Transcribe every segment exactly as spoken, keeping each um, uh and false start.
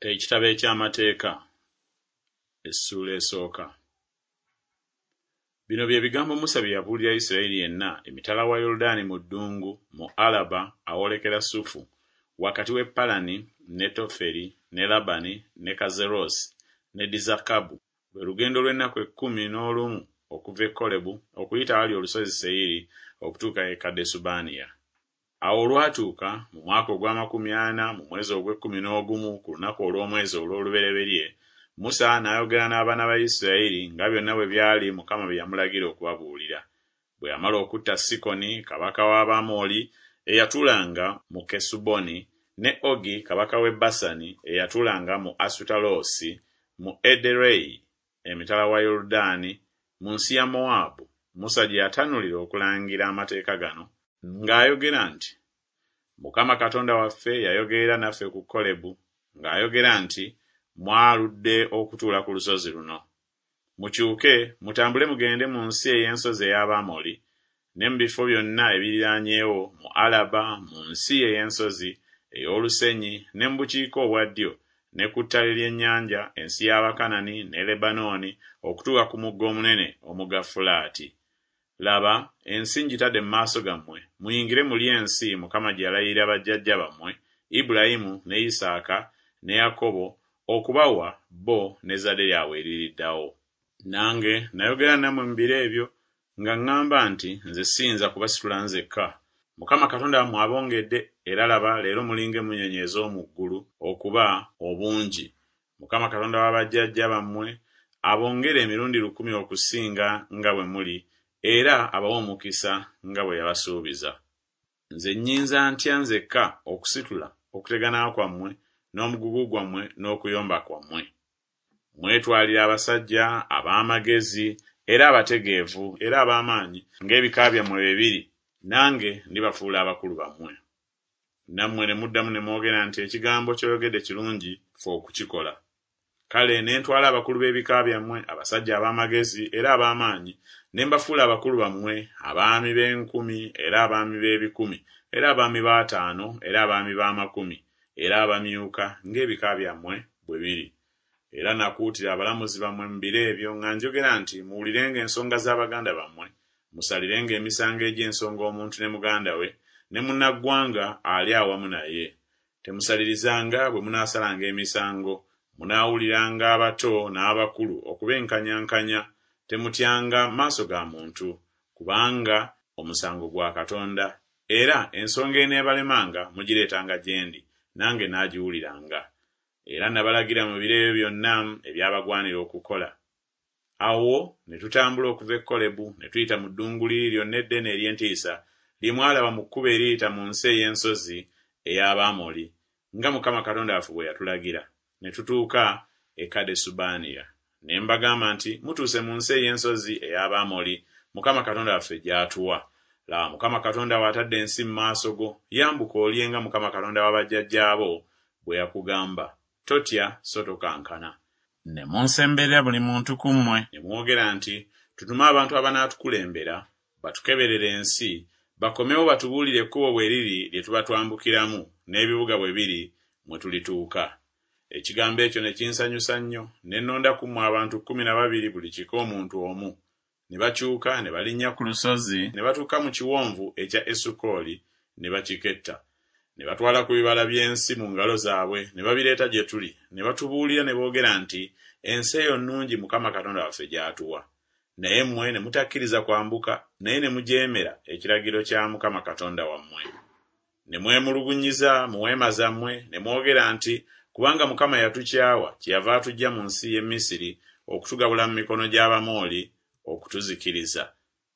Ekitabo eky'Amateeka, essuula esooka. Bino bye bigambo Musa bye yabuulira Isirayiri yenna emitala wa Yoludaani mu ddungu, mu Alaba awoolekera Sufu, wakati w'e Palani ne Toferi ne Labani ne Kazerosi ne Dizakabu, lwe lugendo lw'ennaku ekkumi n'olumu okuva e Kolebu okuyita awali olusozi Seyiri okutuuka e Kadesubanea. Awo olwatuuka mu mwaka ogw'amakumi ana mu mwezi ogw'ekkumi n'ogumu ku lunaku olw'omwezi olw'olubereberye, Musa n'ayogera n'abaana ba Isirayiri nga byonna bwe byali Mukama bye yamulagira okubabuulira. Bwe yamala okutta Sikoni kabaka w'Abamoli eyatuulanga mu Kesuboni, ne Ogi kabaka w'e Basani eyatuulanga mu Asutaloosi mu Ederei emitala wa Yoludaani mu nsi ya Mowaabu, Musa gye yatanulira okulangira amateeka gano ng'ayogera nti, Mukama Katonda waffe yayogerera naffe ku Kolebu ng'ayogera nti, Mwaludde okutuula ku lusozi luno. Mukyuke mutambule mugende mu nsi ey'ensozi ey'Abamoli ne mu bifo byonna ebiriraanyeewo mu Alaba mu nsi ey'ensozi ey'olusenyi ne mu bukiika obwa ddyo ne ku ttale ly'ennyanja ensi y'Abakanani ne Lebanooni okutuuka ku mugga omunene omugga Fulaati. Laba, ensi ngitadde mu maaso gammwe, muyingire mulye ensi Mukama gye yalayirira bajjajja bammwe, Ibulayimu ne Isaaka ne Yakobo okubawa bo n'ezzadde lyabwe eririddawo. Nange nayogera nammwe mu biro ebyo nga ŋŋamba nti nze siyinza kubasitula nzekka. Mukama Katonda wammwe abongedde, era laba leero mulinga emmunyeenye ez'omu ggulu okuba obungi. Mukama Katonda wa bajjajja bammwe abongere emirundi lukumi okusinga nga bwe muli era abawe omukisa nga bwe yabasuubiza. Nze nnyinza ntya nzekka okusitula okutegana kwammwe n'omugugu gwammwe n'okuyomba kwammwe? Mwetwalire abasajja ab'amagezi era abategeevu era ab'amaanyi ng'ebika byammwe bwe biri, nange ndibafuula abakulu bammwe. Nammwe ne muddamu ne mwogera nti ekigambo ky'oyogedde kirungi ffe okukikola. Kale ne ntwala abakulu b'ebika byammwe, abasajja ab'amagezi era ab'amaanyi, ne mbafuula abakulu bammwe, abaami b'enkumi era abaami b'ebikumi era abaami b'ataano era abaami b'amakumi era abamyuka ng'ebika byammwe bwe biri. Era nakuutira abalamuzi bammwe mu biro ebyo nga njogera nti muwulirenga ensonga z'abaganda bammwe, musalirenga emisango egy'ensonga omuntu ne muganda we ne munnaggwanga ali awamu naye. Temusalirizanga bwe munaasalanga emisango, munaawuliranga abato n'abakulu okubenkanyankanya, temutyanga maaso ga muntu, kubanga omusango gwa Katonda, era ensonga eneebalemanga mugireetanga gye ndi, nange naagiwuliranga. Era nabalagira mu biro ebyo byonna ebyabagwanira okukola. Awo ne tutambula okuva e Kolebu ne tuyita mu ddungu liri lyonna eddene ery'entiisa lye mwalaba mu kkubo eriyita mu nsi ey'ensozi ey'Abamoli, nga Mukama Katonda waffe bwe yatulagira, ne tutuuka e Kadesubanea. Ne mbagamba nti, Mutuuse mu nsi ey'ensozi ey'Abamoli, Mukama Katonda waffe gy'atuwa. Laba, Mukama Katonda wo atadde ensi mu maaso go, yambuka olye nga Mukama Katonda wa bajjajjaabo bwe yakugamba. Totya so tokankana. Ne munsemberera buli muntu ku mmwe, ne mwogera nti, Tutume abantu abanaatukulembera, batukeberere ensi, bakomewo batubuulire ekkubo bwe liri lye tuba twambukiramu, n'ebibuga bwe biri mwe tulituuka. Ekigambo ekyo ne kinsanyusa nnyo, ne nnonda ku mmwe abantu kkumi na babiri buli kika omuntu omu. Ne bakyuka ne balinnya ku lusozi ne batuuka mu kiwonvu ekya Esukoli ne bakiketta. Ne batwala ku bibala by'ensi mu ngalo zaabwe ne babireeta gye tuli, ne batubuulira ne boogera nti, Ensi eyo nnungi Mukama Katonda waffe gy'atuwa. Naye mmwe ne mutakkiriza kwambuka, naye ne mujeemera ekiragiro kya Mukama Katonda wammwe. Ne mwemulugunyiza mu weema zammwe ne mwogera nti, Kubanga Mukama yatukyawa, kyeyava atuggya mu nsi y'e Misiri okutugabula mu mikono gy'Abamoli okutuzikiriza.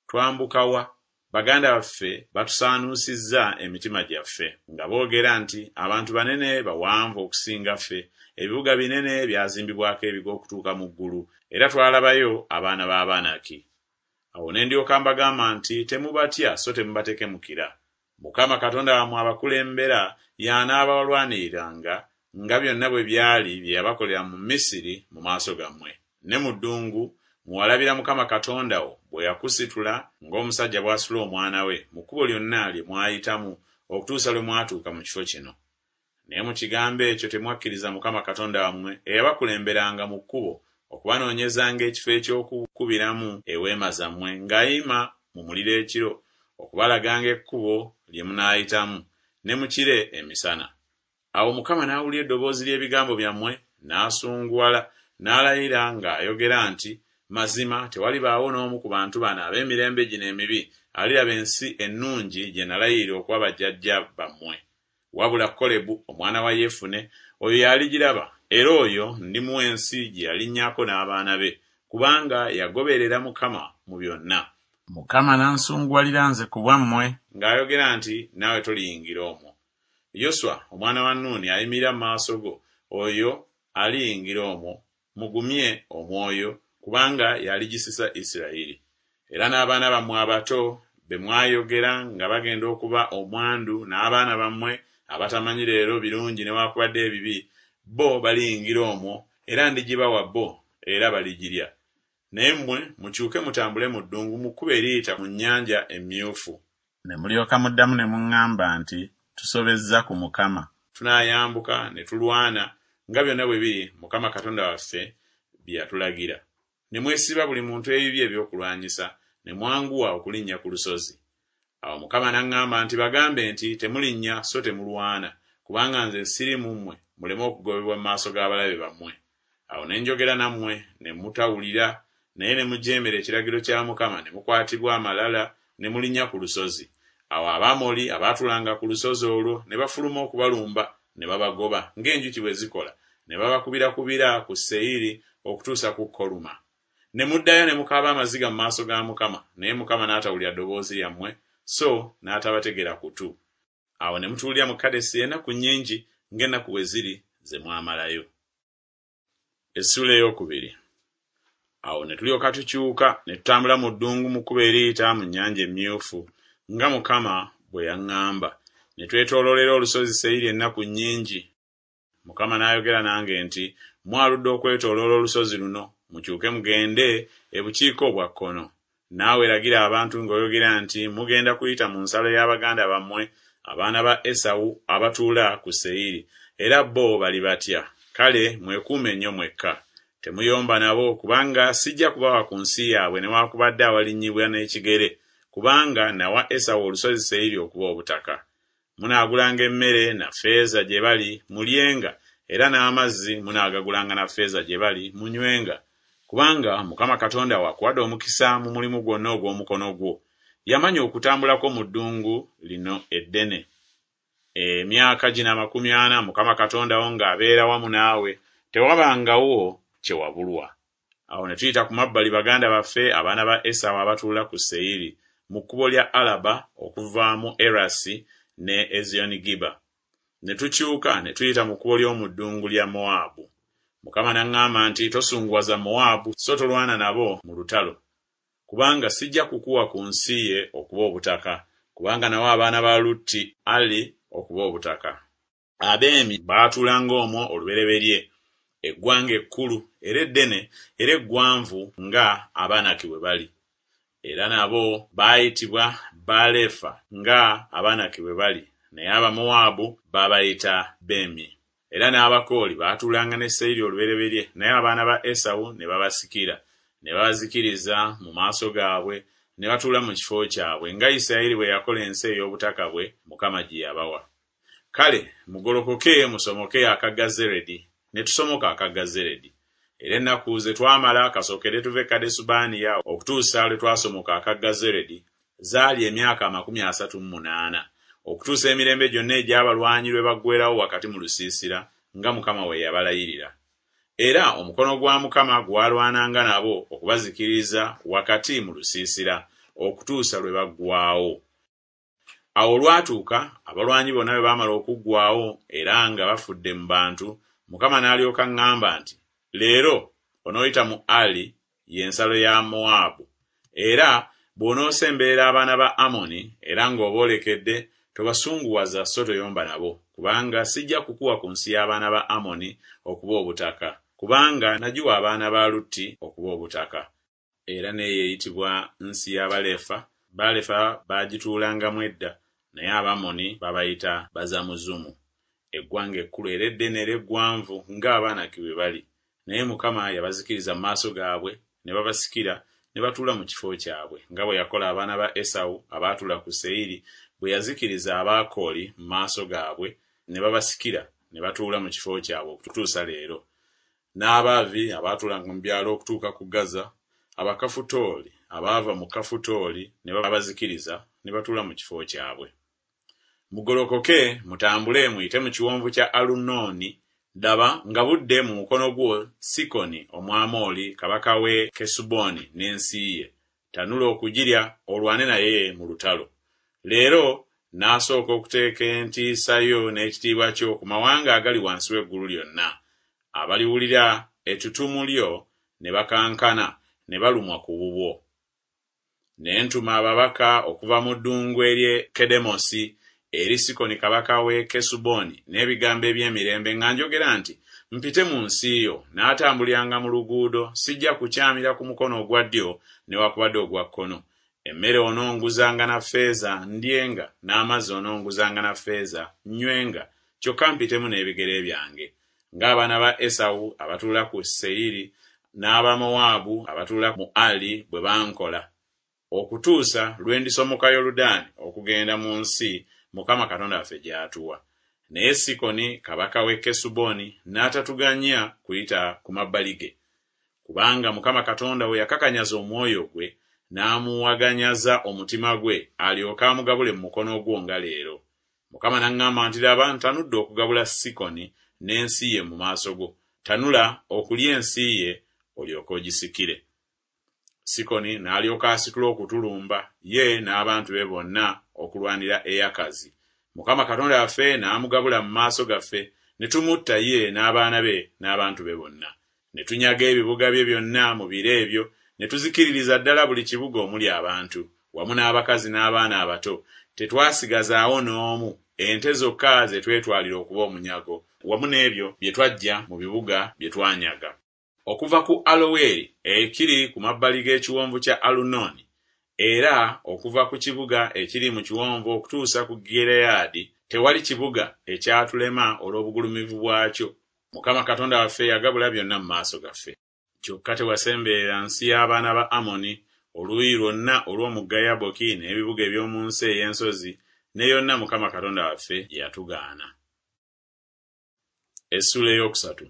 Twambuka wa? Baganda baffe batusaanuusizza emitima gyaffe, nga boogera nti, Abantu banene bawanvu okusinga ffe, ebibuga binene byazimbibwako ebigo okutuuka mu ggulu, era twalabayo abaana b'Abanaki. Awo ne ndyoka mbagamba nti, Temubatya so temubatekemukira. Mukama Katonda wammwe abakulembera y'anaabalwaniriranga, nga byonna bwe byali bye yabakolera mu Misiri mu maaso gammwe, ne mu ddungu mwewalabira Mukama Katonda wo bwe yakusitula ng'omusajja bw'asitula omwana we mu kkubo lyonna lye mwayitamu okutuusa lwe mwatuuka mu kifo kino. Naye mu kigambo ekyo temwakkiriza Mukama Katonda wammwe eyabakulemberanga mu kkubo okubanoonyezanga ekifo eky'okukubiramu eweema zammwe ng'ayima mu muliro ekiro okubalaganga ekkubo lye munaayitamu, ne mu kire emisana. Awo Mukama n'awulira eddoboozi ly'ebigambo byammwe, n'asunguwala, n'alayira ng'ayogera nti, Mazima tewalibaawo n'omu ku bantu bano ab'emirembe gino emibi aliraba ensi ennungi gye nalayirira okuwa bajjajja bammwe. Wabula Kolebu omwana wa Yefune oyo y'aligiraba, era oyo ndimuwa ensi gye yalinnyako n'abaana be, kubanga yagoberera Mukama mu byonna. Mukama n'ansunguwalira nze ku bwammwe ng'ayogera nti, Naawe toliyingira omwo. Yoswa omwana wa Nuuni ayimirira mu maaso go, oyo aliyingira omwo, mugumye omwoyo, kubanga y'aligisisa Isirayiri. Era n'abaana bammwe abato be mwayogera nga bagenda okuba omwandu n'abaana bammwe abatamanyi leero birungi newaakubadde ebibi, bo baliyingira omwo, era ndigibawa bo, era baligirya. Naye mmwe mukyuke mutambule mu ddungu mu kkubo eriyita mu Nnyanja Emmyufu. Ne mulyoka muddamu ne muŋŋamba nti, Tusobezza ku Mukama. Tunaayambuka ne tulwana, nga byonna bwe biri Mukama Katonda waffe bye yatulagira. Ne mwesiba buli muntu ebibye ebyokulwanyisa, ne mwanguwa okulinnya ku lusozi. Awo Mukama n'aŋŋamba nti, Bagambe nti, Temulinnya so temulwana, kubanga nze siri mu mmwe, muleme okugobebwa mu maaso g'abalabe bammwe. Awo ne njogera nammwe, ne mutawulira, naye ne mujeemera ekiragiro kya Mukama, ne mukwatibwa amalala, ne mulinnya ku lusozi. Awo Abamoli abaatuulanga ku lusozi olwo ne bafuluma okubalumba, ne babagoba, ng'enjuki bwe zikola, ne babakubirakubira ku Seyiri okutuusa ku Koluma. Ne muddayo ne mukaaba amaziga mu maaso ga Mukama, naye Mukama n'atawulira ddoboozi lyammwe, so n'atabategera kutu. Awo ne mutuulira mu Kadesi ennaku nnyingi, ng'ennaku bwe ziri ze mwamalayo. Essuula ey'okubiri. Awo ne tulyoka tukyuka ne tutambula mu ddungu mu kkubo eriyita mu Nnyanja Emmyufu, nga Mukama bwe yaŋŋamba. Ne twetooloolera olusozi Seyiri ennaku nnyingi. Mukama n'ayogera nange nti, Mwaludde okwetooloola olusozi luno, mukyuke mugende ebukiika obwa kkono. Naawe lagira abantu ng'oyogera nti, Mugenda kuyita mu nsalo ya baganda bammwe, abaana ba Esawu abatuula ku Seyiri, era bo bali batya. Kale mwekuume nnyo mwekka. Temuyomba nabo, kubanga sijja kubawa ku nsi yaabwe newaakubadde awalinnyibwa n'ekigere, kubanga nawa Esawu olusozi Seyiri okuba obutaka. Munaagulanga emmere na ffeeza gye bali, mulyenga, era n'amazzi munaagagulanga na ffeeza gye bali, munywenga. Kubanga Mukama Katonda wo akuwadde omukisa mu mulimu gwonna ogw'omukono gwo. Yamanya okutambulako mu ddungu lino eddene. Emyaka gino amakumi ana Mukama Katonda wo ng'abeera wamu naawe, tewabangawo kye wabulwa. Awo ne tuyita ku mabbali baganda baffe abaana ba Esawu abatuula ku Seyiri, mu kkubo lya Alaba okuva mu Erasi ne Eziyonigiba. Ne tukyuka ne tuyita mu kkubo ly'omu ddungu lya Mowaabu. Mukama n'aŋŋamba nti, Tosunguwaza Mowaabu, so tolwana nabo mu lutalo, kubanga sijja kukuwa ku nsi ye okuba obutaka, kubanga nawa abaana ba Lutti Ali okuba obutaka. Abeemi baatuulanga omwo olubereberye, eggwanga ekkulu era eddene era eggwanvu nga Abanaki bwe bali. Era nabo baayitibwa Balefa nga Abanaki bwe bali, naye Abamowaabu baabayita Bemi. Era n'Abakooli baatuulanga ne Seyiri olubereberye, naye abaana ba Esawu ne babasikira, ne babazikiriza mu maaso gaabwe, ne batuula mu kifo kyabwe, nga Isirayiri bwe yakola ensi ey'obutaka bwe Mukama gye yabawa. Kale mugolokoke musomoke akagga Zeredi. Ne tusomoka akagga Zeredi. Era ennaku ze twamala kasookere tuve Kadesubanea okutuusa lwe twasomoka akagga Zeredi zaali emyaka amakumi asatu mu munaana, okutuusa emirembe gyonna egy'abalwanyi lwe baggweerawo wakati mu lusiisira, nga Mukama bwe yabalayirira. Era omukono gwa Mukama gwalwananga nabo okubazikiriza wakati mu lusiisira, okutuusa lwe baggwaawo. Awo olwatuuka, abalwanyi bonna bwe baamala okuggwaawo era nga bafudde mu bantu, Mukama n'alyoka aŋŋamba nti, Leero onooyita mu Ali, ye nsalo ya Mowaabu. Era bw'onoosemberera abaana ba Amoni era ng'oboolekedde, tobasunguwaza so toyomba nabo, kubanga sijja kukuwa ku nsi y'abaana ba Amoni okuba obutaka, kubanga nagiwa abaana ba Lutti okuba obutaka. Era n'eyo eyitibwa nsi y'Abalefa, Balefa baagituulangamu edda, naye Abamoni babayita Bazamuzumu. Eggwanga ekkulu era eddene era eggwanvu ng'Abaanaki bwe bali. Naye Mukama yabazikiriza mu maaso gaabwe, ne babasikira, ne batuula mu kifo kyabwe, nga bwe yakola abaana ba Esawu abaatuula ku Seyiri, bwe yazikiriza Abakooli mu maaso gaabwe, ne babasikira, ne batuula mu kifo kyabwe okutuusa leero. N'Abaavi abaatuulanga mu byalo okutuuka ku Gaza, Abakafutooli abaava mu Kafutooli ne babazikiriza, ne batuula mu kifo kyabwe. Mugolokoke, mutambule muyite mu kiwonvu kya Alunooni. Laba, ngabudde mu mukono gwo Sikoni Omwamoli kabaka w'e Kesuboni n'ensi ye. Tanula okugirya, olwane naye mu lutalo. Leero n'asooka okuteeka entiisa yo n'ekitiibwa kyo ku mawanga agali wansi w'eggulu lyonna. Abaliwulira ettutumu lyo ne bakankana, ne balumwa ku bubwo. Ne ntuma ababaka okuva mu ddungu ery'e Kedemosi eri Sikoni kabaka w'e Kesuboni n'ebigambo eby'emirembe nga njogera nti, Mpite mu nsi yo, n'atambuliranga mu luguudo, sijja kukyamira ku mukono ogwa ddyo newakubadde ogwa kkono. Emmere ononguzanga na ffeeza ndyenga, n'amazzi ononguzanga na ffeeza nnywenga, kyokka mpitemu n'ebigere byange. Ng'abaana ba Esawu abatuula ku Seyiri n'Abamowaabu abatuula mu Ali bwe bankola, okutuusa lwe ndisomoka Yoludaani okugenda mu nsi Mukama Katonda waffe gy'atuwa. Naye Sikoni kabaka w'e Kesuboni n'atatuganya kuyita ku mabbali ge, kubanga Mukama Katonda we yakakanyaza omwoyo gwe n'amuwaganyaza omutima gwe alyoke amugabule mu mukono gwo nga leero. Mukama n'aŋŋamba nti, Laba, ntanudde okugabula Sikoni n'ensi ye mu maaso go. Tanula okulya ensi ye olyoke ogisikire. Sikoni n'alyoka asitula okutulumba, ye n'abantu be bonna okulwanira e Yakazi. Mukama Katonda waffe n'amugabula mu maaso gaffe, ne tumutta ye n'abaana be n'abantu be bonna. Ne tunyaga ebibuga bye byonna mu biro ebyo, ne tuzikiririza ddala buli kibuga omuli abantu, wamu n'abakazi n'abaana abato. Tetwasigazaawo n'omu, ente zokka ze twetwalira okuba omunyago, wamu n'ebyo bye twaggya mu bibuga bye twanyaga. Okuva ku Aloweri ekiri ku mabbali g'ekiwonvu kya Alunooni, era okuva ku kibuga ekiri mu kiwonvu okutuusa ku Gireyaadi, tewali kibuga ekyatulema olw'obugulumivu bwakyo. Mukama Katonda waffe yagabula byonna mu maaso gaffe. Kyokka tewasemberera nsi y'abaana ba Amoni, oluuyi lwonna olw'omugga Yaboki n'ebibuga eby'omu nsi ey'ensozi, ne yonna Mukama Katonda waffe gye yatugaana. Essuula ey'okusatu.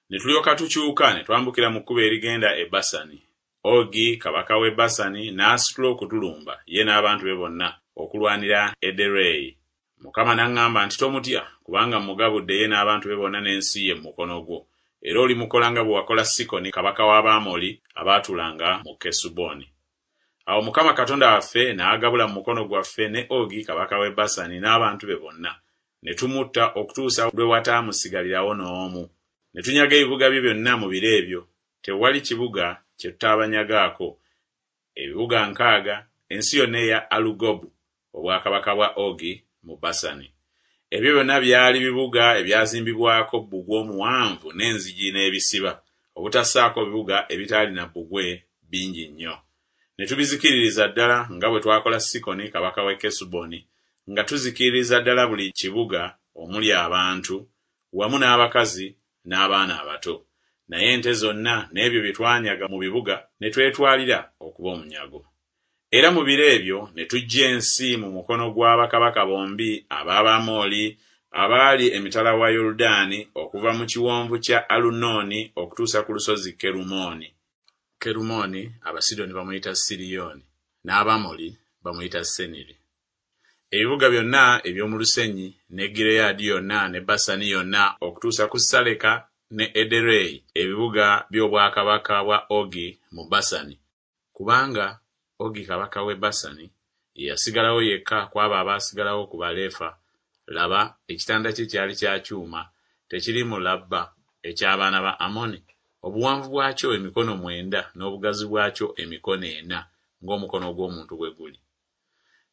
Ne tulyoka tukyuka ne twambukira mu kkubo erigenda e Basani. Ogi kabaka w'e Basani n'asitula okutulumba, ye n'abantu be bonna, okulwanira Ederei. Mukama n'aŋŋamba nti, Tomutya, kubanga mmugabudde ye n'abantu be bonna n'ensi ye mu mukono gwo. Era olimukola nga bwe wakola Sikoni kabaka w'Abamoli abaatuulanga mu Kesuboni. Awo Mukama Katonda waffe n'agabula mu mukono gwaffe ne Ogi kabaka w'e Basani n'abantu be bonna. Ne tumutta okutuusa lwe wataamusigalirawo n'omu. Ne tunyaga ebibuga bye byonna mu biro ebyo. Tewali kibuga kye tutaabanyagaako, ebibuga nkaaga, ensi yonna eya Alugobu, obwakabaka bwa Ogi mu Basani. Ebyo byonna byali bibuga ebyazimbibwako bbugwe omuwanvu n'enzigi n'ebisiba, obutassaako bibuga ebitaalina bbugwe bingi nnyo. Ne tubizikiririza ddala nga bwe twakola Sikoni kabaka w'e Kesuboni, nga tuzikiririza ddala buli kibuga omuli abantu, wamu n'abakazi n'abaana abato. Naye ente zonna n'ebyo bye twanyaga mu bibuga ne twetwalira okuba omunyago. Era mu biro ebyo ne tuggya ensi mu mukono gwa bakabaka bombi ab'Abamoli abaali emitala wa Yoludaani, okuva mu kiwonvu kya Alunooni okutuusa ku lusozi Kerumooni. Kerumooni Abasidoni bamuyita Siriyooni, n'Abamoli bamuyita Seniri. Ebibuga byonna eby'omu lusenyi, ne Gireyaadi yonna ne Basani yonna okutuusa ku Saleka ne Ederei, ebibuga by'obwakabaka bwa Ogi mu Basani. Kubanga Ogi kabaka w'e Basani ye yasigalawo yekka ku abo abaasigalawo ku Balefa. Laba, ekitanda kye kyali kya kyuma, tekiri mu Labba eky'abaana ba Amoni, obuwanvu bwakyo emikono mwenda n'obugazi bwakyo emikono ena ng'omukono gw'omuntu bwe guli.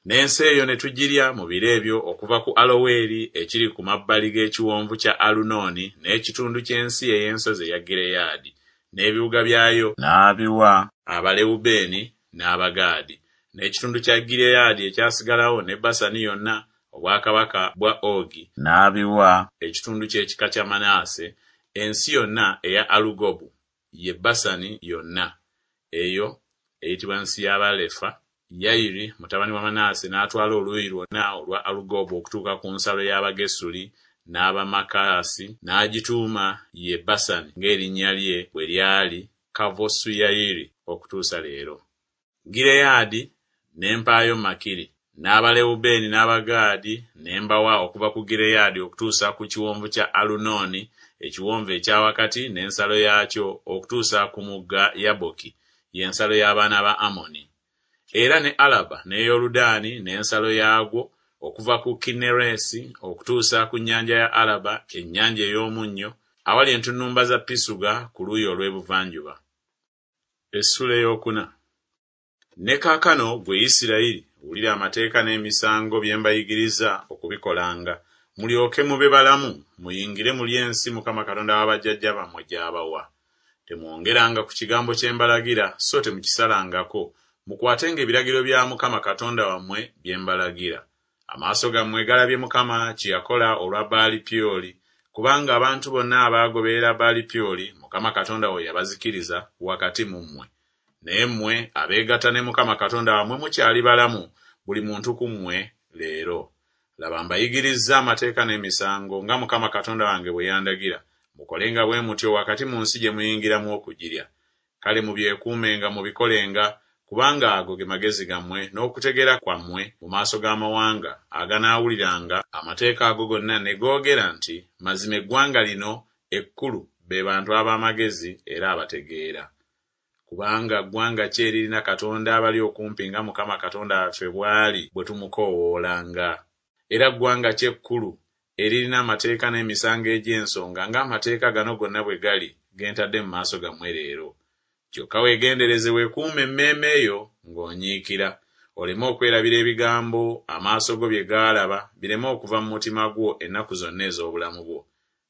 N'ensi eyo ne tugirya mu biro ebyo okuva ku Aloweri ekiri ku mabbali g'ekiwonvu kya Alunooni n'ekitundu ky'ensi ey'ensozi eya Gireyaadi n'ebibuga byayo n'abiwa Abalewubeeni n'Abagaadi, n'ekitundu kya Gireyaadi ekyasigalawo ne Basani yonna obwakabaka bwa Ogi n'abiwa ekitundu ky'ekika kya Manaase, ensi yonna eya Alugobu, ye Basani yonna, eyo eyitibwa nsi y'Abalefa. Yayiri mutabani wa Manaase n'atwala oluuyi lwonna olwa Alugobu okutuuka ku nsalo y'Abagesuli n'Abamakaasi, n'agituuma ye Basani ng'erinnya lye bwe lyali Kavosuyayiri okutuusa leero. Gireyaadi ne mpaayo Makiri, n'Abalewubeeni n'Abagaadi ne mbawa okuva ku Gireyaadi okutuusa ku kiwonvu kya Alunooni, ekiwonvu ekya wakati n'ensalo yaakyo okutuusa ku mugga Yaboki, y'ensalo y'abaana ba Amoni. Era ne Alaba ne Yoludaani n'ensalo yaagwo okuva ku Kinneresi okutuusa ku nnyanja ya Alaba, ennyanja ey'omunnyo, awali entunnumba za Pisuga ku luuyi olw'ebuvanjuba. Essula ey'okuna. Ne kaakano ggwe Isirayiri, wulira amateeka n'emisango bye mbayigiriza okubikolanga, mulyoke mube balamu, muyingire mulye ensi Mukama Katonda wa bajjajja bammwe gy'abawa. Temwongeranga ku kigambo kye mbalagira, so temukisalangako, mukwatenga ebiragiro bya Mukama Katonda wammwe bye mbalagira. Amaaso gammwe galabye Mukama kye yakola olwa Baali Pyoli, kubanga abantu bonna abaagoberera Baali Pyoli, Mukama Katonda wo yabazikiriza wakati mu mmwe. Naye mmwe abeegatta ne Mukama Katonda wammwe mukyali balamu, buli muntu ku mmwe leero. Laba mbayigirizza amateeka n'emisango nga Mukama Katonda wange bwe yandagira, mukolenga bwe mutyo wakati mu nsi gye muyingiramu okugirya. Kale mubyekuumenga mubikolenga, kubanga ago ge magezi gammwe n'okutegeera kwammwe mu maaso g'amawanga aganaawuliranga amateeka ago gonna ne googera nti, Mazima eggwanga lino ekkulu be bantu ab'amagezi era abategeera. Kubanga ggwanga ki eririna Katonda abali okumpi nga Mukama Katonda waffe bw'ali bwe tumukoowoolanga? Era ggwanga ki ekkulu eririna amateeka n'emisango egy'ensonga ng'amateeka gano gonna bwe gali ge ntadde mu maaso gammwe leero? Kyokka weegendereze weekuume emmeeme yo ng'onyiikira, oleme okwerabira ebigambo amaaso go bye gaalaba bireme okuva mu mutima gwo ennaku zonna ez'obulamu bwo.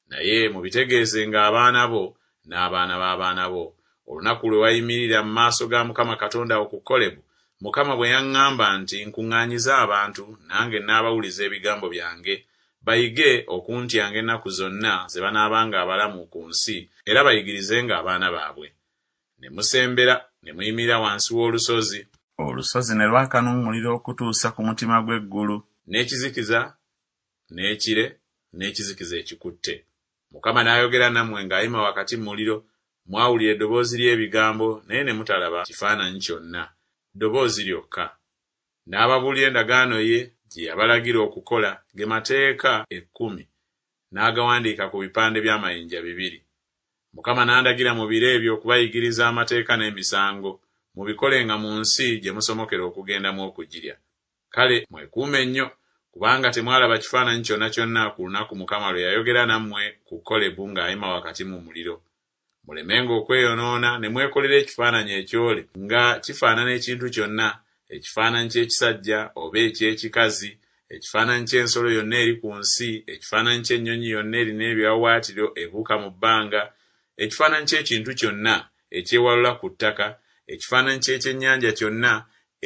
Naye mubitegeezenga abaana bo n'abaana b'abaana bo, olunaku lwe wayimirira mu maaso ga Mukama Katonda wo ku Kolebu, Mukama bwe yaŋŋamba nti nkuŋŋaanyize abantu, nange nnaabawuliza ebigambo byange, bayige okuntyanga ennaku zonna ze banaabanga abalamu ku nsi, era bayigirizenga abaana baabwe. Ne musembera ne muyimirira wansi w'olusozi, olusozi ne lwaka n'omuliro okutuusa ku mutima gw'eggulu, n'ekizikiza n'ekire n'ekizikiza ekikutte. Mukama n'ayogera nammwe ng'ayima wakati mu muliro, mwawulira eddoboozi ly'ebigambo naye ne mutalaba kifaananyi kyonna, ddoboozi lyokka. N'ababuulira endagaano ye gye yabalagira okukola, ge mateeka ekkumi, n'agawandiika ku bipande by'amayinja bibiri. Mukama n'andagira mu biro ebyo okubayigiriza amateeka n'emisango, mubikolenga mu nsi gye musomokera okugendamu okugirya. Kale mwekuume nnyo, kubanga temwalaba kifaananyi kyonna kyonna ku lunaku Mukama lwe yayogera nammwe ku Kolebu ng'ayima wakati mu muliro. Mulemenga okweyonoona ne mwekolera ekifaananyi ekyole nga kifaanana ekintu kyonna, ekifaananyi ky'ekisajja oba eky'ekikazi, ekifaananyi ky'ensolo yonna eri ku nsi, ekifaananyi ky'ennyonyi yonna erina ebiwaawaatiro ebuuka mu bbanga, ekifaananyi ky'ekintu kyonna ekyewalula ku ttaka, ekifaananyi ky'ekyennyanja kyonna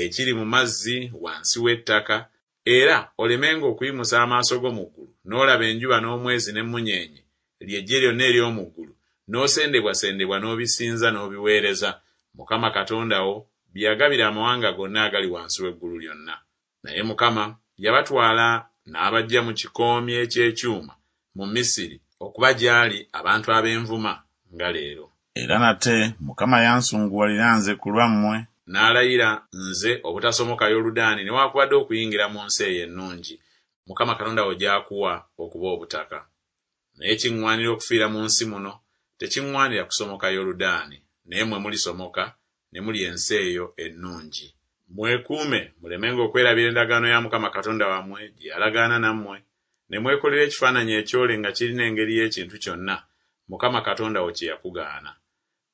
ekiri mu mazzi wansi w'ettaka, era olemenga okuyimusa amaaso go mu ggulu n'olaba enjuba n'omwezi n'emmunyeenye, ly'eggye lyonna ery'omu ggulu, n'osendebwasendebwa n'obisinza n'obiweereza, Mukama Katonda wo bye yagabira amawanga gonna agali wansi w'eggulu lyonna. Naye Mukama yabatwala n'abaggya mu kikoomi eky'ekyuma mu Misiri okuba gy'ali abantu ab'envuma nga leero. Era nate Mukama yansunguwalira nze ku lwammwe, n'alayira nze obutasomoka Yoludaani newaakubadde okuyingira mu nsi eyo ennungi Mukama Katonda wo gy'akuwa okuba obutaka. Naye kiŋŋwanira okufiira mu nsi muno, tekiŋŋwanira kusomoka Yoludaani, naye mmwe mulisomoka ne mulya ensi eyo ennungi. Mwekuume mulemenga okwerabira endagaano ya Mukama Katonda wammwe gye yalagaana nammwe, ne mwekolera ekifaananyi ekyole nga kirina engeri y'ekintu kyonna Mukama Katonda wo kye yakugaana.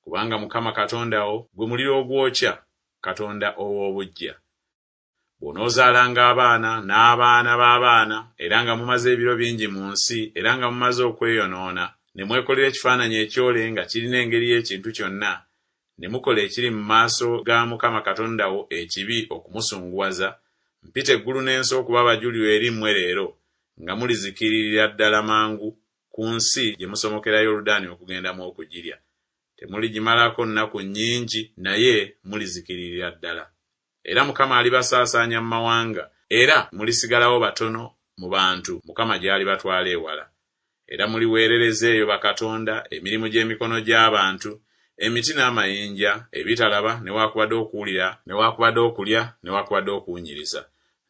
Kubanga Mukama Katonda wo gwe muliro ogwokya, Katonda ow'obuggya. Bw'onoozaalanga abaana n'abaana b'abaana, era nga mumaze ebiro bingi mu nsi, era nga mumaze okweyonoona, ne mwekolera ekifaananyi ekyole nga kirina engeri y'ekintu kyonna, ne mukola ekiri mu maaso ga Mukama Katonda wo ekibi okumusunguwaza, Mpita eggulu n'ensi okuba abajulirwa eri mmwe leero, nga mulizikiririra ddala mangu ku nsi gye musomokera Yoludaani okugendamu okugirya. Temuligimalako nnaku nnyingi, naye mulizikiririra ddala. Era Mukama alibasaasaanya mu mawanga, era mulisigalawo batono mu bantu Mukama gy'alibatwala ewala. Era muliweerereza eyo bakatonda, emirimu gy'emikono gy'abantu, emiti n'amayinja, ebitalaba newaakubadde okuwulira newaakubadde okulya newaakubadde okuwunyiriza.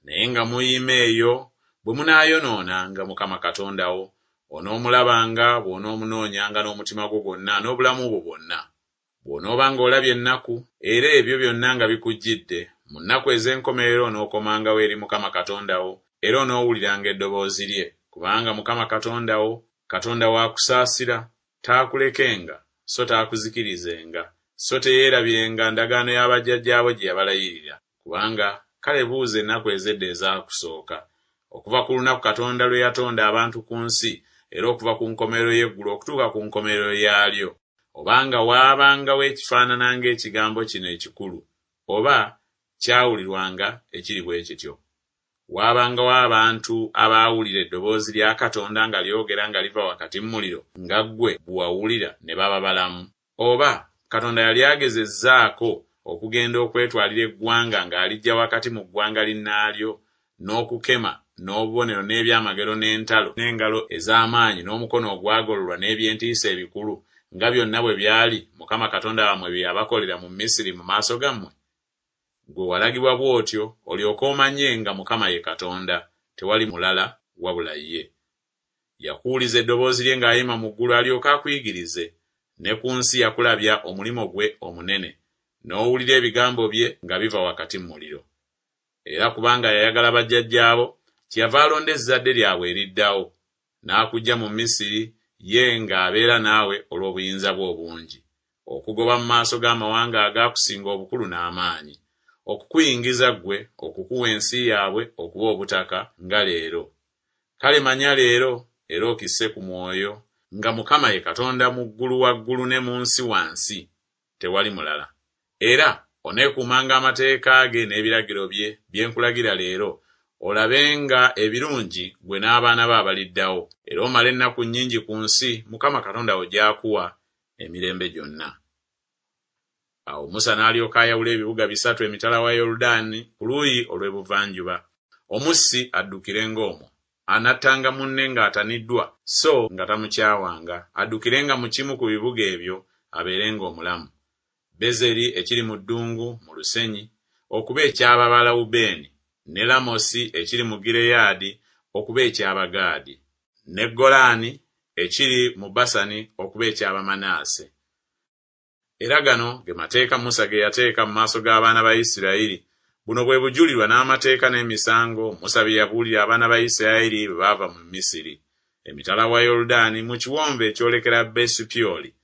Naye nga muyima eyo bwe munaayonoonanga Mukama Katonda wo, onoomulabanga bw'onoomunoonyanga n'omutima gwo gwonna n'obulamu bwo bwonna. Bw'onoobanga olabye ennaku, era ebyo byonna nga bikujjidde, mu nnaku ez'enkomerero onookomangawo eri Mukama Katonda wo, era onoowuliranga eddoboozi lye, kubanga Mukama Katonda wo, Katonda wa kusaasira, taakulekenga, so taakuzikirizenga, so teyeerabirenga ndagaano ya bajjajjaabo gye yabalayirira. Kubanga kale buuza ennaku ez'edda ezaakusooka, okuva ku lunaku Katonda lwe yatonda abantu ku nsi, era okuva ku nkomerero y'eggulu okutuuka ku nkomerero yaalyo, obanga waabangawo ekifaanana ng'ekigambo kino ekikulu, oba kyawulirwanga ekiri bwe kityo. Waabangawo abantu abaawulira eddoboozi lya Katonda nga lyogera nga liva wakati mu muliro, nga ggwe bwe wawulira ne baba balamu? Oba Katonda yali agezezzaako okugenda okwetwalira eggwanga ng'aliggya wakati mu ggwanga linnaalyo, n'okukema, n'obubonero n'ebyamagero n'entalo n'engalo ez'amaanyi n'omukono ogwagololwa n'eby'entiisa ebikulu, nga byonna bwe byali Mukama Katonda wammwe bye yabakolera mu Misiri mu maaso gammwe? Ggwe walagibwa bw'otyo olyoke omanye nga Mukama ye Katonda, tewali mulala wabula ye. Yakuwuliza eddoboozi lye ng'ayima mu ggulu alyoke akuyigirize, ne ku nsi yakulabya omulimu gwe omunene, n'owulira ebigambo bye nga biva wakati mu muliro. Era kubanga yayagala bajjajjaabo, kyeyava alonda ezzadde lyabwe eriddawo, n'akuggya mu Misiri, ye ng'abeera naawe olw'obuyinza bwe obungi, okugoba mu maaso g'amawanga agaakusinga obukulu n'amaanyi, okukuyingiza ggwe okukuwa ensi yaabwe okuba obutaka nga leero. Kale manya leero, era okisse ku mwoyo, nga Mukama ye Katonda mu ggulu waggulu ne mu nsi wansi, tewali mulala. Era oneekuumanga amateeka ge n'ebiragiro bye, bye nkulagira leero, olabenga ebirungi ggwe n'abaana bo abaliddawo, era omale ennaku nnyingi ku nsi Mukama Katonda wo gy'akuwa emirembe gyonna. Awo Musa n'alyoka ayawula ebibuga bisatu emitala wa Yoludaani ku luuyi olw'ebuvanjuba, omussi addukirenga omwo, anattanga munne ng'ataniddwa so nga tamukyawanga, addukirenga mu kimu ku bibuga ebyo abeerenga omulamu. Bezeri ekiri mu ddungu mu lusenyi, okuba eky'Ababalawubeeni, ne Lamosi ekiri mu Gireyaadi okuba eky'Abagaadi, ne Golaani ekiri mu Basani okuba eky'Abamanaase. Era gano ge mateeka Musa ge yateeka mu maaso g'abaana ba Isirayiri. Buno bwe bujulirwa n'amateeka n'emisango Musa bye yabuulira abaana ba Isirayiri bwe baava mu Misiri, emitala wa Yoludaani mu kiwonvu ekyolekera Besupyoli,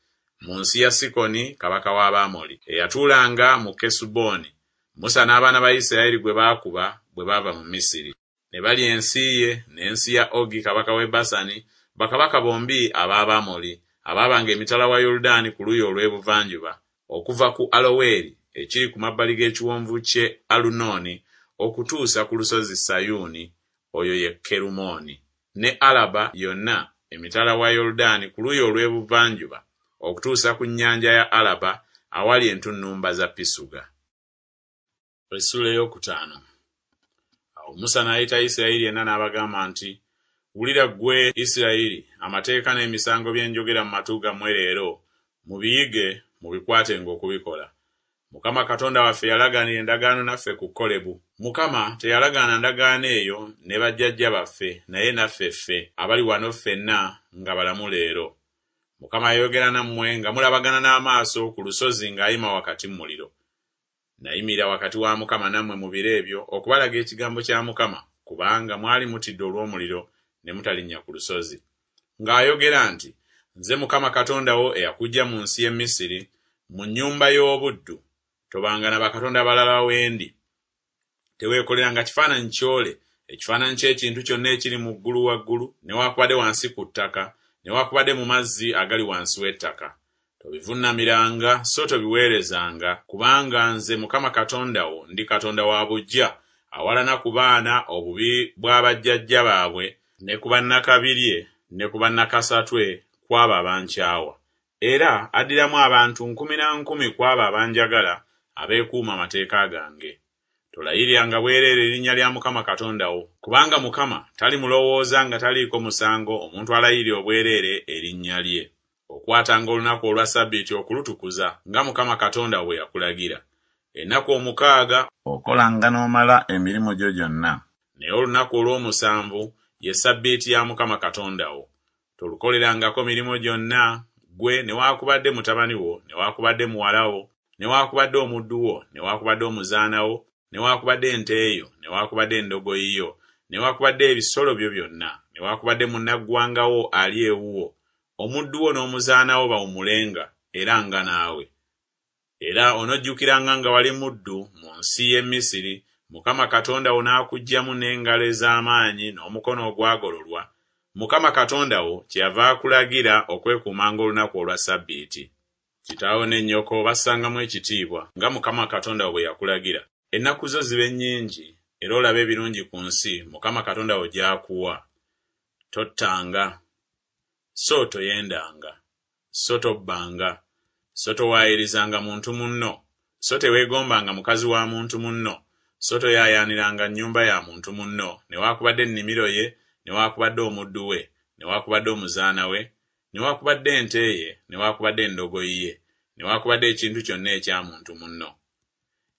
mu nsi ya Sikoni kabaka w'Abamoli, eyatuulanga mu Kesuboni, Musa n'abaana ba Isirayiri gwe baakuba bwe baava mu Misiri. Ne balya ensi ye n'ensi ya Ogi kabaka w'e Basani, bakabaka bombi ab'Abamoli, abaabanga emitala wa Yoludaani ku luuyi olw'ebuvanjuba, okuva ku Aloweri ekiri ku mabbali g'ekiwonvu ky'e Alunooni okutuusa ku lusozi Sayuuni, oyo ye Kerumooni, ne Alaba yonna emitala wa Yoludaani ku luuyi olw'ebuvanjuba okutuusa ku nnyanja ya Alaba awali entunnumba za Pisuga. Essuula ey'okutaano. Awo Musa n'ayita Isirayiri yenna n'abagamba nti, Wulira ggwe Isirayiri amateeka n'emisango bye njogera mu matu gammwe leero, mubiyige mubikwatenga okubikola. Mukama Katonda waffe yalagaanira endagaano naffe ku Kolebu. Mukama teyalagaana ndagaano eyo ne bajjajja baffe, naye naffe ffe abali wano ffenna nga balamu leero. Mukama yayogera nammwe nga mulabagana n'amaaso ku lusozi ng'ayima wakati mu muliro. Nayimirira wakati wa Mukama nammwe mu biro ebyo okubalaga ekigambo kya Mukama, kubanga mwali mutidde olw'omuliro ne mutalinnya ku lusozi. Ng'ayogera nti, Nze Mukama Katonda wo eyakuggya mu nsi y'e Misiri, mu nnyumba y'obuddu. Tobanga na bakatonda balala we ndi. Teweekoleranga kifaananyi kyole, ekifaananyi ky'ekintu kyonna ekiri mu ggulu waggulu, newaakubadde wansi ku ttaka, newaakubadde mu mazzi agali wansi w'ettaka. Tobivunnamiranga so tobiweerezanga, kubanga nze Mukama Katonda wo ndi Katonda wa buggya, Awalana ku baana obubi bwa bajjajja baabwe ne ku bannakabirye ne ku bannakasatwe ku abo abankyawa. Era addiramu abantu nkumi na nkumi ku abo abanjagala abeekuuma amateeka gange. Tolayiriranga bwereere erinnya lya Mukama Katonda wo, kubanga Mukama talimulowooza nga taliiko musango omuntu alayirira obwereere erinnya lye. Okwatanga olunaku olwa Ssabbiiti okulutukuza, nga Mukama Katonda wo bwe yakulagira. Ennaku omukaaga okolanga n'omala emirimu gyo gyonna, naye olunaku olw'omusanvu ye Ssabbiiti ya Mukama Katonda wo. Tolukolerangako mirimu gyonna, ggwe newaakubadde mutabani wo, newaakubadde muwala wo, newaakubadde omuddu wo, newaakubadde omuzaana wo, newaakubadde ente yo, newaakubadde endogoyi yo, newaakubadde ebisolo byo byonna, newaakubadde munnaggwanga wo ali ewuwo. Omuddu wo n'omuzaana wo bawummulenga era nga naawe. Era onojjukiranga nga wali muddu mu nsi y'e Misiri, Mukama Katonda wo n'akuggyamu n'engalo ez'amaanyi n'omukono ogwagololwa. Mukama Katonda wo kyeyava akulagira okwekuumanga olunaku olwa Ssabbiiti. Kitaawo ne nnyoko obassangamu ekitiibwa, nga Mukama Katonda wo bwe yakulagira. Ennaku zo zibe nnyingi, era olabe ebirungi ku nsi Mukama Katonda wo gy'akuwa. Tottanga, so toyendanga, so tobbanga, so towaayirizanga muntu munno, so teweegombanga mukazi wa muntu munno, so toyaayaaniranga nnyumba ya muntu munno, newaakubadde ennimiro ye, newaakubadde omuddu we, newaakubadde omuzaana we, newaakubadde ente ye, newaakubadde endogoyi ye, newaakubadde ekintu kyonna ekya muntu munno.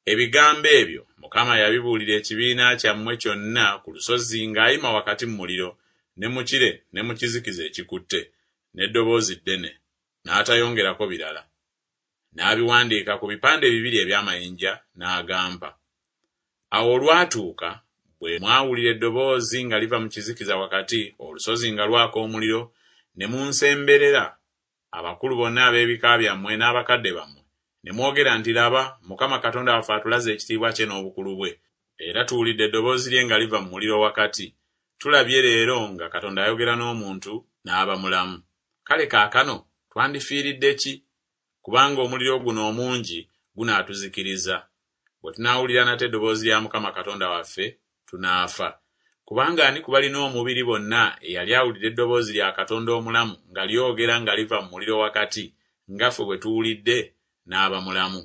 Ebigambo ebyo Mukama yabibuulira ekibiina kyammwe kyonna ku lusozi ng'ayima wakati mu muliro, ne mu kire ne mu kizikiza ekikutte, n'eddoboozi ddene, n'atayongerako birala. N'abiwandiika ku bipande bibiri eby'amayinja n'agampa. Awo olwatuuka bwe mwawulira eddoboozi nga liva mu kizikiza wakati, olusozi nga lwaka omuliro, ne munsemberera, abakulu bonna ab'ebika byammwe n'abakadde bammwe, ne mwogera nti, Laba, Mukama Katonda waffe atulaze ekitiibwa kye n'obukulu bwe, era tuwulidde eddoboozi lye nga liva mu muliro wakati. Tulabye leero nga Katonda ayogera n'omuntu n'aba mulamu. Kale kaakano twandifiiridde ki? Kubanga omuliro guno omungi gunaatuzikiriza. Bwe tunaawulira nate eddoboozi lya Mukama Katonda waffe, tunaafa. Kubanga ani ku balina omubiri bonna eyali awulidde eddoboozi lya Katonda omulamu nga lyogera nga liva mu muliro wakati, nga ffe bwe tuwulidde, n'aba mulamu?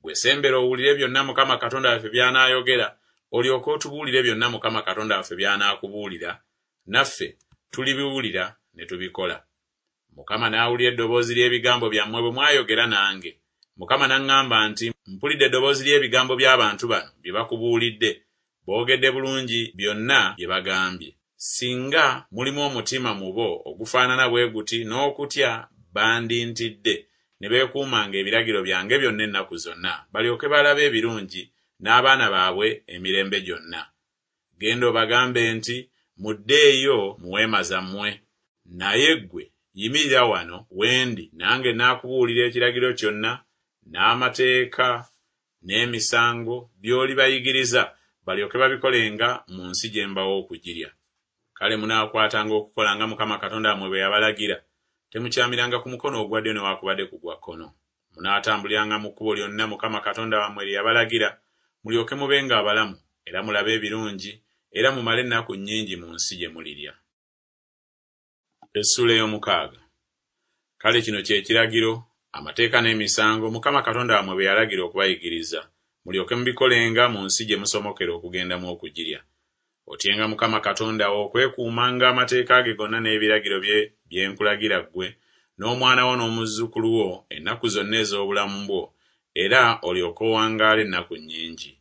Ggwe sembera owulire byonna Mukama Katonda waffe by'anaayogera, olyoke otubuulire byonna Mukama Katonda waffe by'anaakubuulira, naffe tulibiwulira ne tubikola. Mukama n'awulira eddoboozi ly'ebigambo byammwe bwe mwayogera nange. Mukama n'aŋŋamba nti, Mpulidde eddoboozi ly'ebigambo by'abantu bano bye bakubuulidde. Boogedde bulungi byonna bye bagambye. Singa mulimu omutima mu bo ogufaanana bwe guti n'okutya, bandintidde, ne beekuumanga ebiragiro byange byonna ennaku zonna, balyoke balabe ebirungi n'abaana baabwe emirembe gyonna. Genda obagambe nti, Muddeeyo mu weema zammwe. Naye ggwe yimirira wano we ndi, nange naakubuulira ekiragiro kyonna, n'amateeka n'emisango by'olibayigiriza, balyoke babikolenga mu nsi gye mbawa okugirya. Kale munaakwatanga okukola nga Mukama Katonda wammwe bwe yabalagira. Temukyamiranga ku mukono ogwa ddyo newaakubadde ku gwa kkono. Munaatambuliranga mu kkubo lyonna Mukama Katonda wammwe lye yabalagira, mulyoke mubenga abalamu, era mulabe ebirungi, era mumale ennaku nnyingi mu nsi gye mulirya. Essuula ey'omukaaga. Kale kino kye kiragiro, amateeka n'emisango Mukama Katonda wammwe bye yalagira okubayigiriza, mulyoke mubikolenga mu nsi gye musomokera okugendamu okugirya. Otyenga Mukama Katonda wo okwekuumanga amateeka ge gonna n'ebiragiro bye bye nkulagira ggwe, n'omwana wo n'omuzzukulu wo ennaku zonna ez'obulamu bwo, era olyoke owangaale ennaku nnyingi.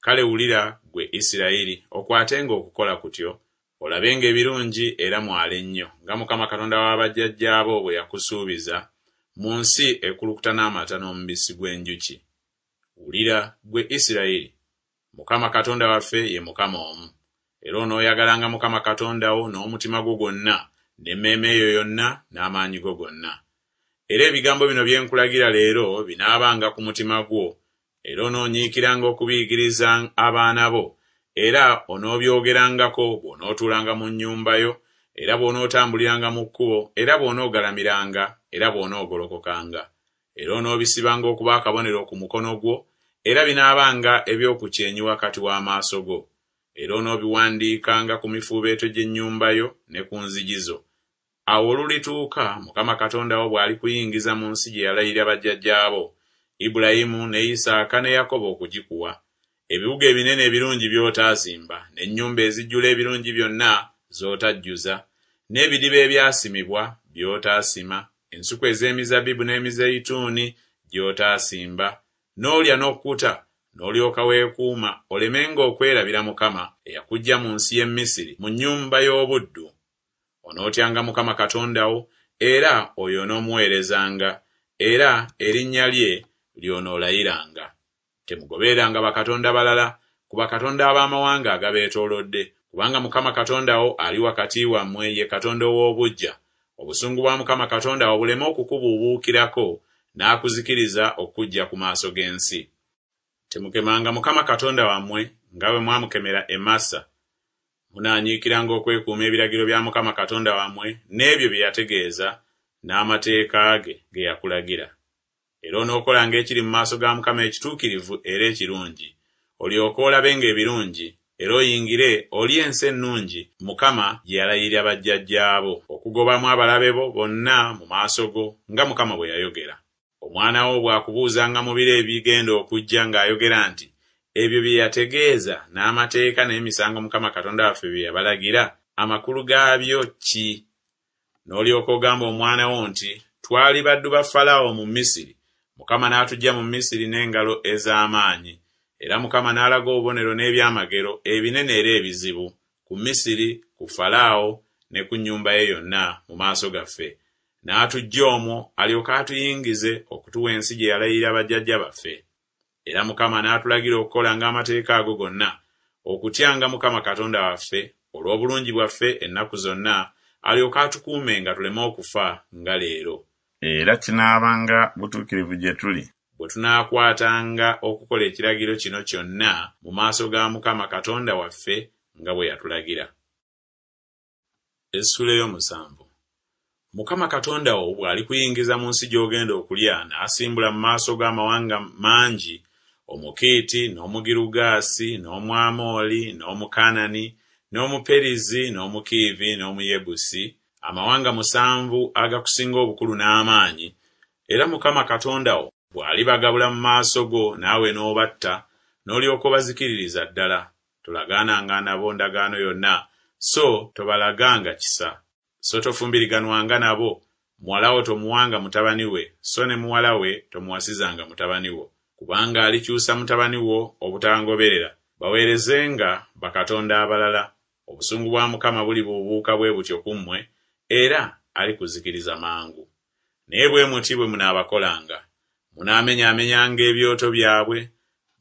Kale wulira, ggwe Isirayiri, okwatenga okukola kutyo, olabenga ebirungi era mwale nnyo, nga Mukama Katonda wa bajjajjaabo bwe yakusuubiza, mu nsi ekulukuta n'amata n'omubisi gw'enjuki. Wulira, ggwe Isirayiri, Mukama Katonda waffe ye Mukama omu. Era onooyagalanga Mukama Katonda wo n'omutima gwo gwonna, n'emmeeme yo yonna, n'amaanyi go gonna. Era ebigambo bino bye nkulagira leero binaabanga ku mutima gwo, era onoonyiikiranga okubiyigiriza abaana bo, era onoobyogerangako bw'onootuulanga mu nnyumba yo, era bw'onootambuliranga mu kkubo, era bw'onoogalamiranga, era bw'onoogolokokanga. Era onoobisibanga okuba akabonero ku mukono gwo, Era binaabanga eby'oku kyenyi wakati w'amaaso go. Era onoobiwandiikanga ku mifuubeeto gy'ennyumba yo ne ku nzigi zo. Awo olulituuka Mukama Katonda wo bw'alikuyingiza mu nsi gye yalayirira bajjajjaabo, Ibulayimu ne Isaaka ne Yakobo okugikuwa. Ebibuga ebinene ebirungi by'otaazimba, n'ennyumba ezijjula ebirungi byonna z'otajjuza, n'ebidiba ebyasimibwa by'otaasima, ensuku ez'emizabbibu n'emizeyituuni gy'otaasimba, n'olya n'okkuta, n'olyoka weekuuma olemenga okwerabira Mukama eyakuggya mu nsi y'e Misiri mu nnyumba y'obuddu. Onootyanga Mukama Katonda wo, era oyo onoomuweerezanga, era erinnya lye ly'onoolayiranga. Temugobereranga bakatonda balala ku bakatonda ab'amawanga agabeetoolodde, kubanga Mukama Katonda wo ali wakati wammwe ye Katonda ow'obuggya. Obusungu bwa Mukama Katonda wo buleme okukubuubuukirako n'akuzikiriza okuggya ku maaso g'ensi. Temukemanga Mukama Katonda wammwe nga bwe mwamukemera e Massa. Munaanyiikiranga okwekuuma ebiragiro bya Mukama Katonda wammwe n'ebyo bye yategeeza n'amateeka ge ge yakulagira. Era onookolanga ekiri mu maaso ga Mukama ekituukirivu era ekirungi, olyoke olabenga ebirungi, era oyingire olye ensi ennungi Mukama gye yalayirira bajjajjaabo, okugobamu abalabe bo bonna mu maaso go, nga Mukama bwe yayogera. Omwana wo bw'akubuuzanga mu biro ebigenda okujja ng'ayogera nti, Ebyo bye yategeeza n'amateeka n'emisango Mukama Katonda waffe bye yabalagira, amakulu gaabyo ki? N'olyoka ogamba omwana wo nti, Twali baddu ba Falaawo mu Misiri, Mukama n'atuggya mu Misiri n'engalo ez'amaanyi. Era Mukama n'alaga obubonero n'ebyamagero ebinene era ebizibu ku Misiri, ku Falaawo ne ku nnyumba ye yonna mu maaso gaffe. N'atuggya omwo alyoke atuyingize okutuwa ensi gye yalayirira bajjajja baffe. Era Mukama n'atulagira okukolanga amateeka ago gonna, okutyanga Mukama Katonda waffe olw'obulungi bwaffe ennaku zonna, alyoke atukuumenga tuleme okufa nga leero. Era kinaabanga butuukirivu gye tuli. Bwe tunaakwatanga okukola ekiragiro kino kyonna mu maaso ga Mukama Katonda waffe nga bwe yatulagira. Essuula ey'omusanvu. Mukama Katonda wo bw'alikuyingiza mu nsi gy'ogenda okulya, n'asimbula mu maaso go amawanga mangi, Omukiiti, n'Omugirugaasi, n'Omwamoli, n'Omukanani, n'Omuperizi, n'Omukiivi, n'Omuyebusi, amawanga musanvu agakusinga obukulu n'amaanyi, era Mukama Katonda wo bw'alibagabula mu maaso go naawe n'obatta, n'olyoka obazikiririza ddala. Tolagaananga nabo ndagaano yonna, so tobalaganga kisa. So tofumbiriganwanga nabo, muwala wo tomuwanga mutabani we, so ne muwala we tomuwasizanga mutabani wo. Kubanga alikyusa mutabani wo obutangoberera, baweerezenga bakatonda abalala. Obusungu bwa Mukama bulibuubuuka bwe butyo ku mmwe, era alikuzikiriza mangu. Naye bwe muti bwe munaabakolanga: munaamenyaamenyanga ebyoto byabwe,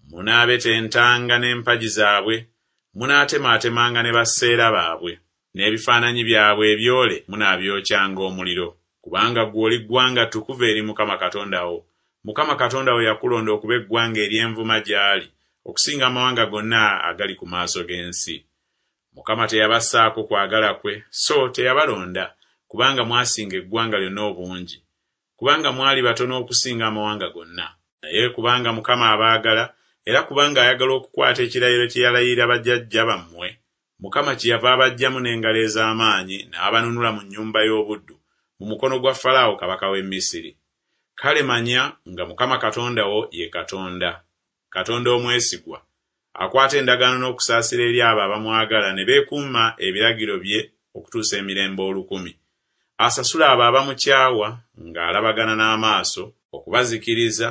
munaabetentanga n'empagi zaabwe, munaatemaatemanga ne baseera baabwe, n'ebifaananyi byabwe ebyole munaabyokyanga omuliro. Kubanga ggwe oli ggwanga ttukuvu eri Mukama Katonda wo. Mukama Katonda wo yakulonda okuba eggwanga ery'envuma gy'ali, okusinga amawanga gonna agali ku maaso g'ensi. Mukama teyabassaako kwagala kwe, so teyabalonda, kubanga mwasinga eggwanga lyonna obungi, kubanga mwali batono okusinga amawanga gonna. Naye kubanga Mukama abaagala, era kubanga ayagala okukwata ekirayiro kye yalayirira bajjajja bammwe, Mukama kyeyava abaggyamu n'engalo ez'amaanyi n'abanunula mu nnyumba y'obuddu, mu mukono gwa Falaawo kabaka w'e Misiri. Kale manya nga Mukama Katonda wo ye Katonda, Katonda omwesigwa, akwata endagaano n'okusaasira eri abo abamwagala ne beekuuma ebiragiro bye okutuusa emirembe olukumi. Asasula abo abamukyawa ng'alabagana n'amaaso okubazikiriza,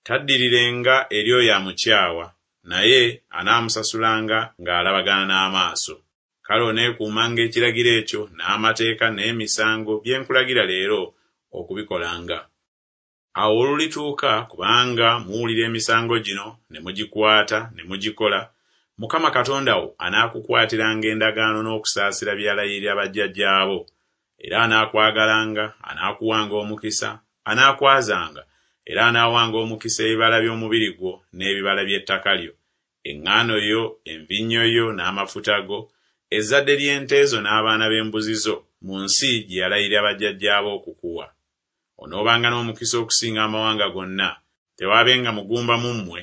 taddirirenga eri oyo amukyawa, naye anaamusasulanga ng'alabagana n'amaaso. Kale oneekuumanga ekiragiro ekyo n'amateeka n'emisango bye nkulagira leero okubikolanga. Awo olulituuka, kubanga muwulira emisango gino ne mugikwata ne mugikola, Mukama Katonda wo anaakukwatiranga endagaano n'okusaasira bye yalayirira bajjajjaabo. Era anaakwagalanga, anaakuwanga omukisa, anaakwazanga, era anaawanga omukisa ebibala by'omubiri gwo n'ebibala by'ettaka lyo, eŋŋaano yo, envinnyo yo n'amafuta go, ezzadde ly'ente zo n'abaana b'embuzi zo, mu nsi gye yalayirira bajjajjaabo okukuwa. Onoobanga n'omukisa okusinga amawanga gonna. Tewaabenga mugumba mu mmwe,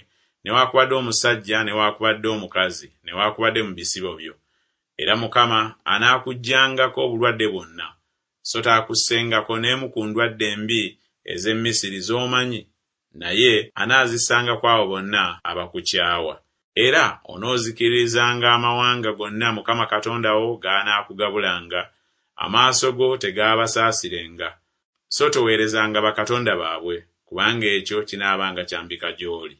Newaakubadde omusajja newaakubadde omukazi, newaakubadde mu bisibo byo. Era Mukama anaakuggyangako obulwadde bwonna, so taakussengako n'emu ku ndwadde embi ez'e Misiri z'omanyi, naye anaazissanga ku abo bonna abakukyawa. Era onoozikirizanga amawanga gonna Mukama Katonda wo g'anaakugabulanga, amaaso go tegaabasaasirenga. So toweerezanga bakatonda baabwe, kubanga ekyo kinaabanga kyambika gy'oli.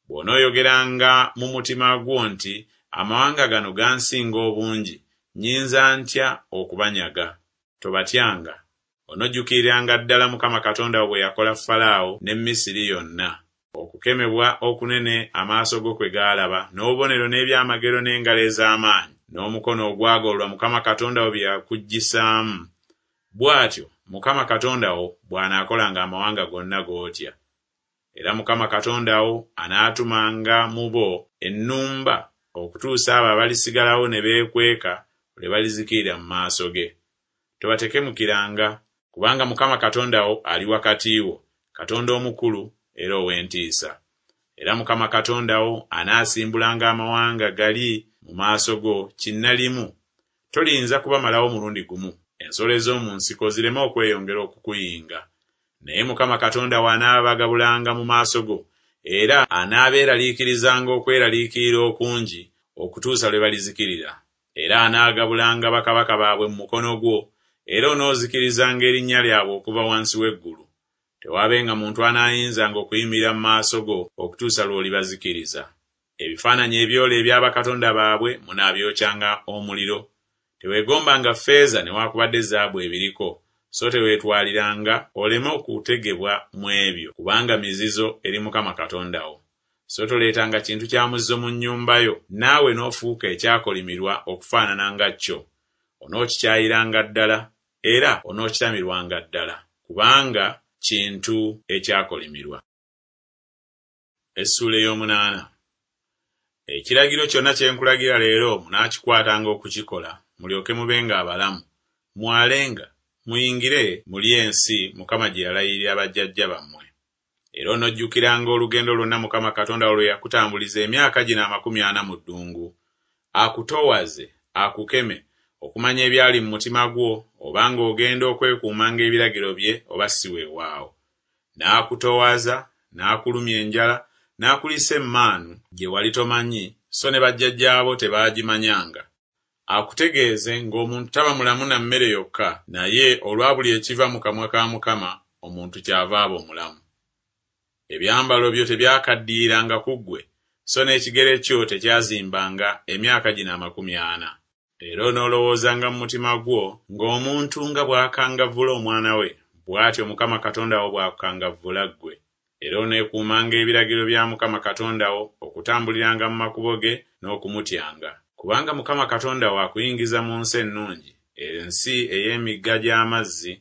Bw'onooyogeranga mu mutima gwo nti, Amawanga gano gansinga obungi, nnyinza ntya okubanyaga? Tobatyanga. Onojjukiriranga ddala Mukama Katonda wo bwe yakola Falaawo ne Misiri yonna, okukemebwa okunene amaaso go kwe gaalaba, n'obubonero n'ebyamagero n'engalo ez'amaanyi, n'omukono ogwagololwa Mukama Katonda wo bye yakuggyisaamu. Bw'atyo Mukama Katonda wo bw'anaakolanga amawanga gonna g'otya. Era Mukama Katonda wo anaatumanga mu bo ennumba okutuusa abo abalisigalawo ne beekweka lwe balizikirira mu maaso ge. Tobatekemukiranga, kubanga Mukama Katonda wo ali wakati wo, Katonda omukulu era ow'entiisa. Era Mukama Katonda wo anaasimbulanga amawanga gali mu maaso go kinnalimu. Toliyinza kubamalawo mulundi gumu, ensolo ez'omu nsiko zireme okweyongera okukuyinga. Naye Mukama Katonda wo anaabagabulanga mu maaso go, era anaabeeraliikirizanga okweraliikirira okungi okutuusa lwe balizikirira. Era anaagabulanga bakabaka baabwe mu mukono gwo, era onoozikirizanga erinnya lyabwe okuva wansi w'eggulu. Tewaabenga muntu anaayinzanga okuyimirira mu maaso go okutuusa lw'olibazikiriza. Ebifaananyi ebyole ebya bakatonda baabwe munaabyokyanga omuliro. Teweegombanga ffeeza newaakubadde zaabu ebiriko, so teweetwaliranga oleme okutegebwa mu ebyo, kubanga mizizo eri Mukama Katonda wo. So toleetanga kintu kya muzizo mu nnyumba yo, naawe n'ofuuka ekyakolimirwa okufaanana nga kyo. Onookikyayiranga ddala, era onookitamirwanga ddala, kubanga kintu ekyakolimirwa. Essuula ey'omunaana. Ekiragiro kyonna kye nkulagira leero munaakikwatanga okukikola, mulyoke mubenga abalamu, mwalenga, muyingire mulye ensi Mukama gye yalayirira bajjajja bammwe. Era onojjukiranga olugendo lwonna Mukama Katonda wo lwe yakutambuliza emyaka gino amakumi ana mu ddungu, akutoowaze, akukeme, okumanya ebyali mu mutima gwo, obanga ogenda okwekuumanga ebiragiro bye oba si weewaawo. N'akutoowaza, n'akulumya enjala, n'akuliisa emmaanu gye wali tomanyi, so ne bajjajjaabo tebaagimanyanga. Akutegeeze ng'omuntu taba mulamu na mmere yokka, naye olwa buli ekiva mu kamwa ka Mukama omuntu kyava aba omulamu. Ebyambalo byo tebyakaddiyiranga ku ggwe, so n'ekigere kyo tekyazimbanga emyaka gino amakumi ana. Era onoolowoozanga mu mutima gwo ng'omuntu nga bw'akangavvula omwana we, bw'atyo Mukama Katonda wo bw'akukangavvula ggwe. Era oneekuumanga ebiragiro bya Mukama Katonda wo, okutambuliranga mu makubo ge n'okumutyanga. Kubanga Mukama Katonda wo akuyingiza mu nsi ennungi, ensi ey'emigga gy'amazzi,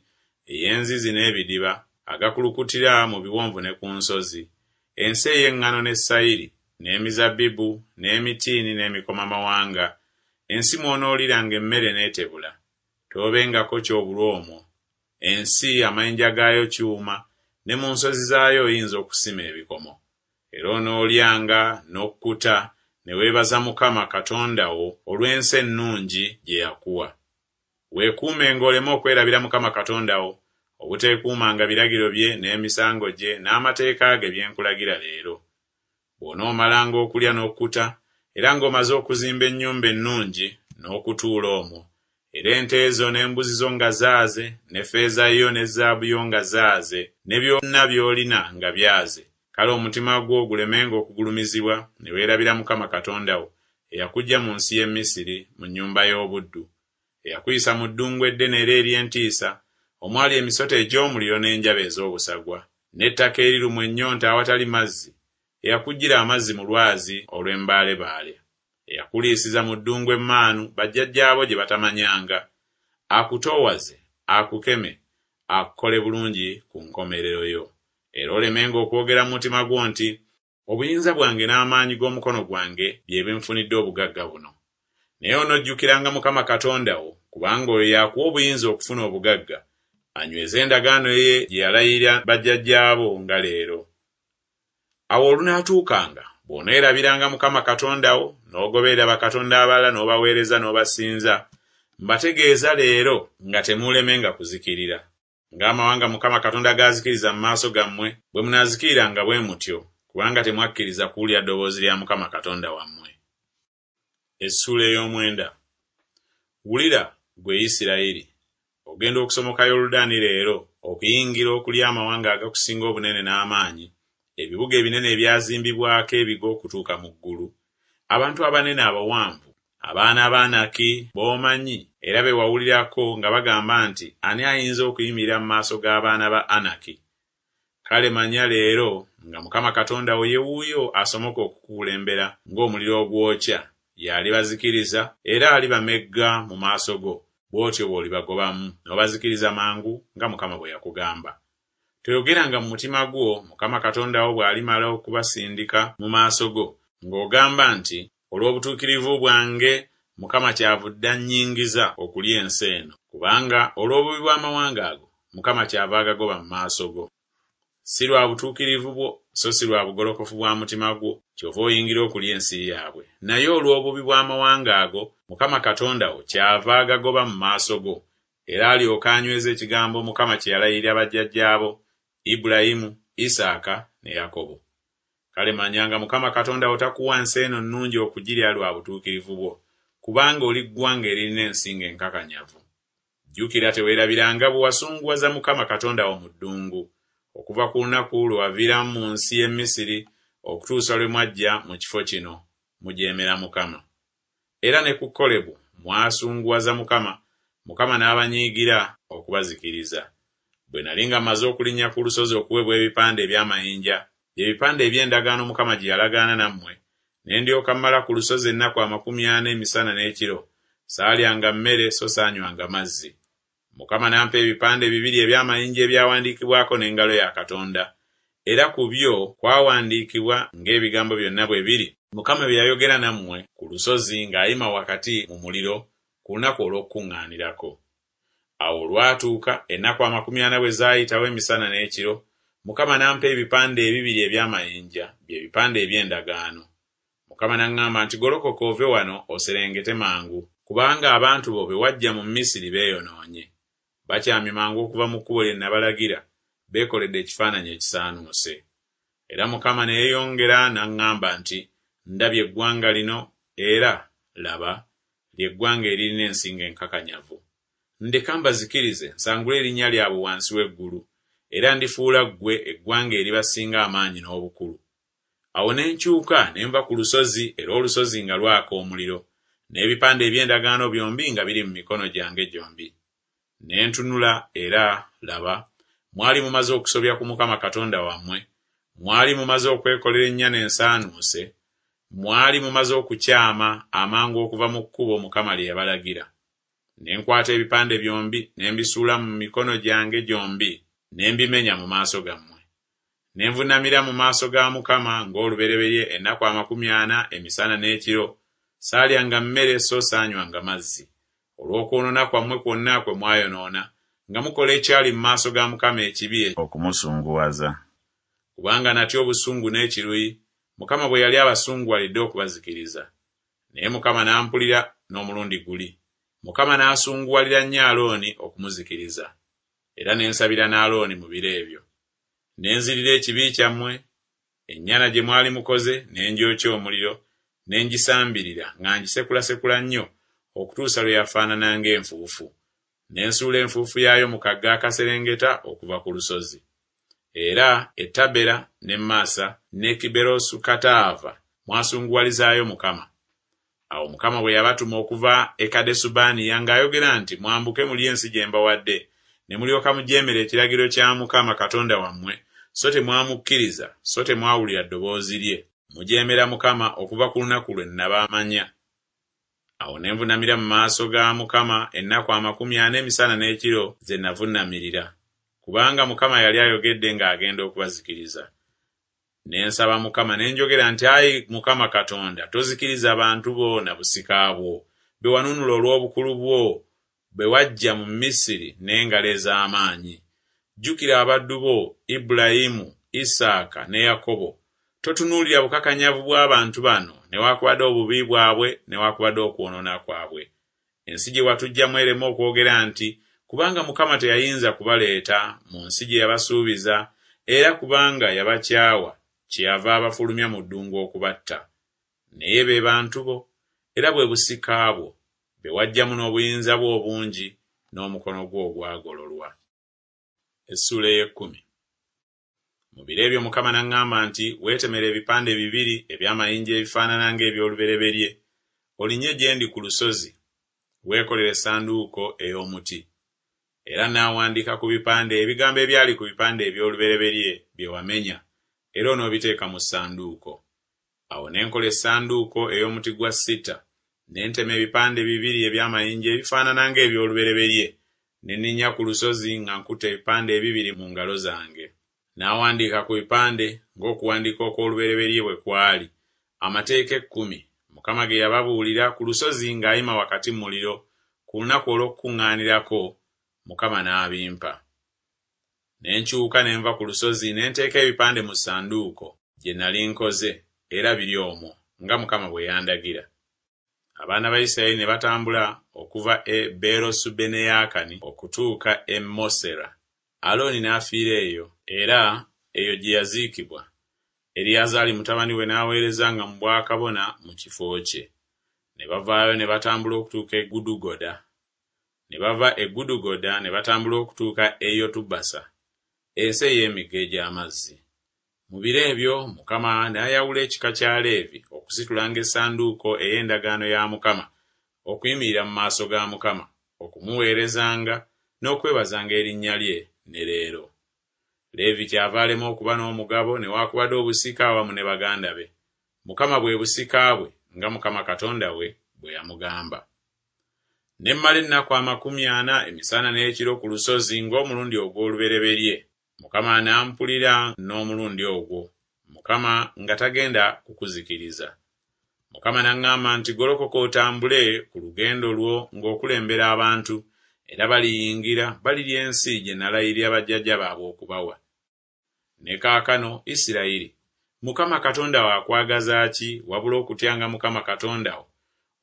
ey'enzizi n'ebidiba, agakulukutira mu biwonvu ne ku nsozi, ensi ey'eŋŋano ne sayiri, n'emizabbibu, n'emitiini n'emikomamawanga, ensi mw'onooliranga emmere n'etebula. Toobengako ky'obulwa omwo. Ensi amayinja gaayo kyuma, ne mu nsozi zaayo oyinza okusima ebikomo. Era onoolyanga n'okkuta, ne weebaza Mukama Katonda wo olw'ensi ennungi gye yakuwa. Weekuumenga oleme okwerabira Mukama Katonda wo, obuteekuumanga biragiro bye n'emisango gye n'amateeka ge bye nkulagira leero. Bw'onoomalanga okulya n'okkuta, era ng'omaze okuzimba ennyumba ennungi n'okutuula omwo, era ente zo n'embuzi zo nga zaaze, ne ffeeza yo ne zaabu yo nga zaaze, ne byonna by'olina nga byaze, kale omutima gwo gulemenga okugulumizibwa ne weerabira Mukama Katonda wo, eyakuggya mu nsi y'e Misiri mu nnyumba y'obuddu, eyakuyisa mu ddungu eddene era ery'entiisa, omwali emisota egy'omuliro n'enjaba ez'obusagwa, n'ettaka erirumwa ennyonta awatali mazzi, eyakuggyira amazzi mu lwazi olw'embaalebaale, eyakuliisiza mu ddungu emmaanu bajjajjaabo gye batamanyanga, akutoowaze, akukeme, akukole bulungi ku nkomerero yo. Era olemenga okwogera mu mutima gwo nti, Obuyinza bwange n'amaanyi g'omukono gwange bye binfunidde obugagga buno. Naye onojjukiranga Mukama Katonda wo, kubanga oyo y'akuwa obuyinza okufuna obugagga, anyweze endagaano ye gye yalayirira bajjajjaabo nga leero. Awo olunaatuukanga Bw'oneerabiranga Mukama Katonda wo, n'ogoberera bakatonda abalala n'obaweereza n'obasinza, mbategeeza leero nga temuulemenga kuzikirira. Ng'amawanga Mukama Katonda g'azikiriza mu maaso gammwe, bwe munaazikiriranga bwe mutyo, kubanga temwakkiriza kuwulira ddoboozi lya Mukama Katonda wammwe. Essuula ey'omwenda. Wulira, ggwe Isirayiri, ogenda okusomoka Yoludaani leero okuyingira okulya amawanga agakusinga obunene n'amaanyi, ebibuga ebinene ebyazimbibwako ebigo okutuuka mu ggulu, abantu abanene abawanvu, abaana ba Anaki b'omanyi era be wawulirako nga bagamba nti, Ani ayinza okuyimirira mu maaso g'abaana ba Anaki? Kale manya leero nga Mukama Katonda wo ye wuuyo asomoka okukukulembera ng'omuliro ogwokya, y'alibazikiriza era alibamegga mu maaso go, bw'otyo bw'olibagobamu n'obazikiriza mangu nga Mukama bwe yakugamba. Toyogeranga mu mutima gwo Mukama Katonda wo bw'alimala okubasindika mu maaso go, ng'ogamba nti, Olw'obutuukirivu bwange Mukama kyavudde annyingiza okulya ensi eno, kubanga olw'obubi bw'amawanga ago Mukama kyava agagoba mu maaso go. Si lwa butuukirivu bwo, so si lwa bugolokofu bwa mutima gwo, kyova oyingira okulya ensi yaabwe, naye olw'obubi bw'amawanga ago Mukama Katonda wo kyava agagoba mu maaso go, era alyoke anyweze ekigambo Mukama kye yalayirira bajjajjaabo, Ibulayimu, Isaaka ne Yakobo. Kale manya nga Mukama Katonda wo takuwa nsi eno nnungi okugirya lwa butuukirivu bwo, kubanga oli ggwanga eririna ensingo enkakanyavu. Jjukira teweerabiranga bwe wasunguwaza Mukama Katonda wo mu ddungu, okuva ku lunaku lwe waviiramu mu nsi y'e Misiri okutuusa lwe mwajja mu kifo kino, mujeemera Mukama. Era ne ku Kolebu mwasunguwaza Mukama, Mukama n'abanyiigira okubazikiriza. Bwe nali nga mmaze okulinnya ku lusozi okuweebwa ebipande eby'amayinja, bye bipande eby'endagaano Mukama gye yalagaana nammwe, ne ndyoka mmala ku lusozi ennaku amakumi ana emisana n'ekiro, saalyanga mmere so saanywanga mazzi. Mukama n'ampa ebipande bibiri eby'amayinja ebyawandiikibwako n'engalo ya Katonda, era ku byo kwawandiikibwa ng'ebigambo byonna bwe biri Mukama bye yayogera nammwe ku lusozi ng'ayima wakati mu muliro ku lunaku olw'okukuŋŋaanirako. Awo olwatuuka ennaku amakumi ana bwe zaayitawo emisana n'ekiro, Mukama n'ampa ebipande ebibiri eby'amayinja, bye bipande eby'endagaano. Mukama n'aŋŋamba nti, Golokoka ove wano oserengete mangu, kubanga abantu bo be wajja mu Misiri beeyonoonye. Bakyamye mangu okuva mu kkubo lye nabalagira, beekoledde ekifaananyi ekisaanuuse. Era Mukama ne yeeyongera n'aŋŋamba nti, Ndabye eggwanga lino, era, laba, lye ggwanga eririna ensingo enkakanyavu. Ndeka mbazikirize, nsangule erinnya lyabwe wansi w'eggulu, era ndifuula ggwe eggwanga eribasinga amaanyi n'obukulu. Awo ne nkyuka ne nva ku lusozi, era olusozi nga lwaka omuliro, n'ebipande eby'endagaano byombi nga biri mu mikono gyange gyombi. Ne ntunula, era, laba, mwali mumaze okusobya ku Mukama Katonda wammwe, mwali mumaze okwekolera ennyana ensaanuuse, mwali mumaze okukyama amangu okuva mu kkubo Mukama lye yabalagira. Ne nkwata ebipande byombi ne mbisuula mu mikono gyange gyombi, ne mbimenya mu maaso gammwe. Ne nvuunamira mu maaso ga Mukama ng'olubereberye ennaku amakumi ana emisana n'ekiro, saalyanga mmere so saanywanga mazzi, olw'okwonoona kwammwe kwonna kwe mwayonoona, nga mukola ekyali mu maaso ga Mukama ekibi okumusunguwaza. Kubanga natya obusungu n'ekiruyi, Mukama bwe yali abasunguwalidde okubazikiriza. Naye Mukama n'ampulira n'omulundi guli. Mukama n'asunguwalira nnyo Alooni okumuzikiriza. Era ne nsabira ne Alooni mu biro ebyo. Ne nzirira ekibi kyammwe, ennyana gye mwali mukoze ne ngyokya omuliro, ne ngisambirira nga ngisekulasekula nnyo okutuusa lwe yafaanana ng'enfuufu. Ne nsuula enfuufu yaayo mu kagga akaserengeta okuva ku lusozi. Era e Tabera ne Masa ne Kiberosukataava mwasunguwalizaayo Mukama. Awo Mukama bwe yabatuma okuva e Kadesubanea ng'ayogera nti, Mwambuke mulye ensi gye mbawadde, ne mulyoka mujeemera ekiragiro kya Mukama Katonda wammwe, so temwamukkiriza, so temwawulira ddoboozi lye. Mujeemera Mukama okuva ku lunaku lwe nabamanya. Awo ne nvuunamira mu maaso ga Mukama ennaku amakumi ana emisana n'ekiro ze navuunamirira, kubanga Mukama yali ayogedde ng'agenda okubazikiriza. Ne nsaba Mukama ne njogera nti, Ayi Mukama Katonda, tozikiriza bantu bo na busika bwo, be wanunula olw'obukulu bwo, bwe wajja mu Misiri n'engalo ez'amaanyi. Jjukira abaddu bo, Ibulayimu, Isaaka ne Yakobo. Totunuulira bukakanyavu bw'abantu bano, newaakubadde obubi bwabwe, newaakubadde okwonoona kwabwe. Ensi gye watuggyamu ereme okwogera nti, Kubanga Mukama teyayinza kubaleeta mu nsi gye yabasuubiza, era kubanga yabakyawa, kyeyava abafulumya mu ddungu okubatta. Naye be bantu bo, era bwe busika bwo, be waggyamu n'obuyinza bwo obungi n'omukono gwo ogwagololwa. Essuula ey'ekkumi. Mu biro ebyo Mukama n'aŋŋamba nti, Weetemere ebipande bibiri eby'amayinja ebifaanana ng'eby'olubereberye, olinnye gye ndi ku lusozi, weekolere essanduuko ey'omuti. Era nnaawandiika ku bipande ebigambo ebyali ku bipande eby'olubereberye bye wamenya, era onoobiteeka mu ssanduuko. Awo ne nkola essanduuko ey'omuti gwa sita, ne ntema ebipande bibiri eby'amayinja ebifaanana ng'eby'olubereberye, ne nninnya ku lusozi nga nkutte ebipande ebibiri mu ngalo zange. N'awandiika ku bipande ng'okuwandiika okw'olubereberye bwe kwali, amateeka ekkumi, Mukama ge yababuulira ku lusozi ng'ayima wakati mu muliro, ku lunaku olw'okukuŋŋaanirako, Mukama n'abimpa. Ne nkyuka ne nva ku lusozi ne nteeka ebipande mu ssanduuko gye nali nkoze, era biri omwo, nga Mukama bwe yandagira. Abaana ba Isirayiri ne batambula okuva e Beerosubeneyaakani okutuuka e Mosera. Alooni n'afiira eyo, era eyo gye yaziikibwa. Eriyazaali mutabani we n'aweerezanga mu bwakabona mu kifo kye. Ne bavaayo ne batambula okutuuka e Gudugoda. Ne bava e Gudugoda ne batambula okutuuka e Yotubasa, ensi ey'emigga egy'amazzi. Mu biro ebyo Mukama n'ayawula ekika kya Leevi okusitulanga essanduuko ey'endagaano ya Mukama, okuyimirira mu maaso ga Mukama, okumuweerezanga n'okwebazanga erinnya lye ne leero. Leevi kyava alema okuba n'omugabo newaakubadde obusika awamu ne baganda be. Mukama bwe busika bwe, nga Mukama Katonda we bwe yamugamba. Ne mmala ennaku amakumi ana emisana n'ekiro ku lusozi ng'omulundi ogw'olubereberye. Mukama n'ampulira n'omulundi ogwo, Mukama nga tagenda kukuzikiriza. Mukama n'aŋŋamba nti, Golokoka otambule ku lugendo lwo ng'okulembera abantu, era baliyingira balirya ensi gye nalayirira bajjajja baabwe okubawa. Ne kaakano, Isirayiri, Mukama Katonda wo akwagaza ki wabula okutyanga Mukama Katonda wo,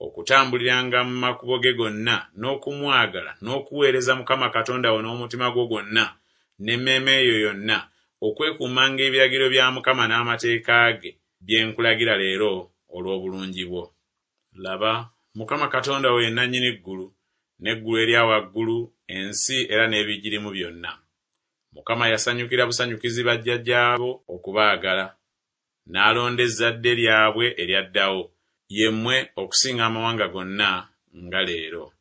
okutambuliranga mu makubo ge gonna n'okumwagala n'okuweereza Mukama Katonda wo n'omutima gwo gwonna n'emmeeme yo yonna, okwekuumanga ebiragiro bya Mukama n'amateeka ge bye nkulagira leero olw'obulungi bwo. Laba, Mukama Katonda wo ye nannyini ggulu, n'eggulu erya waggulu, ensi era n'ebigirimu byonna. Mukama yasanyukira busanyukizi bajjajjaabo okubaagala, n'alonda ezzadde lyabwe eryaddawo, ye mmwe okusinga amawanga gonna nga leero.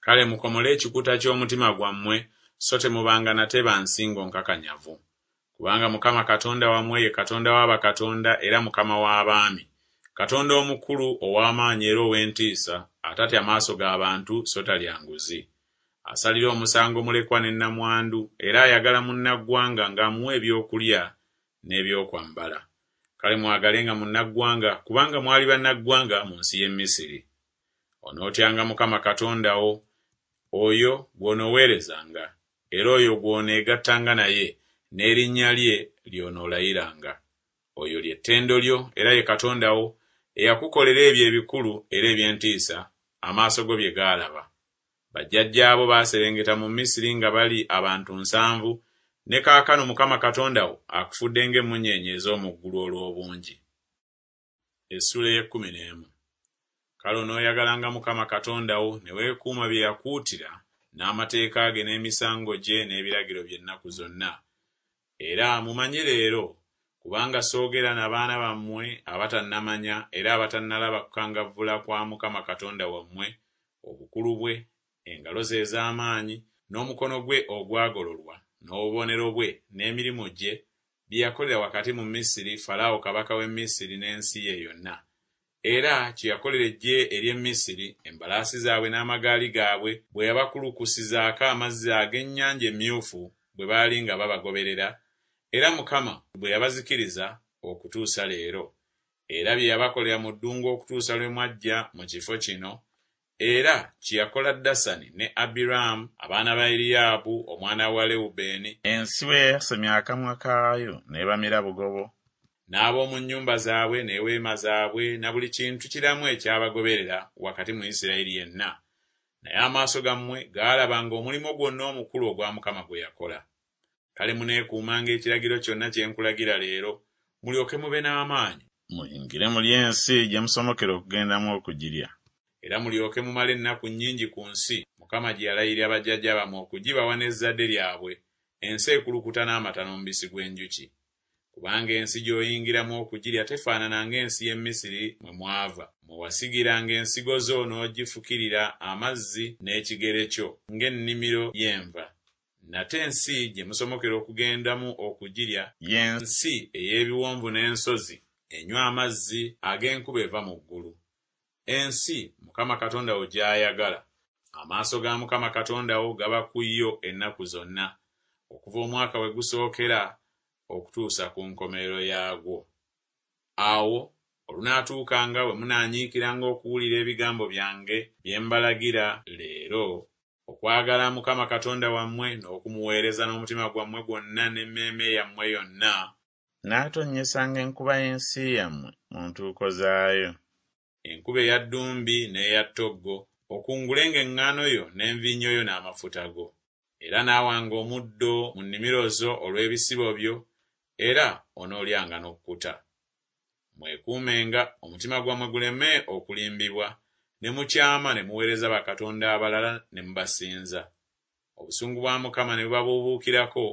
Kale mukomole ekikuta ky'omutima gwammwe, so temubanga nate ba nsingo nkakanyavu. Kubanga Mukama Katonda wammwe ye Katonda wa bakatonda era Mukama w'abaami, Katonda omukulu ow'amaanyi era ow'entiisa, atatya maaso ga bantu so talya nguzi. Asalira omusango mulekwa ne nnamwandu, era ayagala munnaggwanga ng'amuwa ebyokulya n'ebyokwambala. Kale mwagalenga munnaggwanga, kubanga mwali bannaggwanga mu nsi y'e Misiri. Onootyanga Mukama Katonda wo, oyo gw'onooweerezanga, era oyo gw'oneegattanga naye, n'erinnya lye ly'onoolayiranga. Oyo lye ttendo lyo era ye Katonda wo, eyakukolera ebyo ebikulu era eby'entiisa, amaaso go bye gaalaba. Bajjajjaabo baaserengeta mu Misiri nga bali abantu nsanvu, ne kaakano Mukama Katonda wo akufudde ng'emmunyeenye ez'omu ggulu olw'obungi. Essuula ey'ekkumi n'emu. Kale onooyagalanga Mukama Katonda wo ne weekuuma bye yakuutira n'amateeka ge n'emisango gye n'ebiragiro bye ennaku zonna. Era mumanye leero, kubanga soogera na baana bammwe abatannamanya era abatannalaba kukangavvula kwa Mukama Katonda wammwe, obukulu bwe, engalo ze ez'amaanyi, n'omukono gwe ogwagololwa, n'obubonero bwe, n'emirimu gye, bye yakolera wakati mu Misiri Falaawo kabaka w'e Misiri n'ensi ye yonna. Era kye yakolera eggye ery'e Misiri, embalaasi zaabwe n'amagaali gaabwe, bwe yabakulukusizaako amazzi ag'Ennyanja Emyufu bwe baali nga babagoberera, era Mukama bwe yabazikiriza okutuusa leero. Era bye yabakolera mu ddungu okutuusa lwe mwajja mu kifo kino, era kye yakola Dasani ne Abiraamu abaana ba Eriyaabu omwana wa Lewubeeni, Ensi bwe yayasamya akamwa kaayo n'ebamira bugobo, N'ab'omu nnyumba zaabwe n'eweema zaabwe na buli kintu kiramu ekyabagoberera wakati mu Isirayiri yenna. Naye amaaso gammwe gaalabanga omulimu gwonna omukulu ogwa Mukama gwe yakola. Kale muneekuumanga ekiragiro kyonna kye nkulagira leero, mulyoke mube n'amaanyi. Muyingire mulye ensi gye musomokera okugendamu okugirya. Era mulyoke mumale ennaku nnyingi ku nsi Mukama gye yalayirira bajjajja bammwe okugibawa n'ezzadde lyabwe, ensi ekulukuta n'amata n'omubisi gw'enjuki. Kubanga ensi gy'oyingiramu okugirya tefaanana ng'ensi y'e Misiri mwe mwava, mwe wasigiranga ensigo zo n'ogifukirira amazzi n'ekigere kyo ng'ennimiro y'enva. Nate ensi gye musomokera okugendamu okugirya ye nsi ey'ebiwonvu n'ensozi, enywa amazzi ag'enkuba eva mu ggulu. Ensi Mukama Katonda wo gy'ayagala. Amaaso ga Mukama Katonda wo gaba ku yo ennaku zonna, okuva omwaka we gusookera okutuusa ku nkomerero yaagwo. Awo olunaatuukanga bwe munaanyiikiranga okuwulira ebigambo byange bye mbalagira leero, okwagala Mukama Katonda wammwe n'okumuweereza n'omutima gwammwe gwonna n'emmeeme yammwe yonna, N'atonnyesanga enkuba y'ensi yammwe mu ntuuko zaayo. Enkuba eya ddumbi n'eya ttoggo, okungulenga eŋŋaano yo n'envinnyo yo n'amafuta go. Era n'awanga omuddo mu nnimiro zo olw'ebisibo byo, era onoolyanga n'okkuta. Mwekuumenga, omutima gwammwe guleme okulimbibwa, ne mukyama ne muweereza bakatonda abalala ne mubasinza. Obusungu bwa Mukama ne bubabuubuukirako,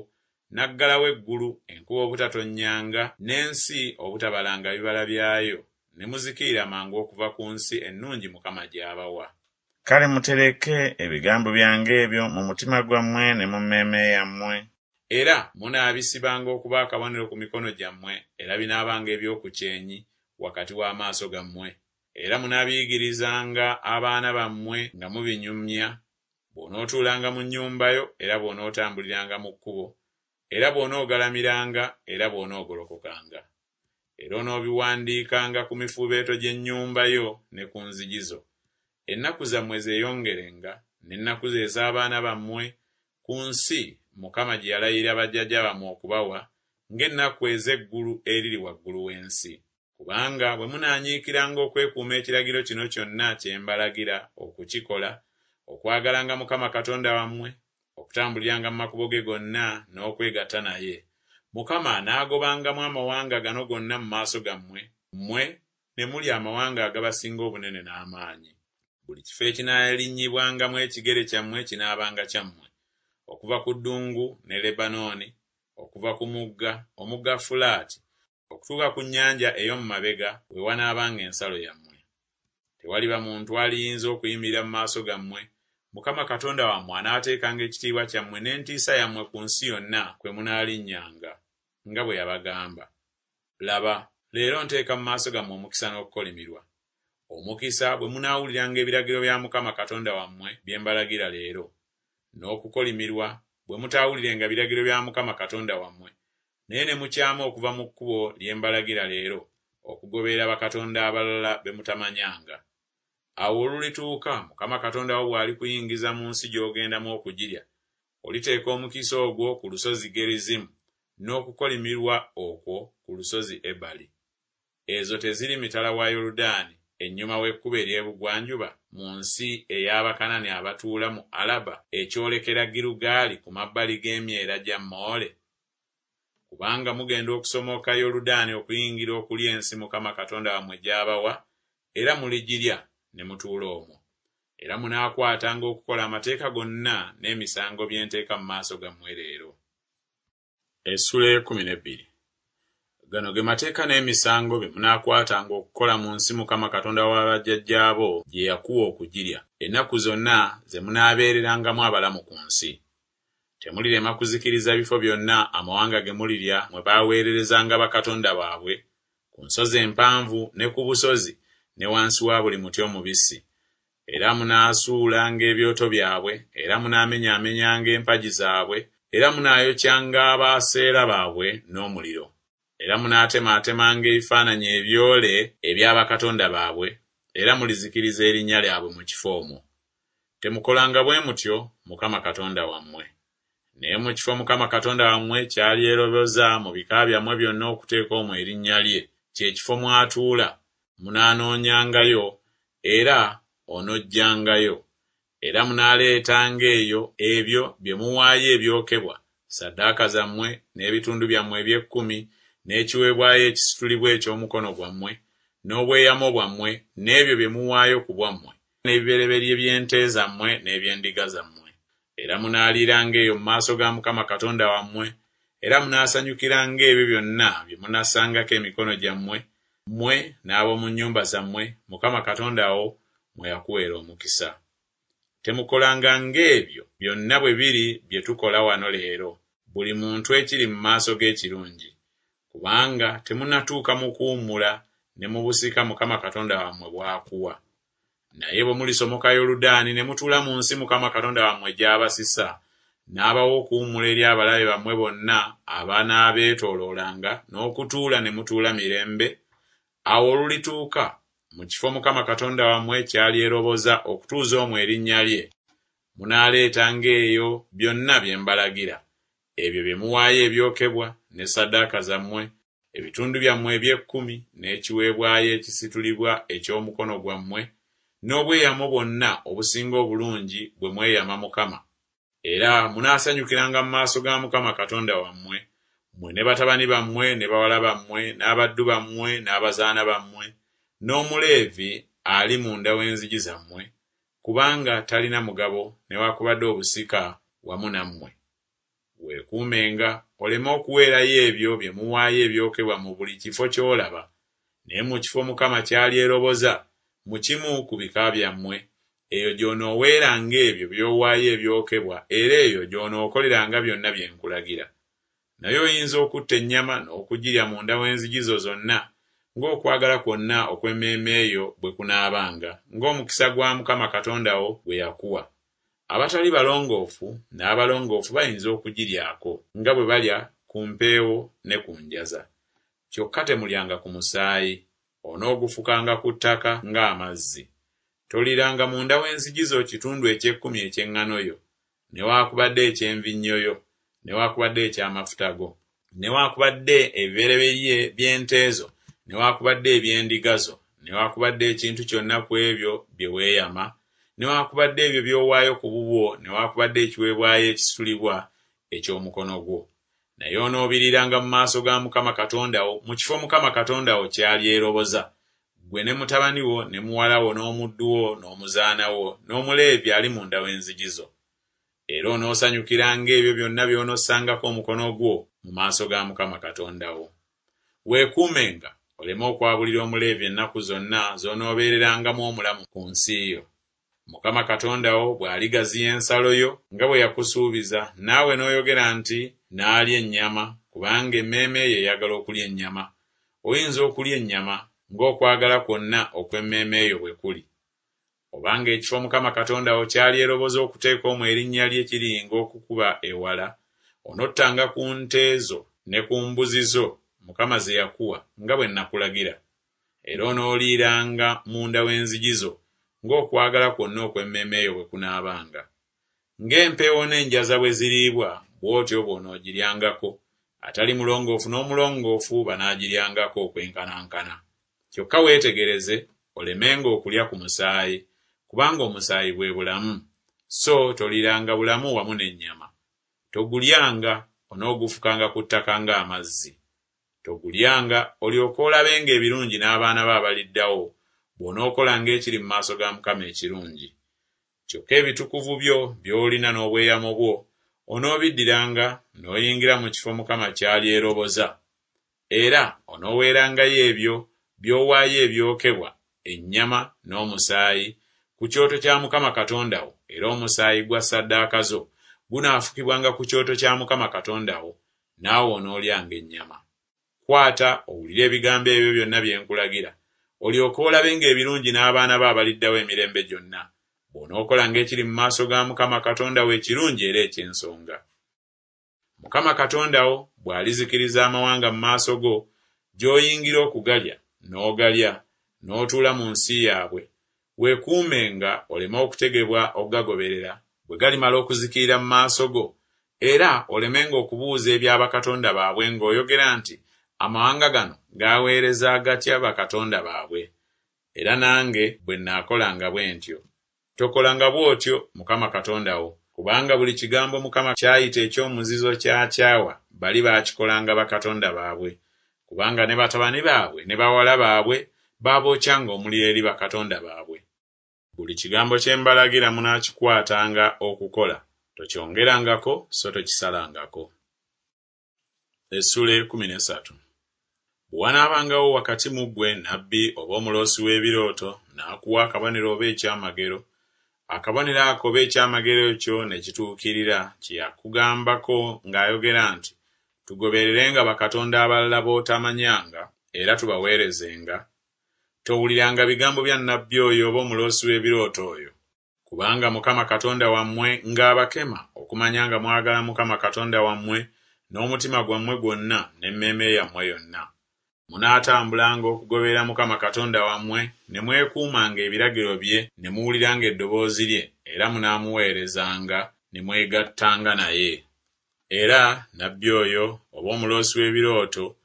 n'aggalawo eggulu, enkuba obutatonnyanga, n'ensi obutabalanga bibala byayo, ne muzikirira mangu okuva ku nsi ennungi Mukama gy'abawa. Kale mutereke ebigambo byange ebyo mu mutima gwammwe ne mu mmeeme yammwe. Era munaabisibanga okuba akabonero ku mikono gyammwe, era binaabanga eby'oku kyenyi wakati w'amaaso gammwe. Era munaabiyigirizanga abaana bammwe nga mubinyumya, bw'onootuulanga mu nnyumba yo, era bw'onootambuliranga mu kkubo, era bw'onoogalamiranga, era bw'onoogolokokanga. Era onoobiwandiikanga ku mifuubeeto gy'ennyumba yo ne ku nzigi zo. Ennaku zammwe zeeyongerenga, n'ennaku ez'abaana bammwe, ku nsi Mukama gye yalayirira bajjajja bammwe okubawa, ng'ennaku ez'eggulu eriri waggulu w'ensi. Kubanga bwe munaanyiikiranga okwekuuma ekiragiro kino kyonna kye mbalagira okukikola, okwagalanga Mukama Katonda wammwe, okutambuliranga mu makubo ge gonna n'okwegatta naye, Mukama anaagobangamu amawanga gano gonna mu maaso gammwe, mmwe ne mulya amawanga agabasinga obunene n'amaanyi. Buli kifo ekinaalinnyibwangamu ekigere kyammwe kinaabanga kyammwe, okuva ku ddungu ne Lebanooni, okuva ku mugga, omugga Fulaati, okutuuka ku nnyanja ey'omu mabega we wanaabanga ensalo yammwe. Tewaliba muntu aliyinza okuyimirira mu maaso gammwe, Mukama Katonda wammwe anaateekanga ekitiibwa kyammwe n'entiisa yammwe ku nsi yonna kwe munaalinnyanga, nga bwe yabagamba. Laba, leero nteeka mu maaso gammwe omukisa n'okukolimirwa. Omukisa bwe munaawuliranga ebiragiro bya Mukama Katonda wammwe bye mbalagira leero, n'okukolimirwa bwe mutaawulirenga biragiro bya Mukama Katonda wammwe, naye ne mukyama okuva mu kkubo lye mbalagira leero, okugoberera bakatonda abalala be mutamanyanga. Awo olulituuka Mukama Katonda wo bw'alikuyingiza mu nsi gy'ogendamu okugirya, oliteeka omukisa ogwo ku lusozi Gerizimu n'okukolimirwa okwo ku lusozi Ebali. Ezo teziri mitala wa Yoludaani, ennyuma w'ekkubo ery'ebugwanjuba, mu nsi ey'Abakanani abatuula mu Alaba ekyolekera Girugaali ku mabbali g'emyera gya Moole? Kubanga mugenda okusomoka Yoludaani okuyingira okulya ensi Mukama Katonda wammwe gy'abawa, era muligirya ne mutuula omwo. Era munaakwatanga okukola amateeka gonna n'emisango bye nteeka mu maaso gammwe leero. Essula ey'ekkumi n'ebbiri. Gano ge mateeka n'emisango bye munaakwatanga okukola mu nsi Mukama Katonda wa bajjajjaabo gye yakuwa okugirya, ennaku zonna ze munaabeererangamu abalamu ku nsi. Temulirema kuzikiriza bifo byonna amawanga ge mulirya mwe baaweererezanga bakatonda baabwe, ku nsozi empanvu ne ku busozi ne wansi wa buli muti omubisi. Era munaasuulanga ebyoto byabwe, era munaamenyaamenyanga empagi zaabwe, era munaayokyanga Abaaseera baabwe n'omuliro. Era munaatemaatemanga ebifaananyi ebyole ebya bakatonda baabwe, era mulizikiriza erinnya lyabwe mu kifo omwo. Temukolanga bwe mutyo Mukama Katonda wammwe. Naye mu kifo Mukama Katonda wammwe ky'alyeroboza mu bika byammwe byonna okuteeka omwo erinnya lye, kye kifo mw'atuula, munaanoonyangayo era onojjangayo. Era munaaleetanga eyo ebyo bye muwaayo ebyokebwa, ssaddaaka zammwe, n'ebitundu byammwe eby'ekkumi, n'ekiweebwayo ekisitulibwa eky'omukono gwammwe, n'obweyamo bwammwe, n'ebyo bye muwaayo ku bwammwe, n'ebibereberye by'ente zammwe n'eby'endiga zammwe. Era munaaliiranga eyo mu maaso ga Mukama Katonda wammwe, era munaasanyukiranga ebyo byonna bye munassangako emikono gyammwe, mmwe n'ab'omu nnyumba zammwe, Mukama Katonda wo mwe yakuweera omukisa. Temukolanga ng'ebyo byonna bwe biri bye tukola wano leero, buli muntu ekiri mu maaso ge ekirungi, kubanga temunnatuuka mu kuwummula ne mu busika Mukama Katonda wammwe bw'akuwa. Naye bwe mulisomoka Yoludaani ne mutuula mu nsi Mukama Katonda wammwe gy'abasisa, n'abawa okuwummula eri abalabe bammwe bonna abanaabeetooloolanga n'okutuula ne mutuula mirembe, awo olulituuka mu kifo Mukama Katonda wammwe ky'alyeroboza okutuuza omwo erinnya lye, munaaleetanga eyo byonna bye mbalagira, ebyo bye muwaayo ebyokebwa, ne ssaddaaka zammwe, ebitundu byammwe eby'ekkumi, n'ekiweebwayo ekisitulibwa eky'omukono gwammwe, n'obweyamo bwonna obusinga obulungi bwe mweyama Mukama. Era munaasanyukiranga mu maaso ga Mukama Katonda wammwe, mmwe ne batabani bammwe ne bawala bammwe, n'abaddu bammwe n'abazaana bammwe, n'Omuleevi ali munda w'enzigi zammwe, kubanga talina mugabo newaakubadde obusika wamu nammwe. Weekuumenga oleme okuweerayo ebyo bye muwaayo ebyokebwa mu buli kifo ky'olaba, naye mu kifo Mukama ky'alyeroboza mu kimu ku bika byammwe, eyo gy'onooweeranga ebyo by'owaayo ebyokebwa era eyo gy'onookoleranga byonna bye nkulagira. Naye oyinza okutta ennyama n'okugirya munda w'enzigi zo zonna, ng'okwagala kwonna okw'emmeeme yo bwe kunaabanga, ng'omukisa gwa Mukama Katonda wo gwe yakuwa. Abatali balongoofu n'abalongoofu bayinza okugiryako, nga bwe balya ku mpeewo ne ku njaza. Kyokka temulyanga ku musaayi, onoogufukanga ku ttaka ng'amazzi. Toliiranga munda w'enzigi zo kitundu eky'ekkumi eky'eŋŋano yo, newaakubadde eky'envinnyo yo, newaakubadde eky'amafuta go, newaakubadde ebibereberye by'ente zo, newaakubadde eby'endiga zo, newaakubadde ekintu kyonna ku ebyo bye weeyama, newaakubadde ebyo by'owaayo ku bubwo, newaakubadde ekiweebwayo ekisitulibwa eky'omukono gwo. Naye onoobiriiranga mu maaso ga Mukama Katonda wo mu kifo Mukama Katonda wo ky'alyeroboza, ggwe ne mutabani wo ne muwala wo n'omuddu wo n'omuzaana wo n'Omuleevi ali munda w'enzigi zo. Era onoosanyukiranga ebyo byonna by'onossangako omukono gwo mu maaso ga Mukama Katonda wo. Weekuumenga oleme okwabulira Omuleevi ennaku zonna z'onoobeererangamu omulamu ku nsi yo. Mukama Katonda wo bw'aligaziya ensalo yo nga bwe yakusuubiza, naawe n'oyogera nti, Naalya ennyama, kubanga emmeeme yo eyagala okulya ennyama. Oyinza okulya ennyama ng'okwagala kwonna okw'emmeeme yo bwe kuli. Obanga ekifo Mukama Katonda wo ky'alyeroboza okuteeka omwo erinnya lye kiringa okukuba ewala, onottanga ku nte zo ne ku mbuzi zo Mukama ze yakuwa nga bwe nakulagira. Era onooliiranga munda w'enzigi zo ng'okwagala kwonna okw'emmeeme yo bwe kunaabanga. Ng'empeewo n'enjaza bwe ziriibwa, bw'otyo bw'onoogiryangako, atali mulongoofu n'omulongoofu banaagiryangako okwenkanankana. Kyokka weetegereze olemenga okulya ku musaayi, kubanga omusaayi bwe bulamu, so toliiranga bulamu wamu n'ennyama. Togulyanga, onoogufukanga ku ttaka ng'amazzi. Togulyanga, olyoke olabenga ebirungi n'abaana bo abaliddawo, bw'onookolanga ekiri mu maaso ga Mukama ekirungi. Kyokka ebitukuvu byo by'olina n'obweyamo bwo onoobiddiranga n'oyingira mu kifo Mukama ky'alyeroboza. Era onooweerangayo ebyo by'owaayo ebyokebwa, ennyama n'omusaayi, ku kyoto kya Mukama Katonda wo, era omusaayi gwa ssaddaaka zo gunaafukibwanga ku kyoto kya Mukama Katonda wo, naawe onoolyanga ennyama. Kwata owulire ebigambo ebyo byonna bye nkulagira, olyoke olabenga ebirungi n'abaana bo abaliddawo emirembe gyonna, bw'onookolanga ekiri mu maaso ga Mukama Katonda wo ekirungi era eky'ensonga. Mukama Katonda wo bw'alizikiriza amawanga mu maaso go, gy'oyingira okugalya, n'ogalya, n'otuula mu nsi yaabwe, weekuumenga oleme okutegebwa okugagoberera. Bwe galimala okuzikirira mu maaso go, Era olemenga okubuuza ebya bakatonda baabwe ng'oyogera nti, Amawanga gano gaweereza gatya bakatonda baabwe? Era nange bwe nnaakolanga bwe ntyo. Tokolanga bw'otyo Mukama Katonda wo, kubanga buli kigambo Mukama ky'ayita eky'omuzizo ky'akyawa, bali baakikolanga bakatonda baabwe. Kubanga ne batabani baabwe ne bawala baabwe baabookyanga omuliro eri bakatonda baabwe. Buli kigambo kye mbalagira munaakikwatanga okukola, tokyongerangako so tokisalangako. Essuula ey'ekkumi n'essatu. Bwe wanaabangawo wakati mu ggwe nnabbi oba omuloosi w'ebirooto, n'akuwa akabonero oba ekyamagero, akabonero ako oba ekyamagero ekyo ne kituukirira kye yakugambako ng'ayogera nti, Tugobererenga bakatonda abalala b'otamanyanga, era tubaweerezenga, towuliranga bigambo bya nnabbi oyo oba omuloosi w'ebirooto oyo. Kubanga Mukama Katonda wammwe ng'abakema okumanya nga mwagala Mukama Katonda wammwe n'omutima gwammwe gwonna n'emmeeme yammwe yonna. Munaatambulanga okugoberera Mukama Katonda wammwe, ne mwekuumanga ebiragiro bye ne muwuliranga eddoboozi lye, era munaamuweerezanga ne mwegattanga naye. Era nnabbi oyo oba omuloosi w'ebirooto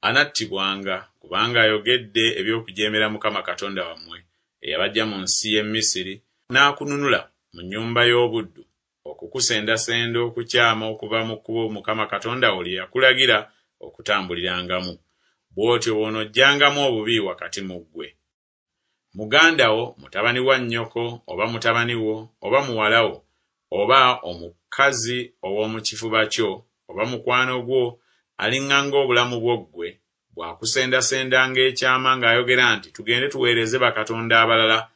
anattibwanga, kubanga ayogedde eby'okujeemera Mukama Katonda wammwe, eyabaggya mu nsi y'e Misiri, n'akununula mu nnyumba y'obuddu, okukusendasenda okukyama okuva mu kkubo Mukama Katonda wo lye yakulagira okutambulirangamu. Bw'otyo bw'onoggyangamu obubi wakati mu ggwe. Muganda wo, mutabani wa nnyoko, oba mutabani wo, oba muwala wo, oba omukazi ow'omu kifuba kyo, oba mukwano gwo, aliŋŋanga obulamu bwo ggwe, bw'akusendasendanga ekyama ng'ayogera nti, Tugende tuweereze bakatonda abalala,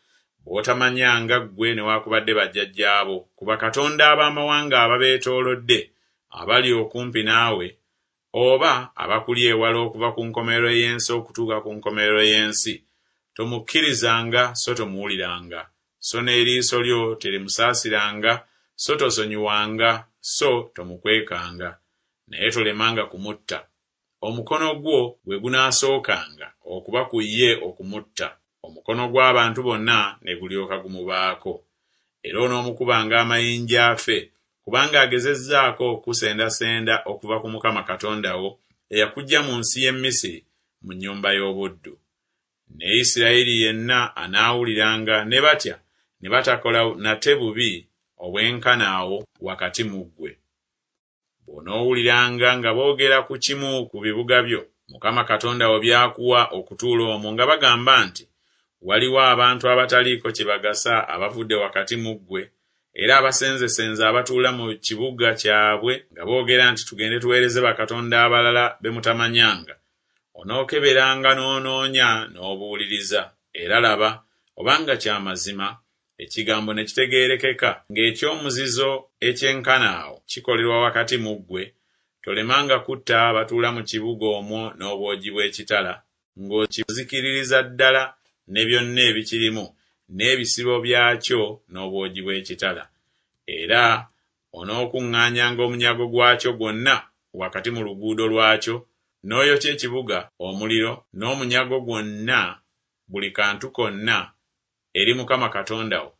b'otamanyanga ggwe newaakubadde bajjajjaabo, ku bakatonda ab'amawanga ababeetoolodde, abali okumpi naawe, oba abakuli ewala okuva ku nkomerero y'ensi okutuuka ku nkomerero y'ensi, tomukkirizanga so tomuwuliranga, so n'eriiso lyo terimusaasiranga, so tosonyiwanga, so tomukwekanga. Naye tolemanga kumutta. Omukono gwo gwe gunaasookanga okuba ku ye okumutta, omukono gw'abantu bonna ne gulyoka gumubaako. Era onoomukubanga amayinja afe, kubanga agezezzaako okukusendasenda okuva ku Mukama Katonda wo, eyakuggya mu nsi y'e Misiri, mu nnyumba y'obuddu. Ne Isirayiri yenna anaawuliranga ne batya ne batakola nate bubi obwenkana awo wakati mu ggwe. Bw'onoowuliranga nga boogera ku kimu ku bibuga byo, Mukama Katonda wo by'akuwa okutuula omwo nga bagamba nti, Waliwo abantu abataliiko kye bagasa abavudde wakati mu ggwe, era abasenzesenze abatuula mu kibuga kyabwe nga boogera nti, Tugende tuweereze bakatonda abalala be mutamanyanga. Onookeberanga n'onoonya n'obuuliriza, era laba, obanga kya mazima, ekigambo ne kitegeerekeka ng'eky'omuzizo ekyenkana awo kikolerwa wakati mu ggwe, tolemanga kutta abatuula mu kibuga omwo n'obwogi bw'ekitala, ng'okizikiririza ddala ne byonna ebikirimu n'ebisibo byakyo n'obwogi bw'ekitala. Era onookuŋŋaanyanga omunyago gwakyo gwonna wakati mu luguudo lwakyo, n'oyokya ekibuga omuliro n'omunyago gwonna, buli kantu konna, eri Mukama Katonda wo,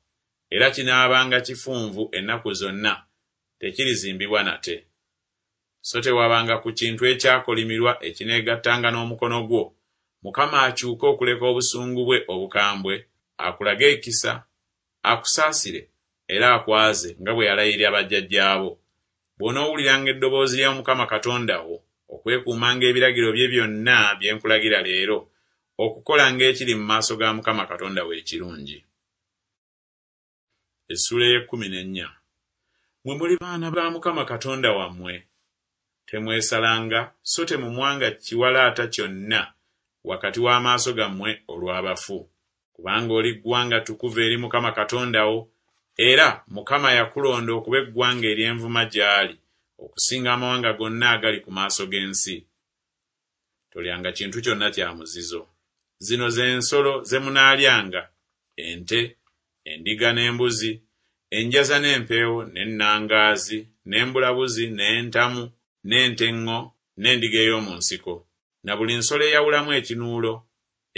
era kinaabanga kifunvu ennaku zonna, tekirizimbibwa nate. So tewabanga ku kintu ekyakolimirwa ekineegattanga n'omukono gwo, Mukama akyuke okuleka obusungu bwe obukambwe, akulage ekisa, akusaasire, era akwaze nga bwe yalayirira bajjajjaabo. Bw'onoowuliranga eddoboozi lya Mukama Katonda wo, okwekuumanga ebiragiro bye byonna bye nkulagira leero, okukolanga ekiri mu maaso ga Mukama Katonda wo ekirungi. Essuula ey'ekkumi n'ennya. Mmwe muli baana ba Mukama Katonda wammwe. Temwesalanga so temumwanga kiwalaata kyonna wakati w'amaaso gammwe olw'abafu. Kubanga oli ggwanga ttukuvu eri Mukama Katonda wo, era Mukama yakulonda okuba eggwanga ery'envuma gy'ali, okusinga amawanga gonna agali ku maaso g'ensi. Tolyanga kintu kyonna kya muzizo. Zino ze nsolo ze munaalyanga, ente, endiga n'embuzi, enjaza n'empeewo n'ennangaazi, n'embulabuzi n'entamu, n'ente eŋŋo n'endiga ey'omu nsiko, na buli nsolo eyawulamu ekinuulo,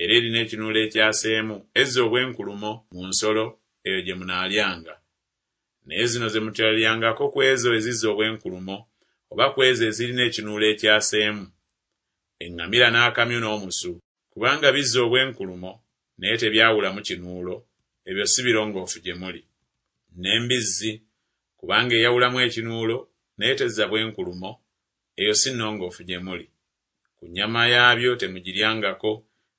era erina ekinuulo ekyaseemu, ezza obwenkulumo mu nsolo, eyo gye munaalyanga. Naye zino ze mutalyangako ku ezo ezizza obwenkulumo, oba ku ezo ezirina ekinuulo ekyaseemu: eŋŋamira n'akamyu n'omusu, kubanga bizza obwenkulumo, naye tebyawulamu kinuulo, ebyo si birongoofu gye muli. N'embizzi, kubanga eyawulamu ekinuulo, naye tezza bwenkulumo, eyo si nnongoofu gye muli. Ku nnyama yaabyo temugiryangako,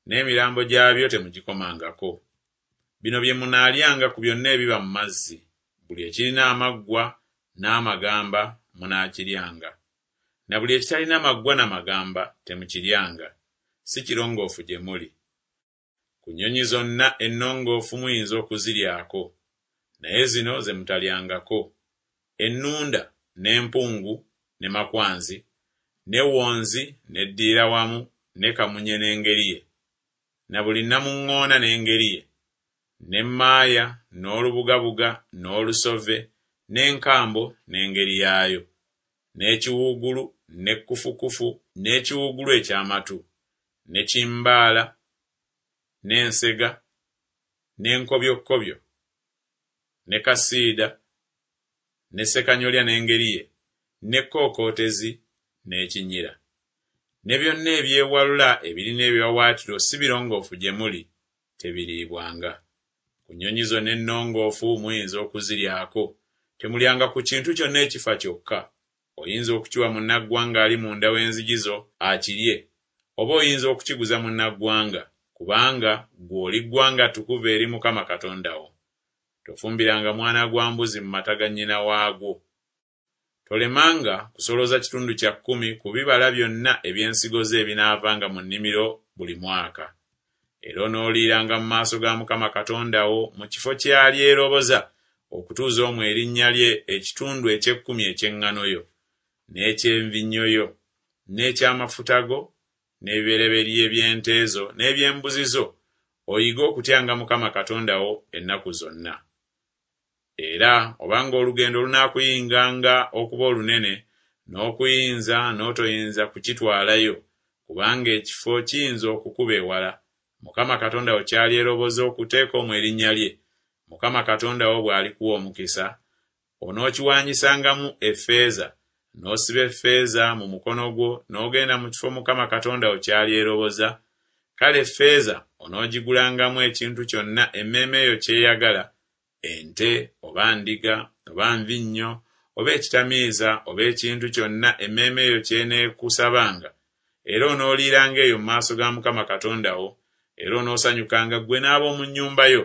n'emirambo gyabyo temugikomangako. Bino bye munaalyanga ku byonna ebiba mu mazzi: buli ekirina amaggwa n'amagamba munaakiryanga, na buli ekitalina maggwa na magamba temukiryanga, si kirongoofu gye muli. Ku nnyonyi zonna ennongoofu muyinza okuziryako, naye zino ze mutalyangako: ennunda n'empungu ne makwanzi, ne wonzi n'eddiira wamu ne kamunye n'engeri ye, na buli nnamuŋŋoona n'engeri ye, n'emmaaya n'olubugabuga n'olusove n'enkambo n'engeri yaayo, n'ekiwuugulu ne kkufukufu n'ekiwuugulu eky'amatu, ne kimbaala n'ensega n'enkobyokkobyo ne kasiida ne ssekanyolya n'engeri ye, n'ekkookootezi n'ekinyira. Ne byonna ebyewalula ebirina ebiwaawaatiro si birongoofu gye muli, tebiriibwanga. Ku nnyonyi zonna ennongoofu muyinza okuziryako, temulyanga ku kintu kyonna ekifa kyokka. Oyinza okukiwa munnaggwanga ali munda w'enzigi zo akirye, oba oyinza okukiguza munnaggwanga, kubanga ggwe oli ggwanga ttukuvu eri Mukama Katonda wo. Tofumbiranga mwana gwa mbuzi mu mata ga nnyina waagwo. Tolemanga kusolooza kitundu kya kkumi ku bibala byonna eby'ensigo zo ebinaavanga mu nnimiro buli mwaka. Era onooliiranga mu maaso ga Mukama Katonda wo mu kifo ky'alyeroboza okutuuza omwo erinnya lye ekitundu eky'ekkumi eky'eŋŋano yo, n'eky'envinnyo yo, n'eky'amafuta go, n'ebibereberye by'ente zo n'eby'embuzi zo, oyige okutyanga Mukama Katonda wo ennaku zonna. Era obanga olugendo lunaakuyinganga okuba olunene, n'okuyinza n'otoyinza kukitwalayo, kubanga ekifo kiyinza okukuba ewala, Mukama Katonda wo ky'alyeroboza okuteeka omwo erinnya lye, Mukama Katonda wo bw'alikuwa omukisa, onookiwaanyisangamu effeeza, n'osiba effeeza mu mukono gwo n'ogenda mu kifo Mukama Katonda wo ky'alyeroboza, kale effeeza onoogigulangamu ekintu kyonna emmeeme yo ky'eyagala, ente oba ndiga oba nvinnyo oba ekitamiiza oba ekintu kyonna emmeeme yo ky'eneekusabanga, era onooliiranga eyo mu maaso ga Mukama Katonda wo, era onoosanyukanga ggwe n'ab'omu nnyumba yo.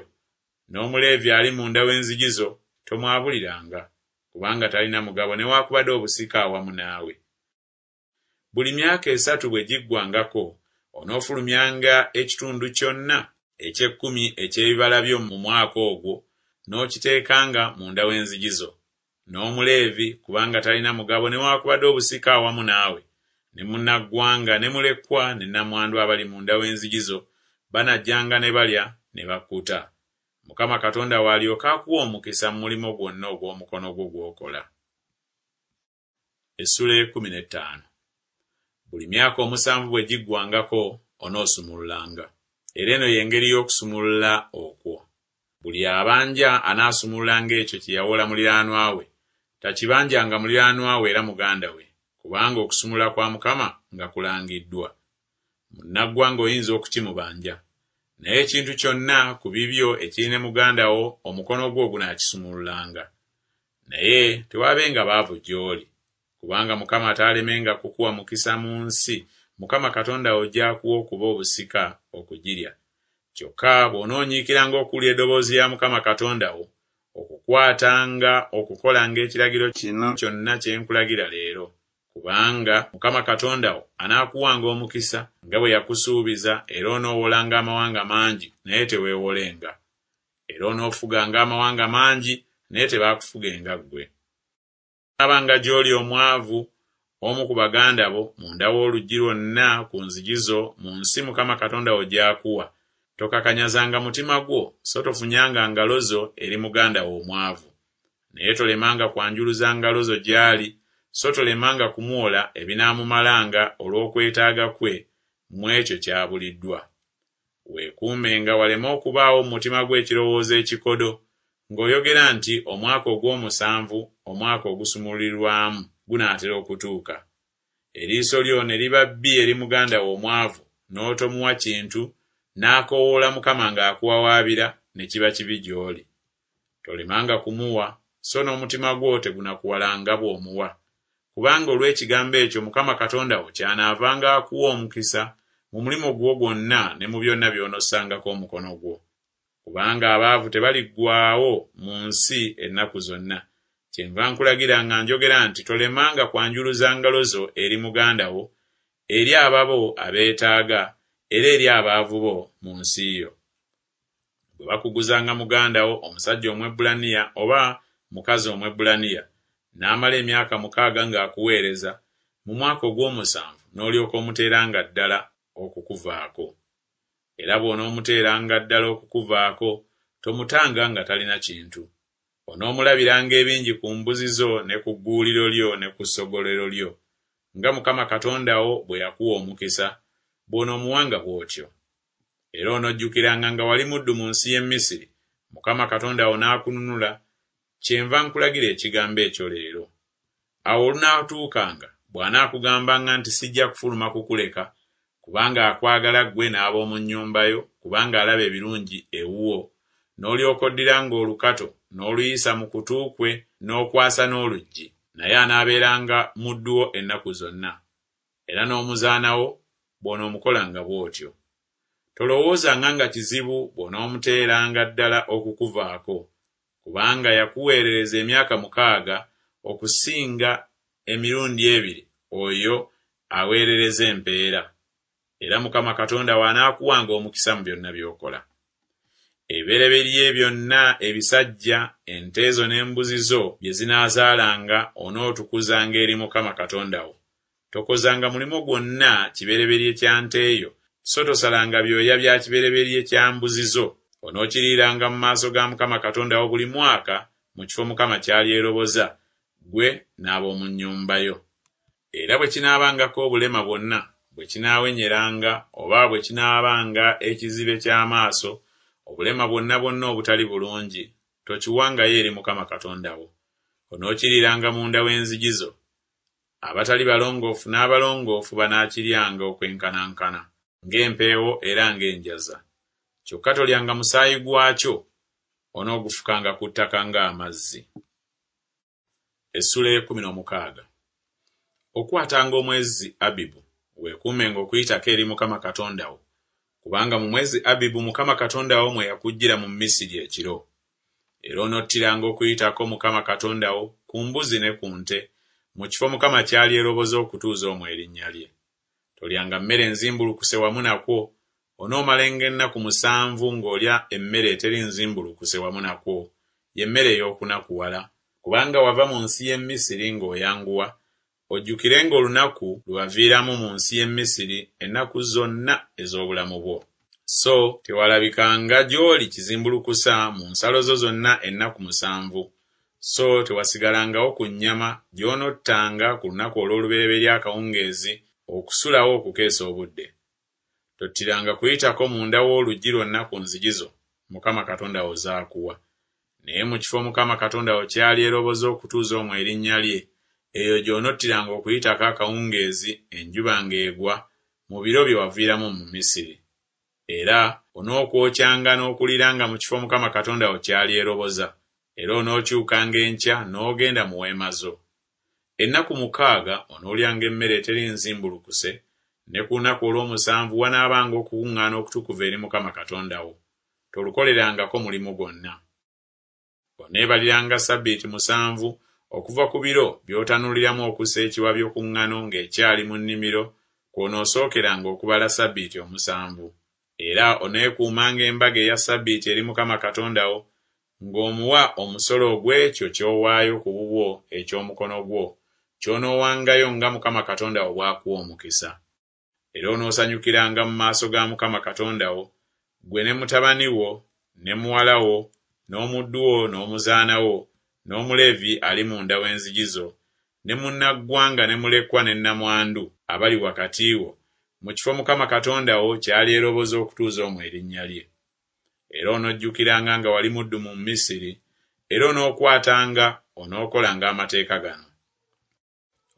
N'Omuleevi ali munda w'enzigi zo tomwabuliranga, kubanga talina mugabo newaakubadde obusika awamu naawe. Buli myaka esatu bwe giggwangako, onoofulumyanga ekitundu kyonna eky'ekkumi eky'ebibala byo mu mwaka ogwo, n'okiteekanga munda w'enzigi zo. N'Omuleevi, kubanga talina mugabo newaakubadde obusika awamu naawe, ne munnaggwanga ne mulekwa ne nnamwandu abali munda w'enzigi zo banajjanga ne balya ne bakkuta. Mukama Katonda wo alyoke akuwe omukisa mu mulimu gwonna ogw'omukono gwo gw'okola. Essula ey'ekkumi n'ettaano. Buli myaka omusanvu bwe giggwangako onoosumululanga. Era eno y'engeri y'okusumulula okwo. Buli abanja anaasumululanga ekyo kye yawola muliraanwa we, takibanjanga muliraanwa we era muganda we, kubanga okusumulula kwa Mukama nga kulangiddwa. Munnaggwanga oyinza okukimubanja, naye ekintu kyonna ku bibyo ekiri ne muganda wo omukono gwo gunaakisumululanga. Naye tewaabenga baavu gy'oli, kubanga Mukama ataalemenga kukuwa mukisa mu nsi Mukama Katonda wo gy'akuwa okuba obusika okugirya. Kyokka bw'onoonyiikiranga okuwulira eddoboozi lya Mukama Katonda wo, okukwatanga okukolanga ekiragiro kino kyonna kye nkulagira leero, kubanga Mukama Katonda wo anaakuwanga omukisa nga bwe yakusuubiza, era onoowolanga amawanga mangi, naye teweewolenga. Era onoofuganga amawanga mangi, naye tebaakufugenga ggwe. Abanga gy'oli omwavu, omu ku baganda bo, munda w'oluggi lwonna ku nzigi zo mu nsi Mukama Katonda wo gy'akuwa, tokakanyazanga mutima gwo, so tofunyanga ngalo zo eri muganda wo omwavu. Naye tolemanga kwanjuluza ngalo zo gy'ali, so tolemanga kumuwola ebinaamumalanga olw'okwetaaga kwe mu ekyo ky'abuliddwa. Weekuumenga waleme okubaawo mu mutima gwo ekirowoozo ekikodo, Ng'oyogera nti Omwaka ogw'omusanvu, omwaka ogusumulirwamu, gunaatera okutuuka. Eriiso lyo ne liba bbi eri muganda wo omwavu, n'otomuwa kintu, n'akoowoola Mukama ng'akuwawaabira, ne kiba kibi gy'oli. Tolemanga kumuwa, so n'omutima gwo tegunakuwalanga bw'omuwa. Kubanga olw'ekigambo ekyo Mukama Katonda wo ky'anaavanga akuwa omukisa mu mulimu gwo gwonna ne mu byonna by'onossangako omukono gwo. Kubanga abaavu tebaliggwaawo mu nsi ennaku zonna. Kyenva nkulagira nga njogera nti tolemanga kwanjuluza ngalo zo eri muganda wo, eri ababo abeetaaga, era eri abaavu bo mu nsi yo. Bwe bakuguzanga muganda wo omusajja Omwebbulaniya oba mukazi Omwebbulaniya, n'amala emyaka mukaaga ng'akuweereza, mu mwaka ogw'omusanvu n'olyoka omuteeranga ddala okukuvaako. Era bw'onoomuteeranga ddala okukuvaako, tomutanga nga talina kintu. Onoomulabiranga ebingi ku mbuzi zo ne ku gguuliro lyo ne ku ssogolero lyo, nga Mukama Katonda wo bwe yakuwa omukisa, bw'onoomuwanga bw'otyo. Era onojjukiranga nga wali muddu mu nsi y'e Misiri, Mukama Katonda wo n'akununula, kyenva nkulagira ekigambo ekyo leero. Awo olunaatuukanga bw'anaakugambanga nti sijja kufuluma kukuleka, kubanga akwagala ggwe n'ab'omu nnyumba yo, kubanga alaba ebirungi ewuwo, n'olyoka oddiranga olukato n'oluyisa mu kutu kwe n'okwasa n'oluggi, naye anaabeeranga muddu wo ennaku zonna. Era n'omuzaana wo bw'onoomukolanga bw'otyo. Tolowoozanga nga kizibu bw'onoomuteeranga ddala okukuvaako, kubanga yakuweerereza emyaka mukaaga okusinga emirundi ebiri oyo aweerereza empeera. Era Mukama Katonda wo anaakuwanga omukisa mu byonna by'okola. Ebibereberye byonna ebisajja, ente zo n'embuzi zo bye zinaazaalanga onootukuzanga eri Mukama Katonda wo. Tokozanga mulimu gwonna kibereberye kya nte yo, so tosalanga byoya bya kibereberye kya mbuzi zo. Onookiriiranga mu maaso ga Mukama Katonda wo buli mwaka mu kifo Mukama ky'alyeroboza, ggwe n'ab'omu nnyumba yo. Era bwe kinaabangako obulema bwonna, bwe kinaawenyeranga, oba bwe kinaabanga ekizibe ky'amaaso, obulema bwonna bwonna obutali bulungi, tokiwangayo eri Mukama Katonda wo. Onookiriiranga munda w'enzigi zo. Abatali balongoofu n'abalongoofu banaakiryanga okwenkanankana, ng'empeewo era ng'enjaza. Kyokka tolyanga musaayi gwakyo, onoogufukanga ku ttaka ng'amazzi. Essula y'ekkumi n'omukaaga. Okwatanga omwezi Abibu, weekuumenga okuyitako eri Mukama Katonda wo, kubanga mu mwezi Abibu Mukama Katonda wo mwe yakuggyira mu Misiri ekiro. Era onottiranga okuyitako Mukama Katonda wo ku mbuzi ne ku nte, mu kifo Mukama ky'alyeroboza okutuuza omwo erinnya lye. Tolyanga mmere nzimbulukuse wamu nakwo, onoomalenga ennaku musanvu ng'olya emmere eteri nzimbulukuse wamu nakwo, ye mmere ey'okunakuwala, kubanga wava mu nsi y'e Misiri ng'oyanguwa, ojjukirenga olunaku lwe waviiramu mu nsi y'e Misiri ennaku zonna ez'obulamu bwo. So tewalabikanga gy'oli kizimbulukusa mu nsalo zo zonna ennaku musanvu, so tewasigalangawo ku nnyama gy'onottanga ku lunaku olw'olubereberye akawungeezi okusulawo okukeesa obudde. Tottiranga kuyitako munda w'oluggi lwonna ku nzigi zo Mukama Katonda wo z'akuwa. Naye mu kifo Mukama Katonda wo ky'alyeroboza okutuuza omwo erinnya lye, eyo gy'onottiranga okuyitako akawungeezi enjuba ng'egwa mu biro bye waviiramu mu Misiri. Era onookwokyanga n'okuliranga mu kifo Mukama Katonda wo ky'alyeroboza, era onookyukanga enkya n'ogenda mu weema zo. Ennaku mukaaga onoolyanga emmere eteri nzimbulukuse, ne ku lunaku olw'omusanvu wanaabanga okukuŋŋaana okutukuvu eri Mukama Katonda wo. Tolukolerangako mulimu gwonna. Oneebaliranga ssabbiiti musanvu okuva ku biro by'otanuliramu okussa ekiwabyo ku ŋŋano ng'ekyali mu nnimiro, kw'onoosookeranga okubala ssabbiiti omusanvu. Era oneekuumanga embaga eya ssabbiiti eri Mukama Katonda wo, ng'omuwa omusolo ogw'ekyo ky'owaayo ku bubwo eky'omukono gwo, ky'onoowangayo nga Mukama Katonda wo bw'akuwa omukisa. Era onoosanyukiranga mu maaso ga Mukama Katonda wo, ggwe ne mutabani wo, ne muwala wo, n'omuddu wo n'omuzaana wo, n'Omuleevi ali munda w'enzigi zo, ne munnaggwanga ne mulekwa ne nnamwandu abali wakati wo, mu kifo Mukama Katonda wo ky'alyeroboza okutuuza omwo erinnya lye. Era onojjukiranga nga wali muddu mu Misiri, Era onookwatanga onookolanga amateeka gano.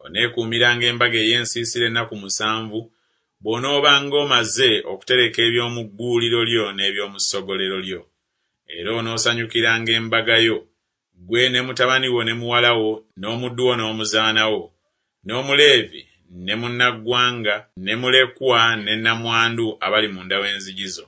Oneekuumiranga embaga ey'ensiisira ennaku musanvu, bw'onoobanga omaze okutereka eby'omu gguuliro lyo n'eby'omu ssogolero lyo. Era onoosanyukiranga embaga yo, ggwe ne mutabani wo ne muwala wo, n'omuddu wo n'omuzaana wo, n'Omuleevi ne munnaggwanga ne mulekwa ne nnamwandu abali munda w'enzigi zo.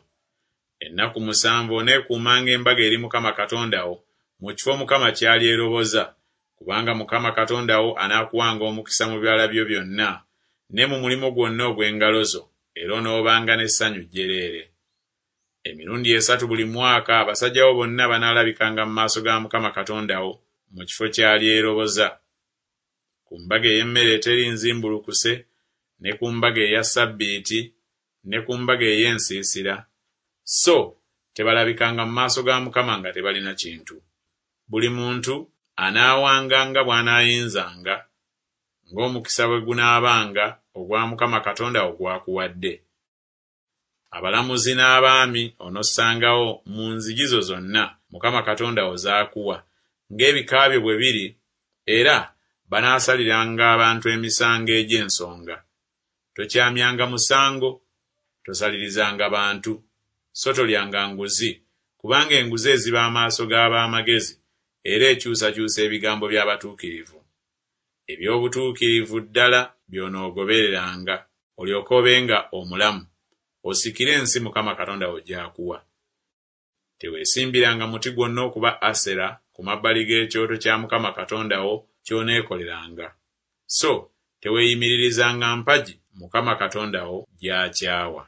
Ennaku musanvu oneekuumanga embaga eri Mukama Katonda wo mu kifo Mukama ky'alyeroboza, kubanga Mukama Katonda wo anaakuwanga omukisa mu bibala byo byonna ne mu mulimu gwonna ogw'engalo zo, era onoobanga n'essanyu jjereere. Emirundi esatu buli mwaka abasajja bo bonna banaalabikanga mu maaso ga Mukama Katonda wo mu kifo ky'alyeroboza. Ku mbaga ey'emmere eteri nzimbulukuse, ne ku mbaga eya ssabbiiti, ne ku mbaga ey'ensiisira, so tebalabikanga mu maaso ga Mukama nga tebalina kintu. Buli muntu anaawanga nga bw'anaayinzanga, ng'omukisa bwe gunaabanga ogwa Mukama Katonda wo gw'akuwadde. Abalamuzi n'abaami onossangawo mu nzigi zo zonna Mukama Katonda wo z'akuwa, ng'ebika byo bwe biri, era banaasaliranga abantu emisango egy'ensonga. Tokyamyanga musango, tosalirizanga bantu, so tolyanga nguzi, kubanga enguzi eziba amaaso g'ab'amagezi, era ekyusakyusa ebigambo by'abatuukirivu. Eby'obutuukirivu ddala by'onoogobereranga, olyoke obenga omulamu, osikire ensi Mukama Katonda wo gy'akuwa. Teweesimbiranga muti gwonna okuba Asera ku mabbali g'ekyoto kya Mukama Katonda wo ky'oneekoleranga. So teweeyimiririzanga mpagi Mukama Katonda wo gy'akyawa.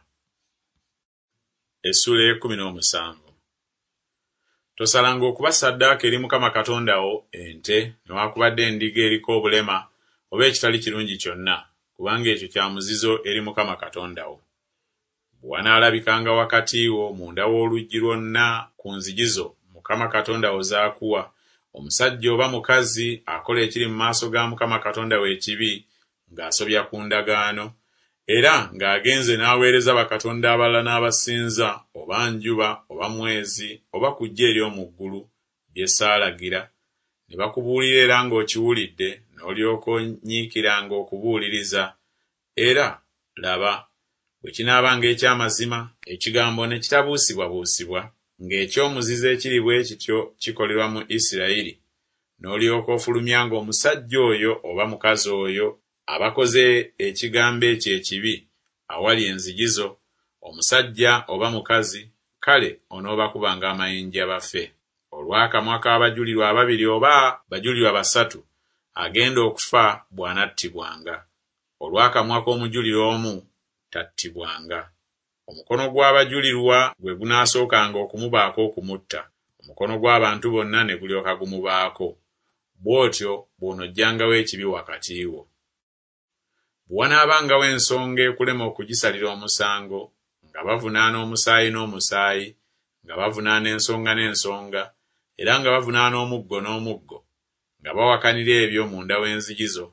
Essuula ey'ekkumi n'omusanvu. Tosalanga okuba ssaddaaka eri Mukama Katonda wo ente newaakubadde endiga eriko obulema oba ekitali kirungi kyonna, kubanga ekyo kya muzizo eri Mukama Katonda wo. Bwe wanaalabikanga wakati wo munda w'oluggi lwonna ku nzigi zo Mukama Katonda wo z'akuwa, omusajja oba mukazi akola ekiri mu maaso ga Mukama Katonda we ekibi ng'asobya ku ndagaano, era ng'agenze n'aweereza bakatonda abalala n'abasinza, oba njuba oba mwezi oba ku ggye ery'omu ggulu, bye saalagira, ne bakubuulira era ng'okiwulidde, n'olyoka onyiikiranga okubuuliriza, era laba, bwe kinaabanga eky'amazima, ekigambo ne kitabuusibwabuusibwa, ng'ekyomuzizo ekiri bwe kityo kikolerwa mu Isirayiri, n'olyoka ofulumyanga omusajja oyo oba mukazi oyo abakoze ekigambo ekyo ekibi awali enzigi zo, omusajja oba mukazi, kale onoobakubanga amayinja bafe. Olw'akamwa k'abajulirwa ababiri oba bajulirwa basatu, agenda okufa bw'anattibwanga. Olw'akamwa k'omujulirwa omu tattibwanga. Omukono gw'abajulirwa gwe gunaasookanga okumubaako okumutta, omukono gw'abantu bonna ne gulyoka gumubaako. Bw'otyo bw'onoggyangawo ekibi wakati wo. Bwe wanaabangawo ensonga ekulema okugisalira omusango, nga bavunaana omusaayi n'omusaayi, nga bavunaana ensonga n'ensonga, era nga bavunaana omuggo n'omuggo, nga bawakanira ebyo munda w'enzigi zo,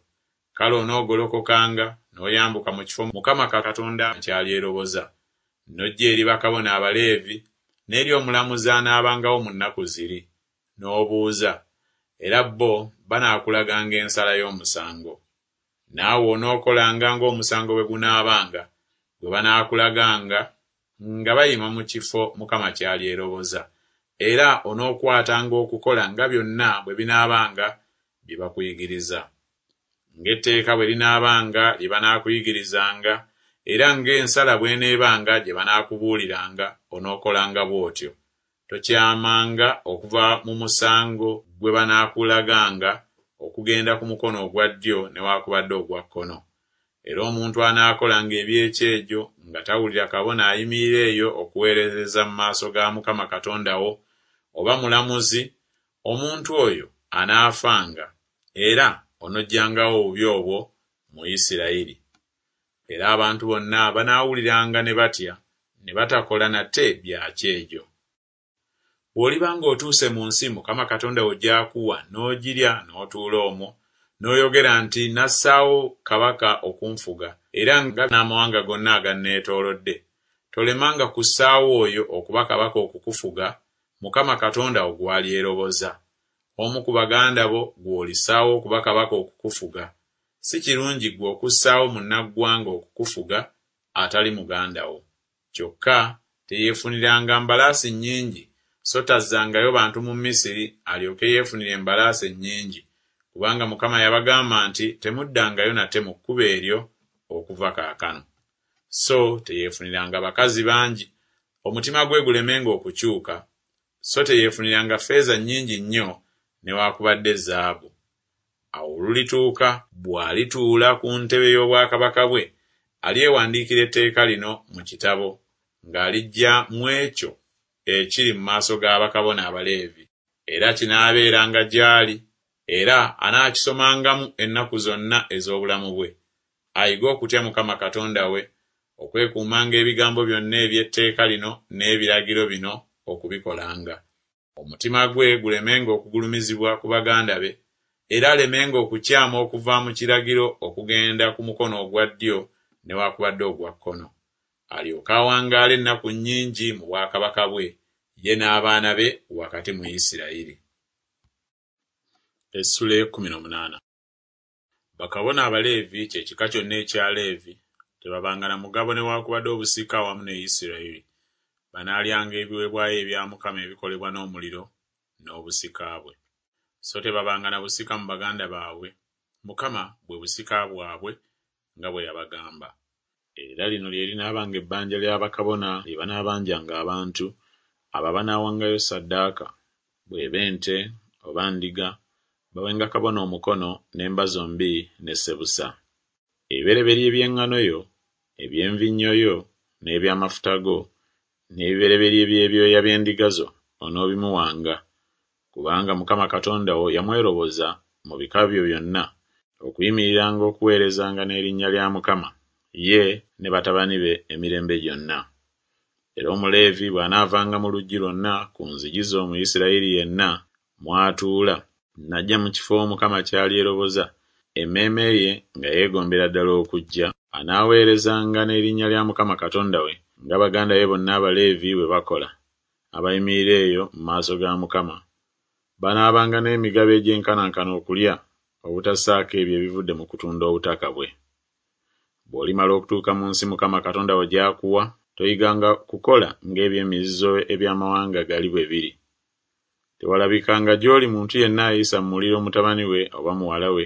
kale onoogolokokanga n'oyambuka mu kifo Mukama Katonda ky'alyeroboza, n'ojja eri bakabona Abaleevi n'eri omulamuzi anaabangawo mu nnaku ziri, n'obuuza, era bo banaakulaganga ensala y'omusango. Naawe onookolanga ng'omusango bwe gunaabanga, gwe banaakulaganga nga bayima mu kifo Mukama ky'alyeroboza, era onookwatanga okukola nga byonna bwe binaabanga bye bakuyigiriza. Ng'etteeka bwe linaabanga lye banaakuyigirizanga, era ng'ensala bw'eneebanga gye banaakubuuliranga, onookolanga bw'otyo. Tokyamanga okuva mu musango gwe banaakulaganga okugenda ku mukono ogwa ddyo newaakubadde ogwa kkono. Era omuntu anaakolanga eby'ekyejo nga tawulira kabona ayimirira eyo okuweerereza mu maaso ga Mukama Katonda wo, oba mulamuzi, omuntu oyo anaafanga, era onoggyangawo obubi obwo mu Isirayiri. Era abantu bonna banaawuliranga ne batya, ne batakola nate bya kyejo. Bw'oliba ng'otuuse mu nsi Mukama Katonda wo gy'akuwa n'ogirya n'otuula omwo, n'oyogera nti nassaawo kabaka okunfuga, era nga n'amawanga gonna aganneetoolodde, tolemanga kussaawo oyo okuba kabaka okukufuga, Mukama Katonda wo gw'alyeroboza. Omu ku baganda bo gw'olissaawo okuba kabaka okukufuga. Si kirungi ggwe okussaawo munnaggwanga okukufuga atali muganda wo. Kyokka teyeefuniranga mbalaasi nnyingi, so tazzangayo bantu mu Misiri alyoke yeefunire embalaasi ennyingi, kubanga Mukama yabagamba nti temuddangayo nate mu kkubo eryo okuva kaakano. So teyeefuniranga bakazi bangi, omutima gwe gulemenga okukyuka, so teyeefuniranga ffeeza nnyingi nnyo newaakubadde zaabu. Awo olulituuka bw'alituula ku ntebe y'obwakabaka bwe, alyewandiikira etteeka lino mu kitabo, ng'aliggya mu ekyo ekiri mu maaso ga bakabona Abaleevi, era kinaabeeranga gy'ali, era anaakisomangamu ennaku zonna ez'obulamu bwe, ayige okutya Mukama Katonda we, okwekuumanga ebigambo byonna eby'etteeka lino n'ebiragiro bino okubikolanga. Omutima gwe gulemenga okugulumizibwa ku baganda be, era alemenga okukyama okuva mu kiragiro okugenda ku mukono ogwa ddyo newakubadde ogwa kkono, alyoke awangaale ennaku nnyingi mu bwakabaka bwe, ye n'abaana be wakati mu Isirayiri. Essula ey'ekkumi n'omunaana. Bakabona Abaleevi, kye kika kyonna ekya Leevi, tebabanga na mugabo newaakubadde obusika awamu ne Isirayiri. Banaalyanga ebiweebwayo ebya Mukama ebikolebwa n'omuliro, n'obusika bwe. So tebabanga na busika mu baganda baabwe, Mukama bwe busika bwabwe nga bwe yabagamba. Era lino lye linaabanga ebbanja lya bakabona lye banaabanjanga abantu, abo abanaawangayo ssaddaaka, bw'eba ente oba ndiga, bawenga kabona omukono n'emba zombi ne ssebusa. Ebibereberye by'eŋŋano yo, eby'envinnyo yo, n'eby'amafuta go, n'ebibereberye by'ebyoya by'endiga zo onoobimuwanga, kubanga Mukama Katonda wo yamweroboza mu bika byo byonna okuyimiriranga okuweerezanga n'erinnya lya Mukama, ye ne batabani be emirembe gyonna. Era Omuleevi bw'anaavanga mu luggi lwonna ku nzigi zo mu Isirayiri yenna mw'atuula, n'ajja mu kifo Mukama ky'alyeroboza, emmeeme ye nga yeegombera ddala okujja, anaaweerezanga n'erinnya lya Mukama Katonda we, nga baganda be bonna Abaleevi bwe bakola, abayimirira eyo mu maaso ga Mukama. Banaabanga n'emigabo egyenkanankana okulya, obutassaako ebyo ebivudde mu kutunda obutaka bwe. Bw'olimala okutuuka mu nsi Mukama Katonda wo gy'akuwa, toyiganga kukola ng'eby'emizizo eby'amawanga gali bwe biri. Tewalabikanga gy'oli muntu yenna ayisa mu muliro mutabani we oba muwala we,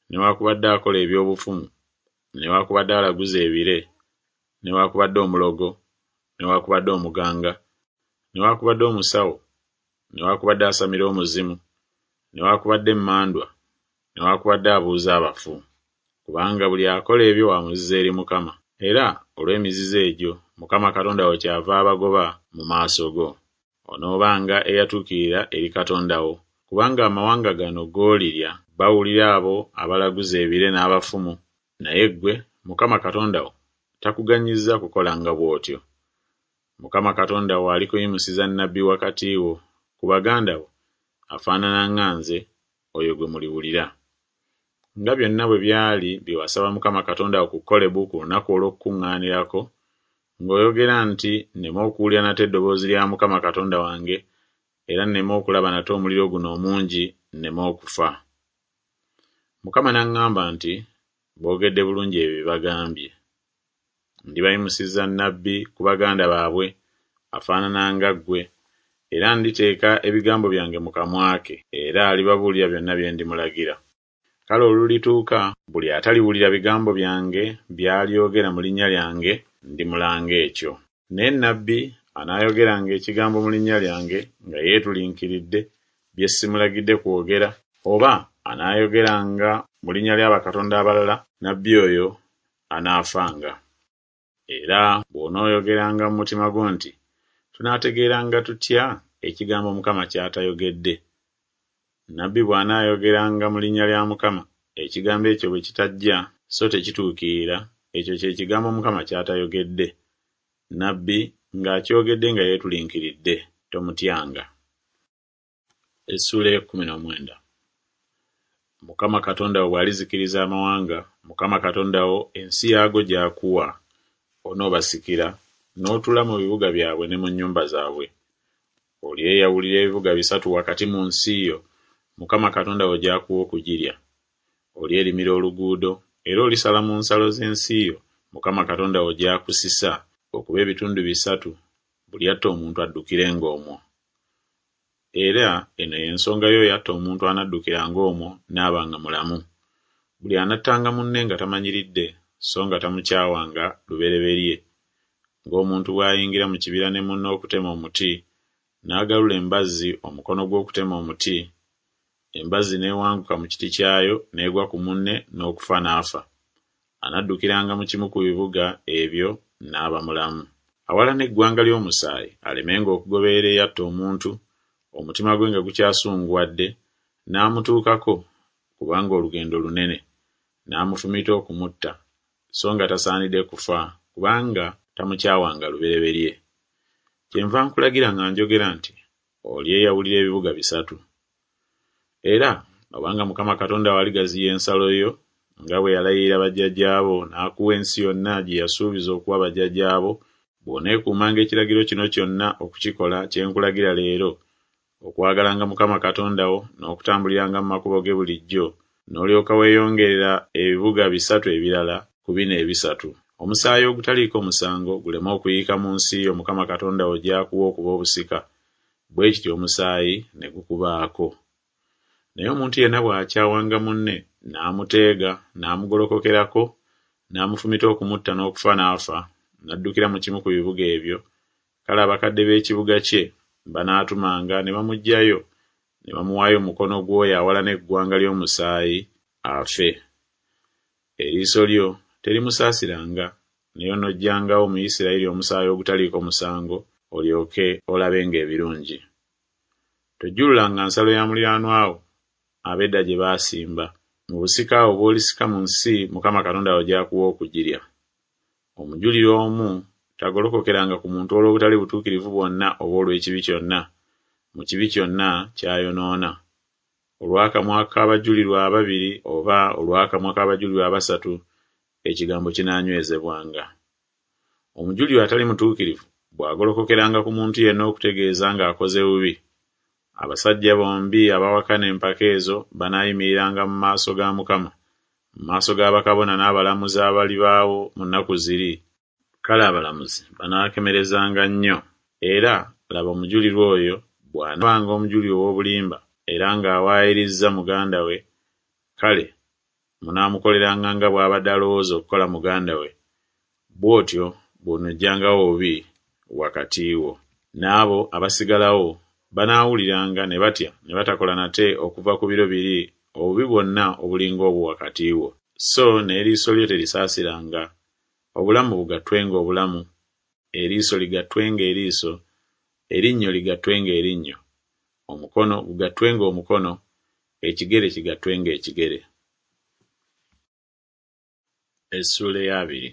newaakubadde akola eby'obufumu, newaakubadde alaguza ebire, newaakubadde omulogo, newaakubadde omuganga, newaakubadde omusawo, newaakubadde asamira omuzimu, newaakubadde emmandwa, newaakubadde abuuza abafu. Kubanga buli akola ebyo wa muzizo eri Mukama, era olw'emizizo egyo Mukama Katonda wo kyava abagoba mu maaso go. Onoobanga eyatuukirira eri Katonda wo, kubanga amawanga gano g'olirya bawulira abo abalaguza ebire n'abafumu, naye ggwe Mukama Katonda wo takuganyizza kukolanga bw'otyo. Mukama Katonda wo alikuyimusiza nnabbi wakati wo ku baganda bo afaanana nga nze, oyo gwe muliwulira. Nga byonna bwe byali bye wasaba Mukama Katonda wo ku Kolebu ku lunaku olw'okukuŋŋaanirako, ng'oyogera nti nneme okuwulira nate eddoboozi lya Mukama Katonda wange, era nneme okulaba nate omuliro guno omungi nneme okufa. Mukama n'aŋŋamba nti, Boogedde bulungi ebyo bye bagambye. Ndibayimusiza nnabbi ku baganda baabwe, afaanana nga ggwe, era nditeeka ebigambo byange mu kamwa ke, era alibabuulira byonna bye ndimulagira. Kale olulituuka, buli ataliwulira bigambo byange by'alyogera mu linnya lyange, ndimulanga ekyo. Naye nnabbi anaayogeranga ekigambo mu linnya lyange nga yeetulinkiridde, bye simulagidde kwogera, oba anaayogeranga mu linnya lya bakatonda abalala, nnabbi oyo anaafanga. Era bw'onooyogeranga mu mutima gwo nti, Tunaategeeranga tutya ekigambo Mukama ky'atayogedde? Nnabbi bw'anaayogeranga mu linnya lya Mukama, ekigambo ekyo bwe kitajja so tekituukirira, ekyo kye kigambo Mukama ky'atayogedde. Nnabbi ng'akyogedde nga yeetulinkiridde, tomutyanga. Essuula ey'ekkumi n'omwenda. Mukama Katonda wo bw'alizikiriza amawanga, Mukama Katonda wo ensi yaago gy'akuwa, onoobasikira, n'otuula mu bibuga byabwe ne mu nnyumba zaabwe. Olyeyawulira ebibuga bisatu wakati mu nsi yo, Mukama Katonda wo gy'akuwa okugirya. Olyerimira oluguudo, era olisala mu nsalo z'ensi yo Mukama Katonda wo gy'akusisa okuba ebitundu bisatu, buli atta omuntu addukirenga omwo. Era eno y'ensonga y'oyo atta omuntu anaddukiranga omwo n'abanga mulamu. Buli anattanga munne nga tamanyiridde, so nga tamukyawanga lubereberye, ng'omuntu bw'ayingira mu kibira ne munne okutema omuti, n'agalula embazzi omukono gwe okutema omuti, embazzi n'ewanguka mu kiti kyayo n'egwa ku munne n'okufa n'afa, anaddukiranga mu kimu ku bibuga ebyo n'aba mulamu. Awalana eggwanga ly'omusaayi alemenga okugoberera eyatta omuntu, omutima gwe nga gukyasunguwadde, n'amutuukako, kubanga olugendo lunene, n'amufumita okumutta, so nga tasaanidde kufa, kubanga tamukyawanga lubereberye. Kyenva nkulagira nga njogera nti olyeyawulira ebibuga bisatu. Era obanga Mukama Katonda wo aligaziya ensalo yo, nga bwe yalayirira bajjajjaabo n'akuwa ensi yonna gye yasuubiza okuwa bajjajjaabo, bw'oneekuumanga ekiragiro kino kyonna okukikola kye nkulagira leero, okwagalanga Mukama Katonda wo n'okutambuliranga mu makubo ge bulijjo, n'olyoka weeyongerera ebibuga bisatu ebirala ku bino ebisatu. Omusaayi ogutaliiko musango guleme okuyiika mu nsi yo Mukama Katonda wo gy'akuwa okuba obusika, bwe kityo omusaayi ne gukubaako. Naye omuntu yenna bw'akyawanga munne, n'amuteega, n'amugolokokerako, n'amufumita okumutta n'okufa n'afa, n'addukira mu kimu ku bibuga ebyo, kale abakadde b'ekibuga kye banaatumanga ne bamuggyayo ne bamuwaayo mu mukono gw'oyo awalana eggwanga ly'omusaayi afe. Eriiso lyo terimusaasiranga, naye onoggyangawo mu Isirayiri omusaayi ogutaliiko musango, olyoke olabenga ebirungi. Tojjululanga nsalo ya muliraanwa wo ab'edda gye baasimba, mu busika obwo bw'olisika mu nsi Mukama Katonda wo gy'akuwa okugirya. Omujulirwa omu tagolokokeranga ku muntu olw'obutali butuukirivu bwonna oba olw'ekibi kyonna, mu kibi kyonna ky'ayonoona. Olw'akamwa k'abajulirwa ababiri oba olw'akamwa k'abajulirwa abasatu, ekigambo kinaanywezebwanga. Omujulirwa atali mutuukirivu bw'agolokokeranga ku muntu yenna okutegeeza ng'akoze bubi, abasajja bombi abawakana empaka ezo banaayimiriranga mu maaso ga Mukama, mu maaso ga bakabona n'abalamuzi abalibaawo mu nnaku ziri. Kale abalamuzi banaakemerezanga nnyo. Era laba omujulirwa oyo bw'anaabanga omujulirwa ow'obulimba era ng'awaayirizza muganda we, kale munaamukoleranga nga bw'abadde alowooza okukola muganda we, bw'otyo bw'onoggyangawo obubi wakati wo. N'abo abasigalawo banaawuliranga ne batya ne batakola nate okuva ku biro biri obubi bwonna obulinga obwo wakati wo. So n'eriiso lyo terisaasiranga, obulamu bugattwenga obulamu, eriiso ligattwenga eriiso, erinnyo ligattwenga erinnyo, omukono gugattwenga omukono, ekigere kigattwenga ekigere. Essuula ey'abiri.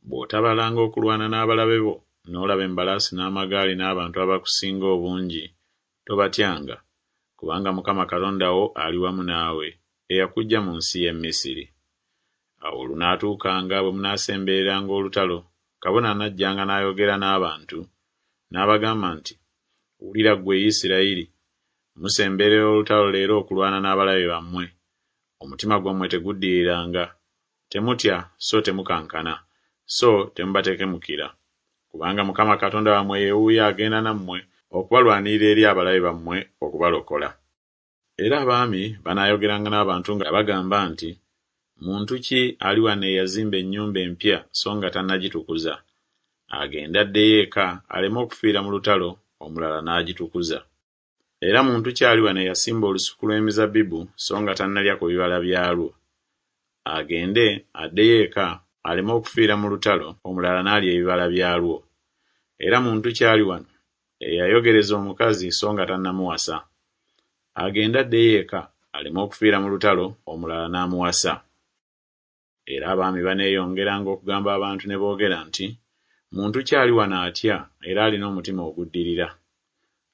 Bw'otabalanga okulwana n'abalabe bo, n'olaba embalaasi n'amagaali n'abantu abakusinga obungi, tobatyanga, kubanga Mukama Katonda wo ali wamu naawe, eyakuggya mu nsi y'e Misiri. Awo olunaatuukanga bwe munaasembereranga olutalo, kabona anajjanga n'ayogera n'abantu, n'abagamba nti, Wulira ggwe Isirayiri, musemberera olutalo leero okulwana n'abalabe bammwe. Omutima gwammwe teguddiriranga, temutya so temukankana, so temubatekemukira. Kubanga Mukama Katonda wammwe ye wuuyo agenda nammwe okubalwanirira eri abalabe bammwe okubalokola. Era abaami banaayogeranga n'abantu nga bagamba nti, Muntu ki ali wano eyazimba ennyumba empya so nga tannagitukuza? Agende addeyo eka aleme okufiira mu lutalo, omulala n'agitukuza. Era muntu ki ali wano eyasimba olusuku lw'emizabbibu so nga tannalya ku bibala byalwo? Agende addeyo eka aleme okufiira mu lutalo, omulala n'alya ebibala byalwo. Era muntu ki ali wano eyayogereza omukazi so nga tannamuwasa? Agende addeyo eka aleme okufiira mu lutalo, omulala n'amuwasa. Era abaami baneeyongeranga okugamba abantu ne boogera nti, Muntu ki ali wano atya era alina omutima oguddirira?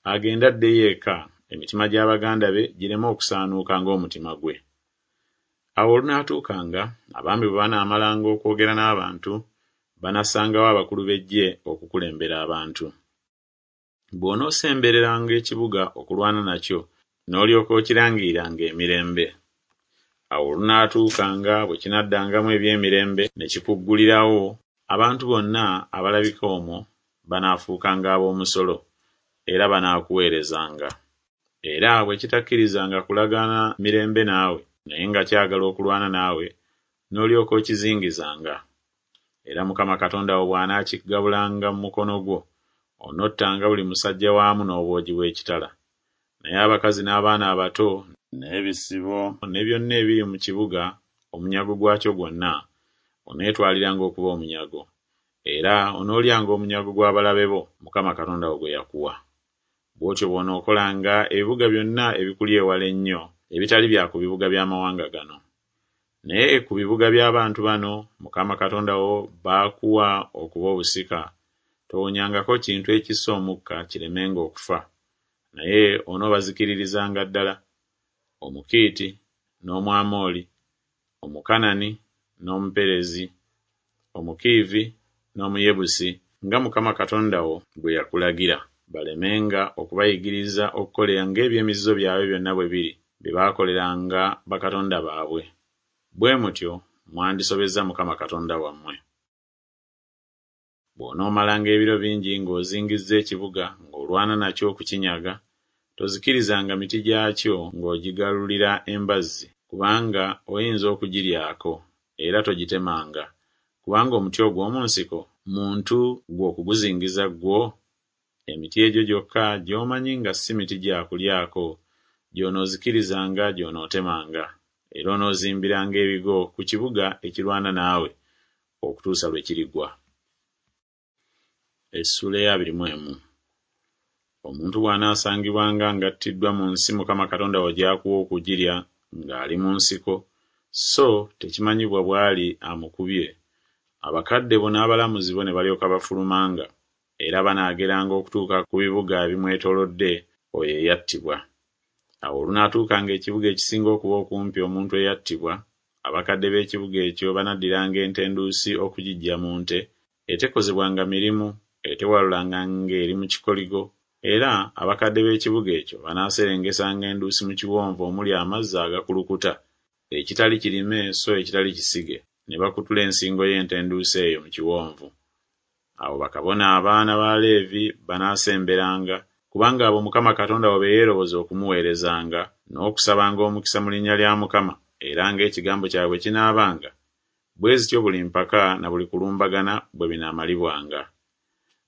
Agende addeyo eka, emitima gya baganda be gireme okusaanuuka ng'omutima gwe. Awo olunaatuukanga, abaami bwe banaamalanga okwogera n'abantu, banassangawo abakulu b'eggye okukulembera abantu. Bw'onoosembereranga ekibuga okulwana nakyo, n'olyoka okirangiriranga emirembe. Awo olunaatuukanga bwe kinaddangamu eby'emirembe ne kikuggulirawo, abantu bonna abalabika omwo banaafuukanga ab'omusolo, era banaakuweerezanga. Era bwe kitakkirizanga kulagaana mirembe naawe, naye nga kyagala okulwana naawe, n'olyoka okizingizanga. Era Mukama Katonda wo bw'anaakigabulanga mu mukono gwo, onottanga buli musajja waamu n'obwogi bw'ekitala. Naye abakazi n'abaana abato n'ebisibo ne byonna ebiri mu kibuga, omunyago gwakyo gwonna, oneetwaliranga okuba omunyago. Era onoolyanga omunyago gw'abalabe bo, Mukama Katonda wo gwe yakuwa. Bw'otyo bw'onookolanga ebibuga byonna ebikuli ewala ennyo, ebitali bya ku bibuga by'amawanga gano. Naye ku bibuga by'abantu bano Mukama Katonda wo b'akuwa okuba obusika, towonyangako kintu ekissa omukka kiremenga okufa, naye onoobazikiririzanga ddala: Omukiiti, n'Omwamoli, Omukanani, n'Omuperezi, Omukiivi, n'Omuyebusi, nga Mukama Katonda wo bwe yakulagira, balemenga okubayigiriza okukola ng'eby'emizizo byabwe byonna bwe biri, bye baakoleranga bakatonda baabwe. Bwe mutyo mwandisobezza Mukama Katonda wammwe. Bw'onoomalanga ebiro bingi ng'ozingizza ekibuga ng'olwana nakyo okukinyaga, tozikirizanga miti gyakyo ng'ogigalulira embazzi, kubanga oyinza okugiryako, era togitemanga, kubanga omuti ogw'omu nsiko muntu ggwe okuguzingiza ggwo? Emiti egyo gyokka gy'omanyi nga si miti gya kulyako gy'onoozikirizanga gy'onootemanga, era onoozimbiranga ebigo ku kibuga ekirwana naawe okutuusa lwe kirigwa. Essuula ey'abiri mu emu. Omuntu bw'anaasangibwanga ng'attiddwa mu nsi Mukama Katonda wo gy'akuwa okugirya ng'ali mu nsiko, so tekimanyibwa bw'ali amukubye, abakadde bo n'abalamuzi bo ne balyoka bafulumanga, era banaageranga okutuuka ku bibuga ebimwetoolodde oyo eyattibwa. Awo olunaatuukanga ekibuga ekisinga okuba okumpi omuntu eyattibwa, abakadde b'ekibuga ekyo banaddiranga ente enduusi okugiggya mu nte, etekozebwanga mirimu, etewalulanga ng'eri mu kikoligo, era abakadde b'ekibuga ekyo banaaserengesanga enduusi mu kiwonvu omuli amazzi agakulukuta, ekitali kirime so ekitali kisige, ne bakutula ensingo y'ente enduusi eyo mu kiwonvu. Awo bakabona abaana ba Leevi banaasemberanga, kubanga abo Mukama Katonda wo be yeeroboza okumuweerezanga, n'okusabanga omukisa mu linnya lya Mukama, era ng'ekigambo kyabwe bwe kinaabanga, bwe zityo buli mpaka na buli kulumbagana bwe binaamalibwanga.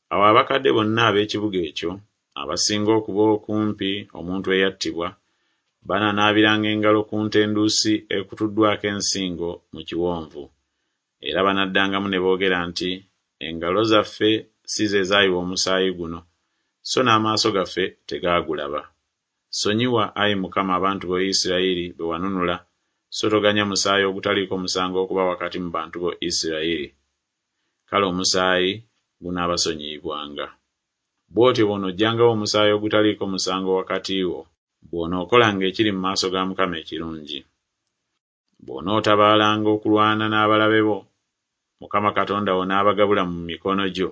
Awo abakadde bonna ab'ekibuga ekyo, abasinga okuba okumpi omuntu eyattibwa, banaanaabiranga engalo ku nte enduusi ekutuddwako ensingo mu kiwonvu. Era banaddangamu ne boogera nti, Engalo zaffe si ze zaayiwa omusaayi guno, so n'amaaso gaffe tegaagulaba. Sonyiwa, ayi Mukama, abantu bo Isirayiri be wanunula, so toganya musaayi ogutaliiko musango okuba wakati mu bantu bo Isirayiri. Kale omusaayi gunaabasonyiyibwanga. Bw'otyo bw'onoggyangawo omusaayi ogutaliiko musango wakati wo, bw'onookolanga ekiri mu maaso ga Mukama ekirungi. Bw'onootabaalanga okulwana n'abalabe bo, Mukama Katonda wo n'abagabula mu mikono gyo,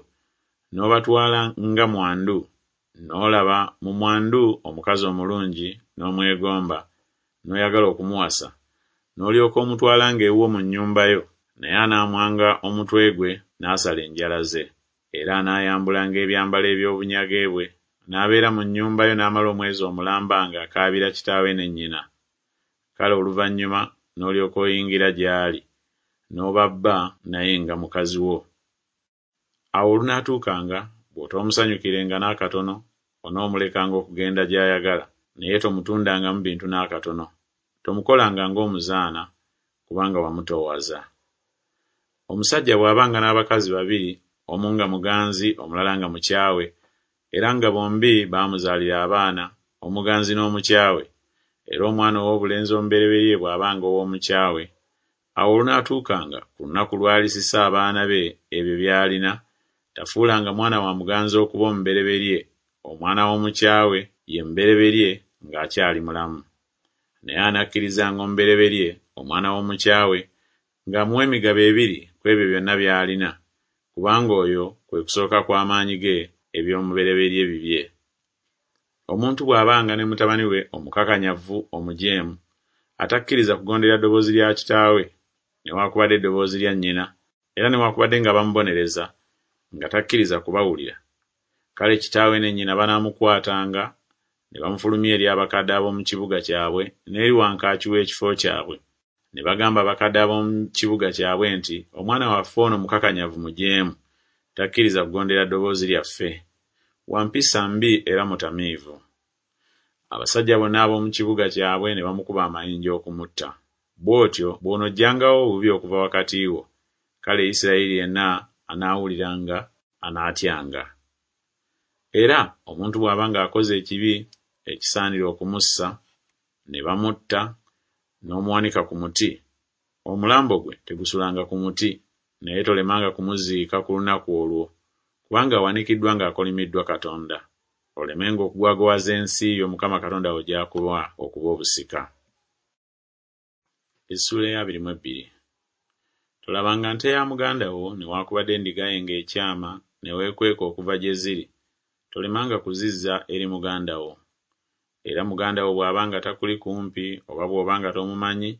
n'obatwala nga mwandu, n'olaba mu mwandu omukazi omulungi n'omwegomba, n'oyagala okumuwasa, n'olyoka omutwalanga ewuwo mu nnyumba yo, naye anaamwanga omutwe gwe n'asala enjala ze. Era anaayambulanga ebyambalo eby'obunyage bwe, n'abeera mu nnyumba yo n'amala omwezi omulamba ng'akaabira kitaawe ne nnyina. Kale oluvannyuma n'olyoka oyingira gy'ali, n'oba bba naye nga mukazi wo. Awo olunaatuukanga, bw'otoomusanyukirenga n'akatono, onoomulekanga okugenda gy'ayagala, naye tomutundangamu bintu n'akatono. Tomukolanga ng'omuzaana, kubanga wamutoowaza. Omusajja bw'abanga n'abakazi babiri, omu nga muganzi omulala nga mukyawe, era nga bombi baamuzaalira abaana, omuganzi n'omukyawe, era omwana ow'obulenzi omubereberye bw'abanga ow'omukyawe, awo olunaatuukanga ku lunaku lw'alisisa abaana be ebyo by'alina, tafuulanga mwana wa muganzi okuba omubereberye, omwana w'omukyawe ye mubereberye ng'akyali mulamu. Naye anakkirizanga omubereberye, omwana w'omukyawe, ng'amuwa emigabo ebiri ku ebyo byonna by'alina, kubanga oyo kwe kusooka kw'amaanyi ge, eby'omubereberye bibye. Omuntu bw'abanga ne mutabani we omukakanyavu omujeemu, atakkiriza kugondera ddoboozi lya kitaawe, newaakubadde eddoboozi lya nnyina, era newaakubadde nga bamubonereza, nga takkiriza kubawulira, kale kitaawe ne nnyina banaamukwatanga ne bamufulumya eri abakadde ab'omu kibuga kyabwe n'eri wankaaki w'ekifo kyabwe, ne bagamba abakadde ab'omu kibuga kyabwe nti, Omwana waffe ono mukakanyavu mujeemu, takkiriza kugondera ddoboozi lyaffe, wa mpisa mbi era mutamiivu. Abasajja bonna ab'omu kibuga kyabwe ne bamukuba amayinja okumutta. Bw'otyo bw'onoggyangawo obubi okuva wakati wo, kale Isirayiri yenna anaawuliranga anaatyanga. Era omuntu bw'abanga akoze ekibi ekisaanira okumussa, ne bamutta, n'omuwanika ku muti, omulambo gwe tegusulanga ku muti, naye tolemanga kumuziika ku lunaku olwo, kubanga awanikiddwa ng'akolimiddwa Katonda, olemenga okugwagowaza ensi yo Mukama Katonda wo gy'akuwa okuba obusika. Essuula ey'abiri mu ebbiri. Tolabanga nte ya muganda wo newaakubadde endiga ye ng'ekyama ne weekweka okuva gye ziri, tolemanga kuzizza eri muganda wo. Era muganda wo bw'abanga takuli kumpi oba bw'obanga tomumanyi,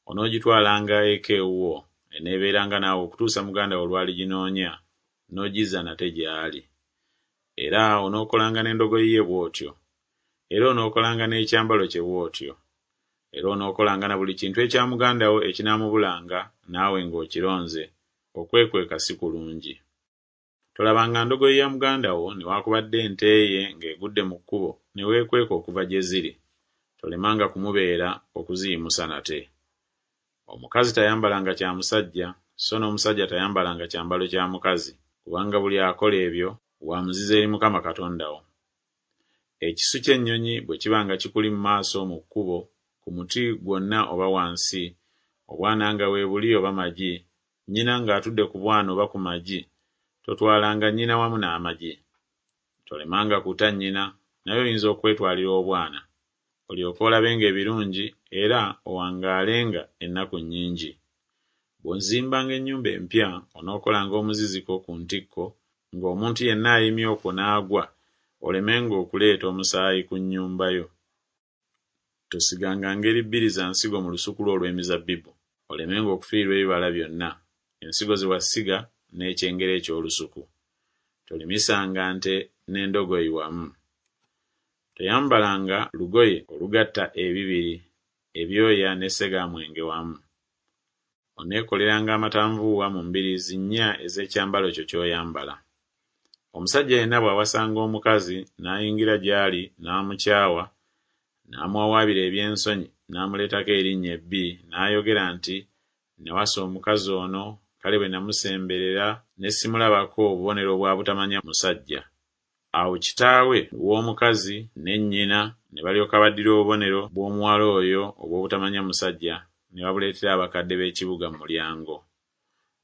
onoogitwalanga eka ewuwo, eneebeeranga naawe okutuusa muganda wo lw'aliginoonya, n'ogizza nate gy'ali. Era onookolanga n'endogoyi ye bw'otyo, era onookolanga n'ekyambalo kye bw'otyo. Era onookolanga na buli kintu ekya muganda wo ekinaamubulanga naawe ng'okironze, okwekweka si kulungi. Tolabanga ndogoyi ya muganda wo newaakubadde ente ye ng'egudde mu kkubo ne weekweka okuva gye ziri, tolemanga kumubeera okuziyimusa nate. Omukazi tayambalanga kya musajja, so n'omusajja tayambalanga kyambalo kya mukazi, kubanga buli akola ebyo wa muzizo eri Mukama Katonda wo. Ekisu ky'ennyonyi bwe kibanga kikuli mu maaso mu kkubo, ku muti gwonna oba wansi, obwana nga weebuli oba magi, nnyina ng'atudde ku bwana oba ku magi, totwalanga nnyina wamu n'amagi. Tolemanga kuta nnyina, naye oyinza okwetwalira obwana, olyoke olabenga ebirungi era owangaalenga ennaku nnyingi. Bw'ozimbanga ennyumba empya, onookolanga omuziziko ku ntikko, ng'omuntu yenna ayimye okwo n'agwa, olemenga okuleeta omusaayi ku nnyumba yo. Tosiganga ngeri bbiri za nsigo mu lusuku lwo olw'emizabbibu, olemenga okufiirwa ebibala byonna, ensigo ze wasiga n'ekyengera eky'olusuku. Tolimisanga nte n'endogoyi wamu. Toyambalanga lugoye olugatta ebibiri, ebyoya ne ssegaamwenge wamu. Oneekoleranga amatanvuuwa mu mbiriizi nnya ez'ekyambalo kyo ky'oyambala. Omusajja yenna bw'awasanga omukazi n'ayingira gy'ali n'amukyawa, n'amuwawaabira eby'ensonyi n'amuleetako erinnya ebbi n'ayogera nti, Nawasa omukazi ono, kale bwe namusemberera ne simulabako bubonero bwa butamanya musajja. Awo kitaawe w'omukazi ne nnyina ne balyoka baddira obubonero bw'omuwala oyo obw'obutamanya musajja ne babuleetera abakadde b'ekibuga mu mulyango.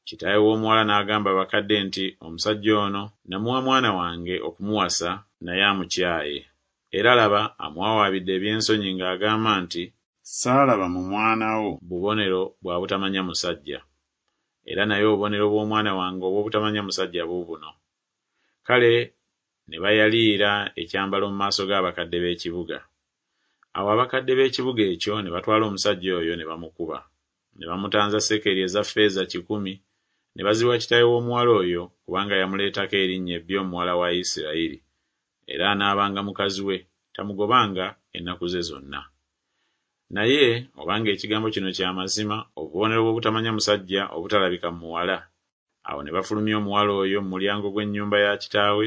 Kitaawe w'omuwala n'agamba abakadde nti, Omusajja ono namuwa mwana wange okumuwasa, naye amukyaye. Era laba amuwawaabidde eby'ensonyi ng'agamba nti, Saalaba mu mwana wo bubonero bwa butamanya musajja. Era naye obubonero bw'omwana wange obw'obutamanya musajja buubuno. Kale ne bayaliira ekyambalo mu maaso g'abakadde b'ekibuga. Awo abakadde b'ekibuga ekyo ne batwala omusajja oyo ne bamukuba. Ne bamutanza sekeri eza ffeeza kikumi, ne baziwa kitaawe w'omuwala oyo, kubanga yamuleetako erinnya ebbi omuwala wa Isirayiri. Era anaabanga mukazi we, tamugobanga ennaku ze zonna. Naye obanga ekigambo kino kya mazima, obubonero bw'obutamanya musajja obutalabika mu muwala. Awo ne bafulumya omuwala oyo mu mulyango gw'ennyumba ya kitaawe,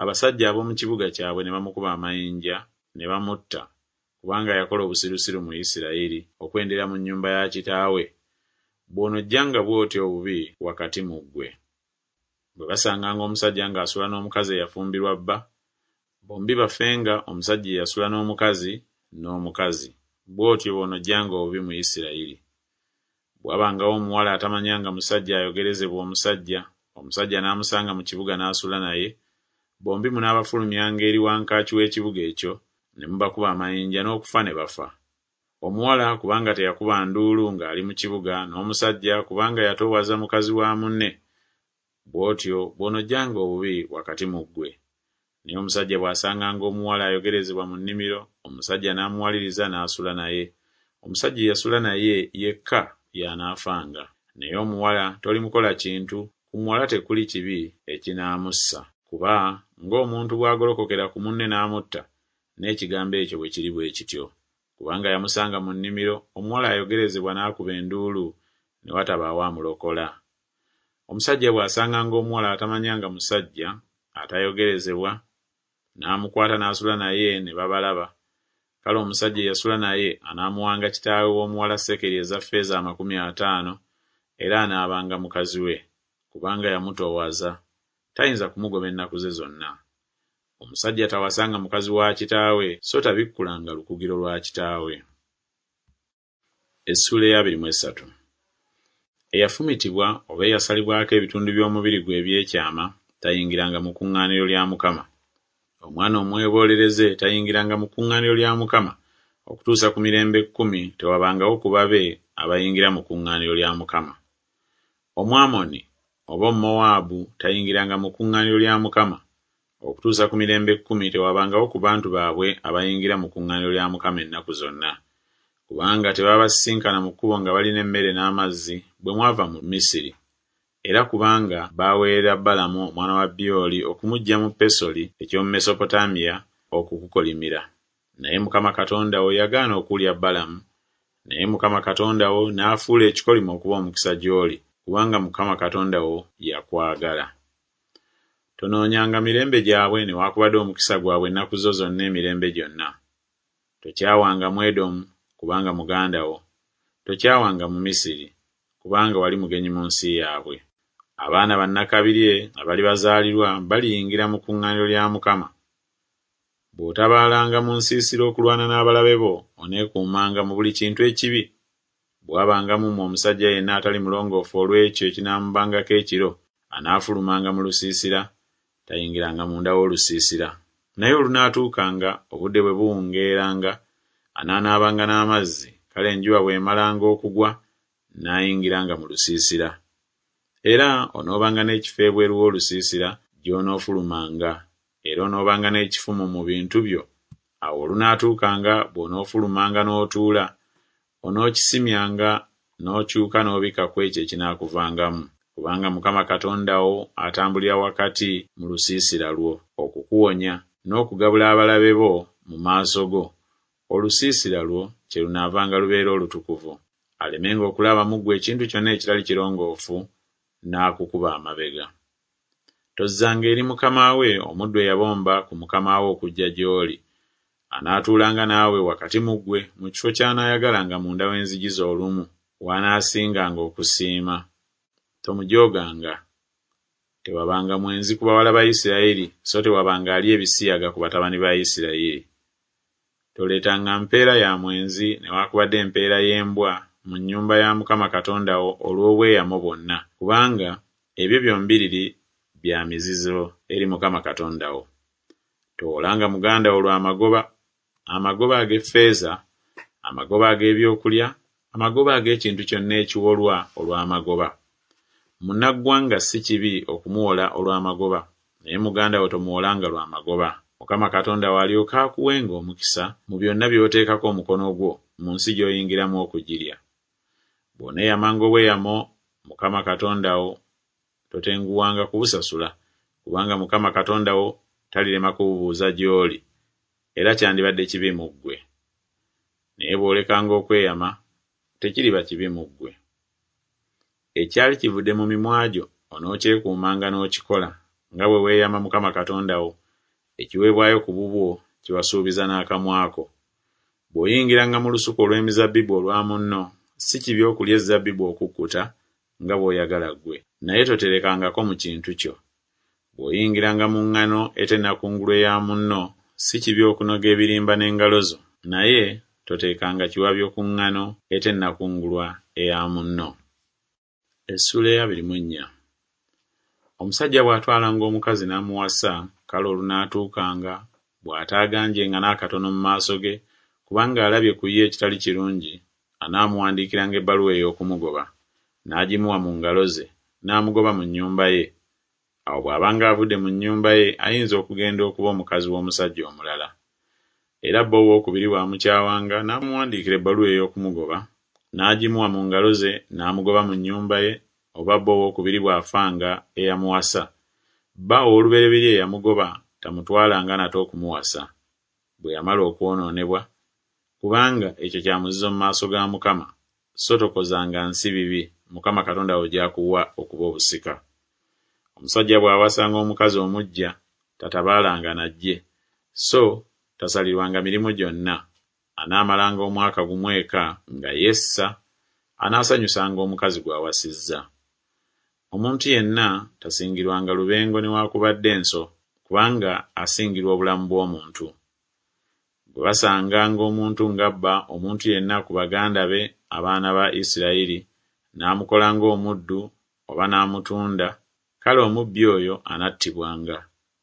abasajja ab'omu kibuga kyabwe ne bamukuba amayinja, ne bamutta, kubanga yakola obusirusiru mu Isirayiri okwendera mu nnyumba ya kitaawe. Bw'onoggyanga bw'otyo obubi wakati mu ggwe. Bwe basanganga omusajja ng'asula n'omukazi eyafumbirwa bba, bombi bafenga, omusajja eyasula n'omukazi, n'omukazi. Bw'otyo bw'onoggyanga obubi mu Isirayiri. Bwe wabangawo omuwala atamanyanga musajja ayogerezebwa omusajja, omusajja n'amusanga mu kibuga n'asula naye, bombi munaabafulumyanga eri wankaaki w'ekibuga ekyo, ne mubakuba amayinja n'okufa ne bafa. Omuwala kubanga teyakuba nduulu ng'ali mu kibuga, n'omusajja kubanga yatoowaza mukazi wa munne. Bw'otyo bw'onoggyanga obubi wakati mu ggwe. Naye omusajja bw'asanganga omuwala ayogerezebwa mu nnimiro, omusajja n'amuwaliriza n'asula naye, omusajja eyasula naye yekka y'anaafanga. Naye omuwala tolimukola kintu, ku muwala tekuli kibi ekinaamussa. Kuba ng'omuntu bw'agolokokera ku munne n'amutta, n'ekigambo ekyo bwe kiri bwe kityo. Kubanga yamusanga mu nnimiro, omuwala ayogerezebwa n'akuba enduulu, ne watabaawo amulokola. Omusajja bw'asanganga omuwala atamanyanga musajja, atayogerezebwa, n'amukwata n'asula naye ne babalaba, kale omusajja eyasula naye anaamuwanga kitaawe w'omuwala sekeri eza ffeeza amakumi ataano, era anaabanga mukazi we, kubanga yamutoowaza, tayinza kumugoba ennaku ze zonna. Omusajja tawasanga mukazi wa kitaawe, so tabikkulanga lukugiro lwa kitaawe. Essuula ey'abiri mu esatu. Eyafumitibwa oba eyasalibwako ebitundu by'omubiri gwe eby'ekyama tayingiranga mu kuŋŋaaniro lya Mukama. Omwana omweboolereze tayingiranga mu kuŋŋaaniro lya Mukama, okutuusa ku mirembe kkumi tewabangawo ku babe abayingira mu kuŋŋaaniro lya Mukama. Omwamoni oba Omumowaabu tayingiranga mu kuŋŋaaniro lya Mukama, okutuusa ku mirembe kkumi tewabangawo ku bantu baabwe abayingira mu kuŋŋaaniro lya Mukama ennaku zonna. Kubanga tebabasisinkana mu kkubo nga balina emmere n'amazzi bwe mwava mu Misiri, era kubanga baaweerera Balamu omwana wa Byoli okumuggya mu Pesoli eky'omu Mesopotamiya okukukolimira. Naye Mukama Katonda wo yagaana okuwulira Balamu, naye Mukama Katonda wo n'afuula ekikolimo okuba omukisa gy'oli, kubanga Mukama Katonda wo yakwagala. Tonoonyanga mirembe gyabwe newaakubadde omukisa gwabwe ennaku zo zonna emirembe gyonna. Tokyawanga Mwedomu, kubanga muganda wo. Tokyawanga Mumisiri, kubanga wali mugenyi mu nsi yaabwe. Abaana bannakabirye abali bazaalirwa baliyingira mu kuŋŋaaniro lya Mukama. Bw'otabaalanga mu nsiisira okulwana n'abalabe bo, oneekuumanga mu buli kintu ekibi. Bwe wabanga mu mmwe omusajja yenna atali mulongoofu olw'ekyo ekinaamubangako ekiro, anaafulumanga mu lusiisira, tayingiranga munda w'olusiisira. Naye olunaatuukanga, obudde bwe buwungeeranga, anaanaabanga n'amazzi, kale enjuba bw'emalanga okugwa, n'ayingiranga mu lusiisira. Era onoobanga n'ekifo ebweru w'olusiisira gy'onoofulumanga, era onoobanga n'ekifumu mu bintu byo. Awo olunaatuukanga bw'onoofulumanga n'otuula, onookisimyanga n'okyuka n'obikka ku ekyo ekinaakuvangamu. Kubanga Mukama Katonda wo atambulira wakati mu lusiisira lwo okukuwonya n'okugabula abalabe bo mu maaso go, olusiisira lwo kyelunaavanga lubeera olutukuvu, alemenga okulaba mu ggwe ekintu kyonna ekitali kirongoofu n'akukuba amabega. Tozzanga eri mukama we omuddu eyabomba ku mukama we okujja gy'oli. Anaatuulanga naawe wakati mu ggwe mu kifo ky'anaayagalanga munda w'enzigi zo olumu, w'anaasinganga okusiima. Tomujooganga. Tewabanga mwenzi ku bawala ba Isirayiri, so tewabanga alya ebisiyaga ku batabani ba Isirayiri. Toleetanga mpeera ya mwenzi newaakubadde empeera y'embwa mu nnyumba ya Mukama Katonda wo olw'obweyamo bwonna, kubanga ebyo byombiriri bya mizizo eri Mukama Katonda wo. Towolanga muganda wo lwa magoba, amagoba ag'effeeza, amagoba ag'ebyokulya, amagoba ag'ekintu kyonna ekiwolwa olw'amagoba. Munnaggwanga si kibi okumuwola olw'amagoba, naye muganda wo tomuwolanga lwa magoba. Mukama Katonda wo alyoke akuwenga omukisa mu byonna by'oteekako omukono gwo mu nsi gy'oyingiramu okugirya. Bw'oneeyamanga obweyamo Mukama Katonda wo, totenguwanga kubusasula, kubanga Mukama Katonda wo talirema kububuuza gy'oli, era kyandibadde kibi mu ggwe. Naye bw'olekanga okweyama, tekiriba kibi mu ggwe. Ekyali kivudde mu mimwa gyo onookyekuumanga n'okikola, nga bwe weeyama Mukama Katonda wo, ekiweebwayo ku bubwo kye wasuubiza n'akamwa ko. Bw'oyingiranga mu lusuku olw'emizabbibu olwa munno, si kibi okulya ezzabbibu okukkuta nga bw'oyagala ggwe, naye toterekangako mu kintu kyo. Bw'oyingiranga mu ŋŋano etennakungulwa eya munno, si kibi okunoga ebirimba n'engalo zo, naye toteekanga kiwabyo ku ŋŋano etennakungulwa eya munno. Essuula ey'abiri mu ennya. Omusajja bw'atwalanga omukazi n'amuwasa, kale olunaatuukanga bw'ataaganjenga n'akatono mu maaso ge, kubanga alabye ku ye ekitali kirungi, anaamuwandiikiranga ebbaluwa ey'okumugoba, n'agimuwa mu ngalo ze, n'amugoba mu nnyumba ye. Awo bw'abanga avudde mu nnyumba ye ayinza okugenda okuba omukazi w'omusajja omulala. Era bba owookubiri bw'amukyawanga n'amuwandiikira ebbaluwa ey'okumugoba, n'agimuwa mu ngalo ze n'amugoba mu nnyumba ye, oba bba owookubiri bw'afanga eyamuwasa, bba ow'olubereberye eyamugoba tamutwalanga nate okumuwasa, bwe yamala okwonoonebwa, kubanga ekyo kya muzizo mu maaso ga Mukama, so tokozanga nsi bibi, Mukama Katonda wo gy'akuwa okuba obusika. Omusajja bw'awasanga omukazi omuggya, tatabaalanga na ggye, so tasalirwanga mirimu gyonna. Anaamalanga omwaka gumu eka nga yessa, anaasanyusanga omukazi gw'awasizza. Omuntu yenna tasingirwanga lubengo newaakubadde enso, kubanga asingirwa obulamu bw'omuntu. Bwe basanganga omuntu ng'abba omuntu yenna ku baganda be abaana ba Isirayiri, n'amukola ng'omuddu oba n'amutunda, kale omubbi oyo anattibwanga.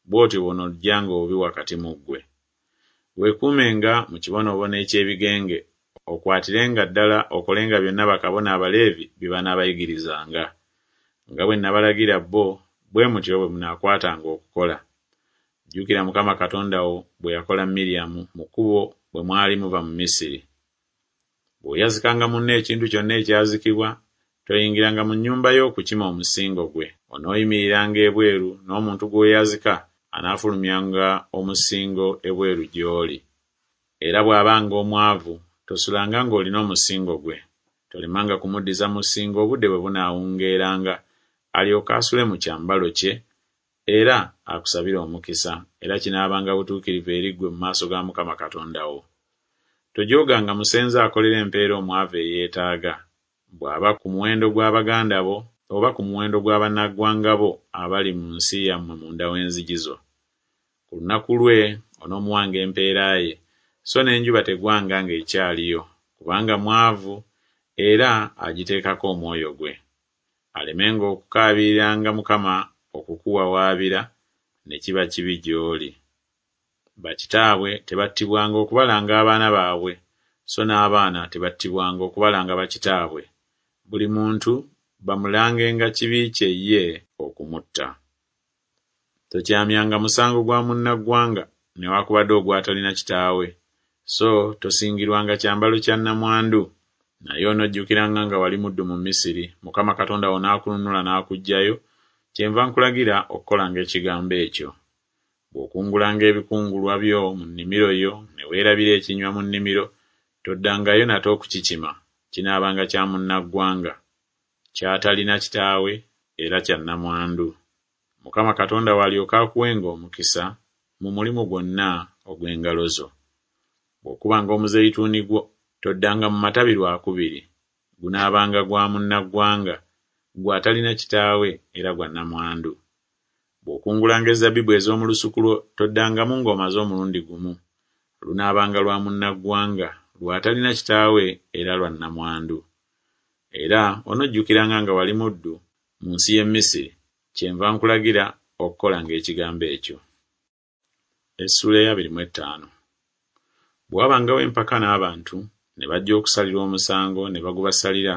Bw'otyo bw'onoggyanga obubi wakati mu ggwe. Weekuumenga mu kibonoobono eky'ebigenge, okwatirenga ddala okolenga byonna bakabona Abaleevi bye banaabayigirizanga. Nga bwe nabalagira bo, bwe mutyo bwe munaakwatanga okukola. Jjukira Mukama Katonda wo bwe yakola Miryamu mu kkubo bwe mwali muva mu Misiri. Bw'oyazikanga munno ekintu kyonna ekyazikibwa, toyingiranga mu nnyumba ye okukima omusingo gwe. Onooyimiriranga ebweru, n'omuntu gw'oyazika anaafulumyanga omusingo ebweru gy'oli. Era bw'abanga omwavu, tosulanga ng'olina omusingo gwe. Tolemanga kumuddiza musingo obudde bwe bunaawungeeranga, alyoke asule mu kyambalo kye, era akusabire omukisa, era kinaabanga butuukirivu eri ggwe mu maaso ga Mukama Katonda wo. Tojooganga musenze akolera empeera omwavu eyeetaaga, bw'aba ku muwendo gwa baganda bo oba ku muwendo gwa bannaggwanga bo abali mu nsi yammwe munda w'enzigi zo. Ku lunaku lwe onoomuwanga empeera ye, so n'enjuba tegwanga ng'ekyaliyo, kubanga mwavu era agiteekako omwoyo gwe. Alemenga okukaabiriranga Mukama okukuwawaabira, ne kiba kibi gy'oli. Bakitaabwe tebattibwanga okubalanga abaana baabwe, so n'abaana tebattibwanga okubalanga bakitaabwe. Buli muntu bamulangenga kibi kye ye okumutta. Tokyamyanga musango gwa munnaggwanga newaakubadde ogw'atalina kitaawe, so tosingirwanga kyambalo kya nnamwandu. Naye onojjukiranga nga wali muddu mu Misiri, Mukama Katonda wo n'akununula n'akuggyayo, kyenva nkulagira okukolanga ekigambo ekyo. Bw'okungulanga ebikungulwa byo mu nnimiro yo ne weerabira ekinywa mu nnimiro, toddangayo nate okukikima, kinaabanga kya munnaggwanga, ky'atalina kitaawe era kya nnamwandu. Mukama Katonda wo alyoke akuwenga omukisa mu mulimu gwonna ogw'engalo zo. Bw'okubanga omuzeyituuni gwo, toddanga mu matabi lwakubiri, gunaabanga gwa munnaggwanga, gw'atalina kitaawe era gwa nnamwandu. Bw'okungulanga ezzabibu ez'omu lusuku lwo, toddangamu ng'omaze omulundi gumu, lunaabanga lwa munnaggwanga, lw'atalina kitaawe era lwa nnamwandu. Era onojjukiranga nga wali muddu mu nsi y'e Misiri, kyenva nkulagira okukolanga ekigambo ekyo. Essuula ey'abiri mu ettaano. Bwe wabangawo empaka n'abantu, ne bajja okusalirwa omusango ne bagubasalira,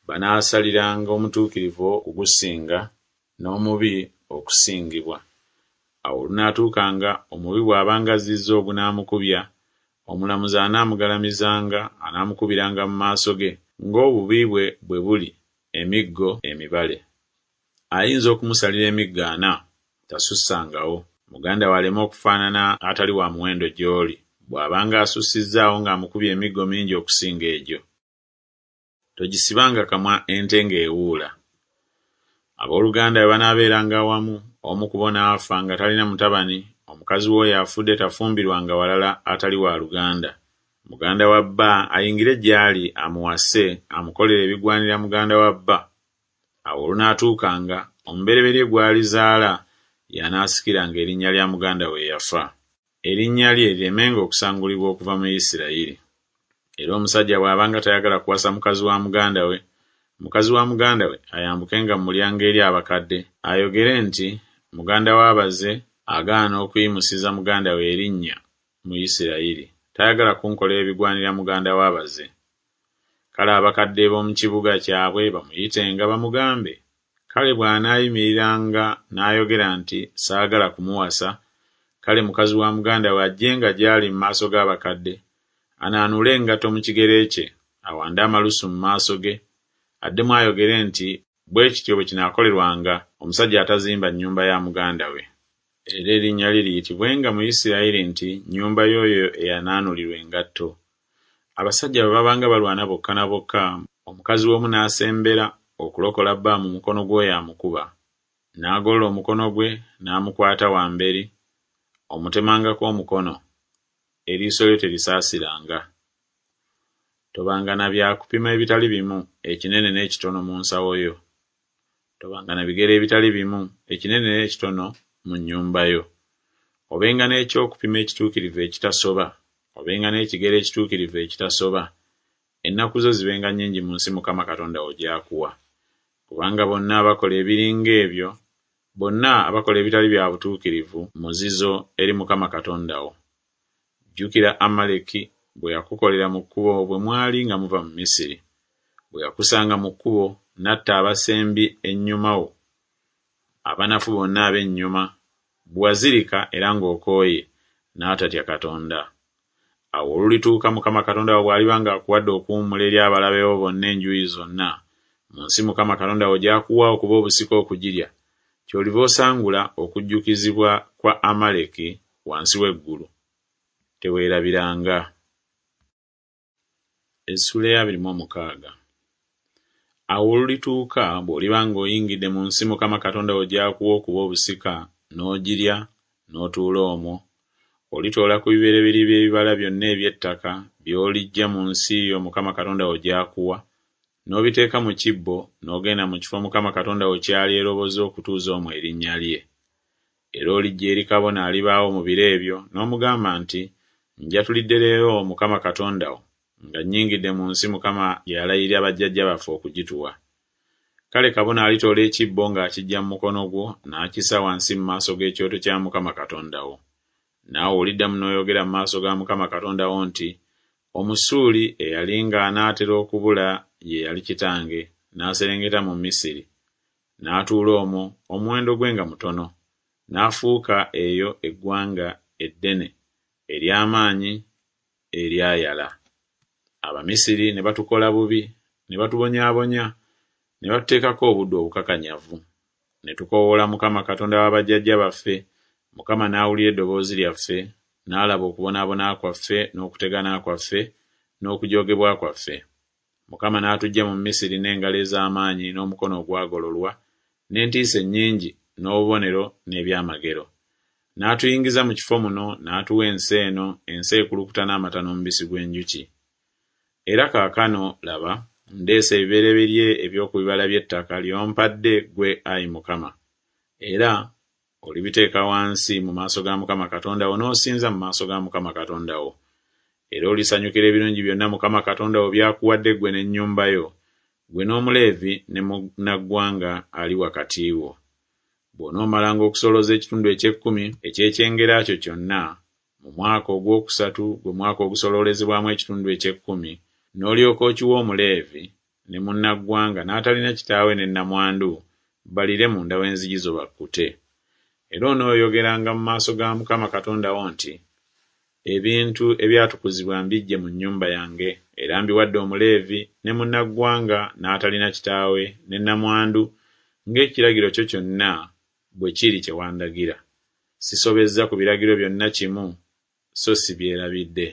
banaasaliranga omutuukirivu okugusinga, n'omubi okusingibwa. Awo olunaatuukanga, omubi bw'abanga azzizza ogunaamukubya, omulamuzi anaamugalamizanga, anaamukubiranga mu maaso ge, ng'obubi bwe bwe buli, emiggo emibale. Ayinza okumusalira emiggo ana, tasussangawo. Muganda wo aleme okufaanana atali wa muwendo gy'oli, bw'abanga asussizzaawo ng'amukubye emiggo mingi okusinga egyo. Togisibanga kamwa ente ng'ewuula. Abooluganda bwe banaabeeranga awamu, omu ku bo n'afa nga talina mutabani, omukazi w'oyo afudde tafumbirwanga walala atali wa luganda. Muganda wa bba ayingire gy'ali amuwase, amukolere ebigwanira muganda wa bba. Awo olunaatuukanga, omubereberye gw'alizaala y'anaasikiranga erinnya lya muganda we eyafa. Erinnya lye liremenga okusangulibwa okuva mu Isirayiri. Era omusajja bw'abanga tayagala kuwasa mukazi wa muganda we, mukazi wa muganda we ayambukenga mu mulyango eri abakadde, ayogere nti, Muganda w'abaze agaana okuyimusiza muganda we erinnya mu Isirayiri, tayagala kunkolera ebigwanira muganda w'abaze. Kale abakadde b'omu kibuga kyabwe bamuyitenga bamugambe, Kale bw'anaayimiriranga n'ayogera nti, Saagala kumuwasa, kale mukazi wa muganda we ajjenga gy'ali mu maaso g'abakadde, anaanuule engatto mu kigere kye, awande amalusu mu maaso ge, addemu ayogere nti, Bwe kityo bwe kinaakolerwanga omusajja atazimba nnyumba ya muganda we. Era erinnya lye liyitibwenga mu Isirayiri nti, Nnyumba y'oyo eyanaanulirwa engatto. Abasajja bwe babanga balwana bokka na bokka, omukazi w'omu n'asembera okulokola bba mu mukono gw'oyo amukuba, n'agolola omukono gwe n'amukwata wamberi, omutemangako omukono, eriiso lyo terisaasiranga. Tobanga na bya kupima ebitali bimu, ekinene n'ekitono mu nsawo yo. Tobanga na bigero ebitali bimu, ekinene n'ekitono mu nnyumba yo. Obenga n'ekyokupima ekituukirivu ekitasoba, obenga n'ekigero ekituukirivu ekitasoba. Ennaku zo zibenga nnyingi mu nsi Mukama Katonda wo gy'akuwa. Kubanga bonna abakola ebiringa ebyo, bonna abakola ebitali bya butuukirivu, muzizo eri Mukama Katonda wo. Jjukira Amaleki bwe yakukolera mu kkubo bwe mwali nga muva mu Misiri, bwe yakusanga mu kkubo n'atta abasembi ennyuma wo, abanafu bonna ab'ennyuma, bwe wazirika era ng'okooye, n'atatya Katonda. Awo olulituuka Mukama Katonda wo bw'aliba ng'akuwadde okuwummula eri abalabe bo bonna enjuuyi zonna, mu nsi Mukama Katonda wo gy'akuwa okuba obusika okugirya, ky'oliva osangula okujjukizibwa kwa Amaleki wansi w'eggulu. Teweerabiranga. Essuula ey'abiri mu omukaaga. Awo olulituuka bw'oliba ng'oyingidde mu nsi Mukama Katonda wo gy'akuwa okuba obusika, n'ogirya, n'otuula omwo, olitoola ku bibereberye by'ebibala byonna eby'ettaka by'oliggya mu nsi yo Mukama Katonda wo gy'akuwa, n'obiteeka mu kibbo, n'ogenda mu kifo Mukama Katonda wo ky'alyeroboza okutuuza omwo erinnya lye. Era olijja eri kabona alibaawo mu biro ebyo, n'omugamba nti, Njatulidde leero Mukama Katonda wo, nga nnyingidde mu nsi Mukama gye yalayirira bajjajja baffe okugituwa. Kale kabona alitoola ekibbo ng'akiggya mu mukono gwo, n'akissa wansi mu maaso g'ekyoto kya Mukama Katonda wo. Naawe oliddamu n'oyogera mu maaso ga Mukama Katonda wo nti, Omusuuli eyali ng'anaatera okubula ye yali kitange, n'aserengeta mu Misiri, n'atuula omwo, omuwendo gwe nga mutono, n'afuuka eyo eggwanga eddene, ery'amaanyi, eryayala. Abamisiri ne batukola bubi, ne batubonyaabonya, ne batuteekako obuddu obukakanyavu. Ne tukoowoola Mukama Katonda wa bajjajja baffe, Mukama n'awulira eddoboozi lyaffe, n'alaba okubonaabona kwaffe n'okutegana kwaffe n'okujoogebwa kwaffe. Mukama n'atuggya mu Misiri n'engalo ez'amaanyi n'omukono ogwagololwa, n'entiisa ennyingi n'obubonero n'ebyamagero. N'atuyingiza mu kifo muno, n'atuwa ensi eno, ensi ekulukuta n'amata n'omubisi gw'enjuki. Era kaakano, laba, ndeese ebibereberye eby'oku bibala by'ettaka ly'ompadde ggwe, ayi Mukama. Era olibiteeka wansi mu maaso ga Mukama Katonda wo n'osinza mu maaso ga Mukama Katonda wo. Era olisanyukira ebirungi byonna Mukama Katonda wo by'akuwadde ggwe n'ennyumba yo, ggwe n'Omuleevi ne munnaggwanga ali wakati wo. Bw'onoomalanga okusolooza ekitundu eky'ekkumi eky'ekyengera kyo kyonna, mu mwaka ogwokusatu gwe mwaka ogusoloolezebwamu ekitundu eky'ekkumi, n'olyoka okiwa Omuleevi ne munnaggwanga n'atalina kitaawe ne nnamwandu, baliire munda w'enzigi zo bakkute. Era onooyogeranga mu maaso ga Mukama Katonda wo nti, Ebintu ebyatukuzibwa mbiggye mu nnyumba yange, era mbiwadde Omuleevi ne munnaggwanga n'atalina kitaawe ne nnamwandu, ng'ekiragiro kyo kyonna bwe kiri kye wandagira. Sisobezza ku biragiro byonna kimu, so sibyerabidde.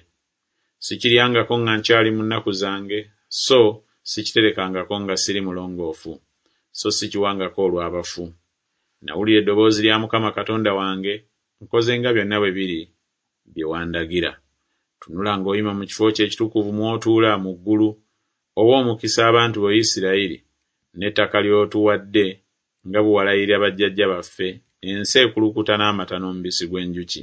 Sikiryangako nga nkyali mu nnaku zange, so sikiterekangako nga siri mulongoofu, so sikiwangako olw'abafu. Nawulira eddoboozi lya Mukama Katonda wange, nkoze nga byonna bwe biri bye wandagira. Tunula ng'oyima mu kifo kyo ekitukuvu mw'otuula mu ggulu, owe omukisa abantu bo Isirayiri, n'ettaka ly'otuwadde nga bwe walayirira bajjajja baffe, ensi ekulukuta n'amata n'omubisi gw'enjuki.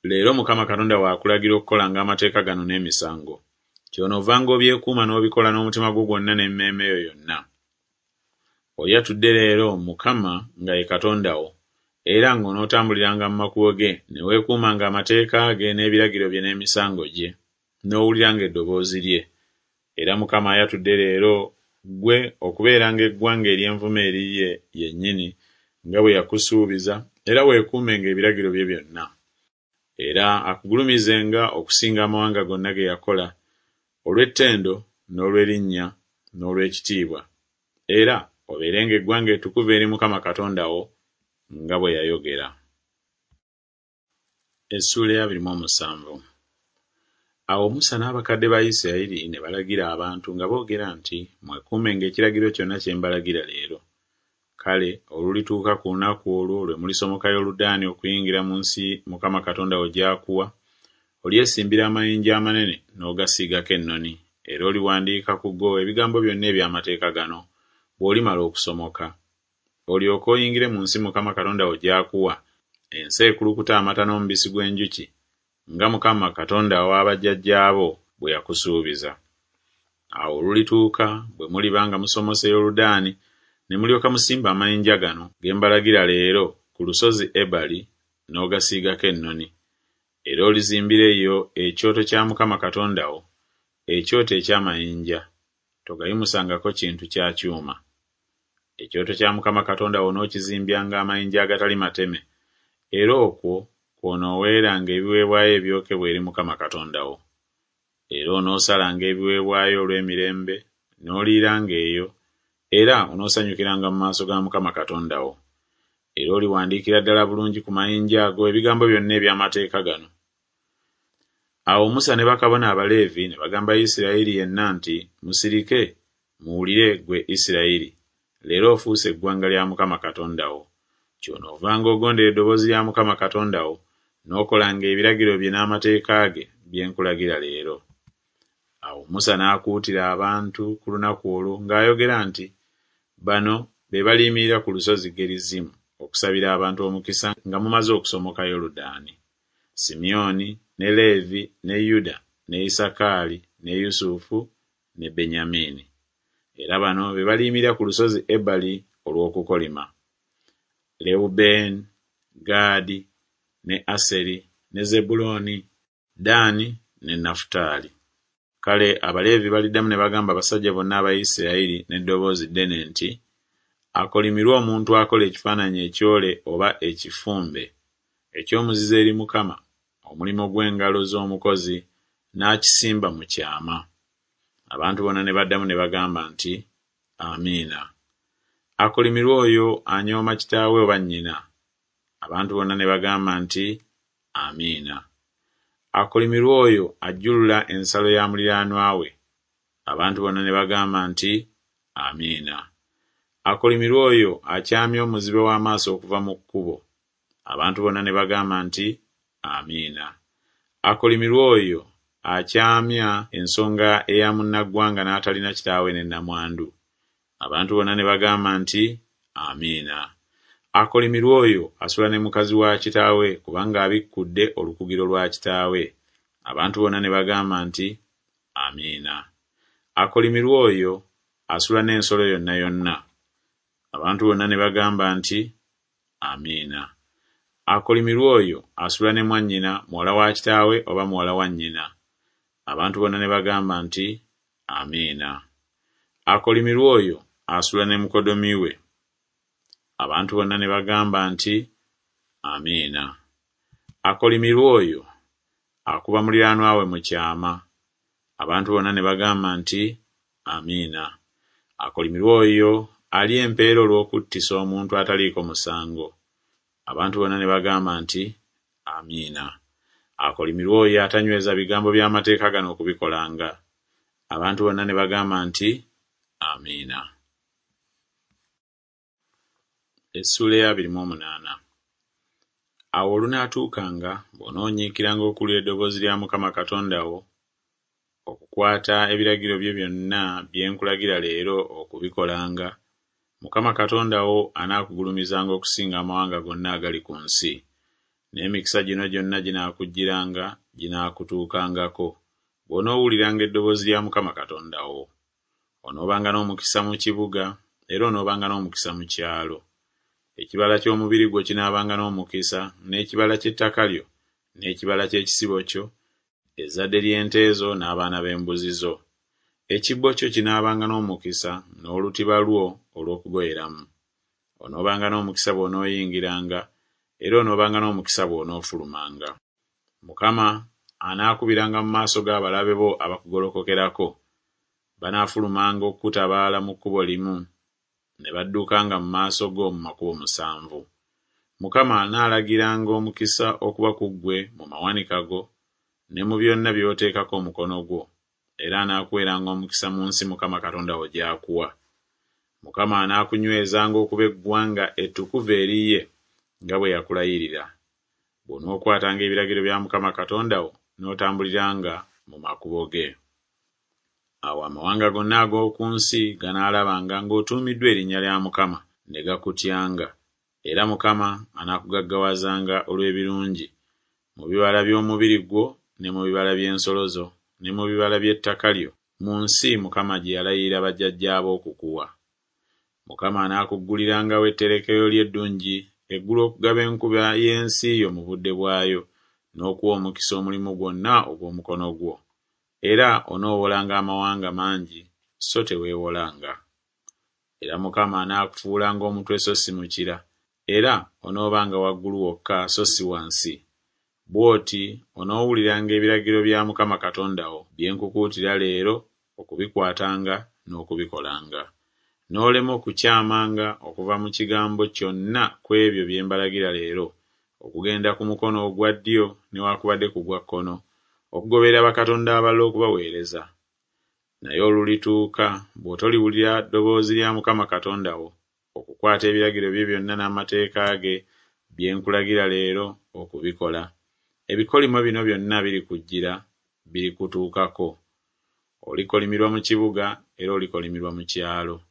Leero Mukama Katonda wo akulagira okukolanga amateeka gano n'emisango. Kyonoovanga obyekuuma n'obikola n'omutima gwo gwonna n'emmeeme yo yonna. Oyatudde leero Mukama nga ye Katonda wo, era ng'onootambuliranga mu makubo ge, ne weekuumanga amateeka ge n'ebiragiro bye n'emisango gye, n'owuliranga eddoboozi lye. Era Mukama ayatudde leero ggwe okubeeranga eggwanga ery'envuma eriye yennyini, nga bwe yakusuubiza, era weekuumenga ebiragiro bye byonna. Era akugulumizenga okusinga amawanga gonna ge yakola, olw'ettendo n'olw'erinnya n'olw'ekitiibwa, era obeerenga eggwanga ettukuvu eri Mukama Katonda wo, nga bwe yayogera. Essuula ey'abiri mu omusanvu. Awo Musa n'abakadde ba Isirayiri ne balagira abantu nga boogera nti, Mwekuumenga ekiragiro kyonna kye mbalagira leero. Kale olulituuka ku lunaku olwo lwe mulisomoka Yoludaani okuyingira mu nsi Mukama Katonda wo gy'akuwa, olyesimbira amayinja amanene n'ogasiigako ennoni, era oliwandiika ku go ebigambo byonna eby'amateeka gano, bw'olimala okusomoka. Olyoke oyingire mu nsi Mukama Katonda wo gy'akuwa, ensi ekulukuta amata n'omubisi gw'enjuki, nga Mukama Katonda wa bajjajjaabo bwe yakusuubiza. Awo olulituuka bwe muliba nga musomose Yoludaani, ne mulyoka musimba amayinja gano ge mbalagira leero ku lusozi Ebali, n'ogasiigako ennoni. Era olizimbira eyo ekyoto kya Mukama Katonda wo, ekyoto eky'amayinja, togayimusangako kintu kya kyuma. Ekyoto kya Mukama Katonda wo onookizimbyanga amayinja agatali mateme, era okwo kw'onooweeranga ebiweebwayo ebyokebwa eri Mukama Katonda wo. Era onoosalanga ebiweebwayo olw'emirembe, n'oliiranga eyo, era onoosanyukiranga mu maaso ga Mukama Katonda wo. Era oliwandiikira ddala bulungi ku mayinja ago ebigambo byonna eby'amateeka gano. Awo Musa ne bakabona Abaleevi ne bagamba Isirayiri yenna nti, Musirike, muwulire ggwe Isirayiri, leero ofuuse eggwanga lya Mukama Katonda wo. Kyonoovanga ogondera eddoboozi lya Mukama Katonda wo, n'okolanga ebiragiro bye n'amateeka ge bye nkulagira leero. Awo Musa n'akuutira abantu ku lunaku olwo ng'ayogera nti, Bano be baliyimirira ku lusozi Gerizimu okusabira abantu omukisa nga mumaze okusomoka Yoludaani: Simyoni, ne Leevi, ne Yuda, ne Isakaali, ne Yusufu, ne Benyamini. Era bano be baliyimirira ku lusozi Ebali olw'okukolima: Lewubeeni, Gaadi, ne Aseri, ne Zebbulooni, Ddaani ne Nafutaali. Kale Abaleevi baliddamu ne bagamba abasajja bonna aba Isirayiri n'eddoboozi ddene nti, Akolimirwe omuntu akola ekifaananyi ekyole oba ekifumbe, eky'omuzizo eri Mukama, omulimu gw'engalo z'omukozi, n'akisimba mu kyama. Abantu bonna ne baddamu ne bagamba nti, Amiina. Akolimirwe oyo anyooma kitaawe oba nnyina. Abantu bonna ne bagamba nti, Amiina. Akolimirwe oyo ajjulula ensalo ya muliraanwa we. Abantu bonna ne bagamba nti, Amiina. Akolimirwe oyo akyamya omuzibe w'amaaso okuva mu kkubo. Abantu bonna ne bagamba nti, Amiina. Akolimirwe oyo akyamya ensonga eya munnaggwanga n'atalina kitaawe ne nnamwandu. Abantu bonna ne bagamba nti, Amiina. Akolimirwe oyo asula ne mukazi wa kitaawe, kubanga abikkudde olukugiro lwa kitaawe. Abantu bonna ne bagamba nti, Amiina. Akolimirwe oyo asula n'ensolo yonna yonna. Abantu bonna ne bagamba nti, Amiina. Akolimirwe oyo asula ne mwannyina, muwala wa kitaawe oba muwala wa nnyina. Abantu bonna ne bagamba nti, Amiina. Akolimirwe oyo asula ne mukoddomi we. Abantu bonna ne bagamba nti, Amiina. Akolimirwe oyo akuba muliraanwa we mu kyama. Abantu bonna ne bagamba nti, Amiina. Akolimirwe oyo alya empeera olw'okuttisa omuntu ataliiko musango. Abantu bonna ne bagamba nti, Amiina. Akolimirwe oyo atanyweza bigambo by'amateeka gano okubikolanga. Abantu bonna ne bagamba nti, Amiina. Essuula ey'abiri mu omunaana. Awo olunaatuukanga bw'onoonyiikiranga okuwulira eddoboozi lya Mukama Katonda wo, okukwata ebiragiro bye byonna bye nkulagira leero okubikolanga, Mukama Katonda wo anaakugulumizanga okusinga amawanga gonna agali ku nsi. N'emikisa gino gyonna ginaakujjiranga, ginaakutuukangako, bw'onoowuliranga eddoboozi lya Mukama Katonda wo. Onoobanga n'omukisa mu kibuga, era onoobanga n'omukisa mu kyalo. Ekibala ky'omubiri gwo kinaabanga n'omukisa, n'ekibala ky'ettaka lyo, n'ekibala ky'ekisibo kyo, ezzadde ly'ente zo n'abaana b'embuzi zo. Ekibbo kyo kinaabanga n'omukisa n'olutiba lwo olw'okugoyeramu. Onoobanga n'omukisa bw'onooyingiranga, era onoobanga n'omukisa bw'onoofulumanga. Mukama anaakubiranga mu maaso g'abalabe bo abakugolokokerako. Banaafulumanga okukutabaala mu kkubo limu, ne baddukanga mu maaso go mu makubo musanvu. Mukama anaalagiranga omukisa okuba ku ggwe mu mawanika go ne mu byonna by'oteekako omukono gwo, era anaakuweeranga omukisa mu nsi Mukama Katonda wo gy'akuwa. Mukama anaakunywezanga okuba eggwanga ettukuvu eri ye, nga bwe yakulayirira. Bw'onookwatanga ebiragiro bya Mukama Katonda wo n'otambuliranga mu makubo ge. Awo amawanga gonna ag'oku nsi ganaalabanga ng'otuumiddwa erinnya lya Mukama, ne gakutyanga. Era Mukama anaakugaggawazanga olw'ebirungi, mu bibala by'omubiri gwo ne mu bibala by'ensolo zo ne mu bibala by'ettaka lyo, mu nsi Mukama gye yalayirira bajjajjaabo okukuwa. Mukama anaakuggululirangawo etterekero lye eddungi, eggulu okugaba enkuba y'ensi yo mu budde bwayo, n'okuwa omukisa omulimu gwonna ogw'omukono gwo. Era onoowolanga amawanga mangi, so teweewolanga. Era Mukama anaakufuulanga omutwe so si mukira, era onoobanga waggulu wokka so si wansi. Bw'oti onoowuliranga ebiragiro bya Mukama Katonda wo bye nkukuutira leero okubikwatanga n'okubikolanga. N'olema okukyamanga okuva mu kigambo kyonna ku ebyo bye mbalagira leero, okugenda ku mukono ogwa ddyo newaakubadde ku gwa kkono, okugoberera bakatonda abalala okubaweereza. Naye olulituuka bw'otoliwulira ddoboozi lya Mukama Katonda wo, okukwata ebiragiro bye byonna n'amateeka ge bye nkulagira leero okubikola, ebikolimo bino byonna birikujjira, birikutuukako. Olikolimirwa mu kibuga era olikolimirwa mu kyalo.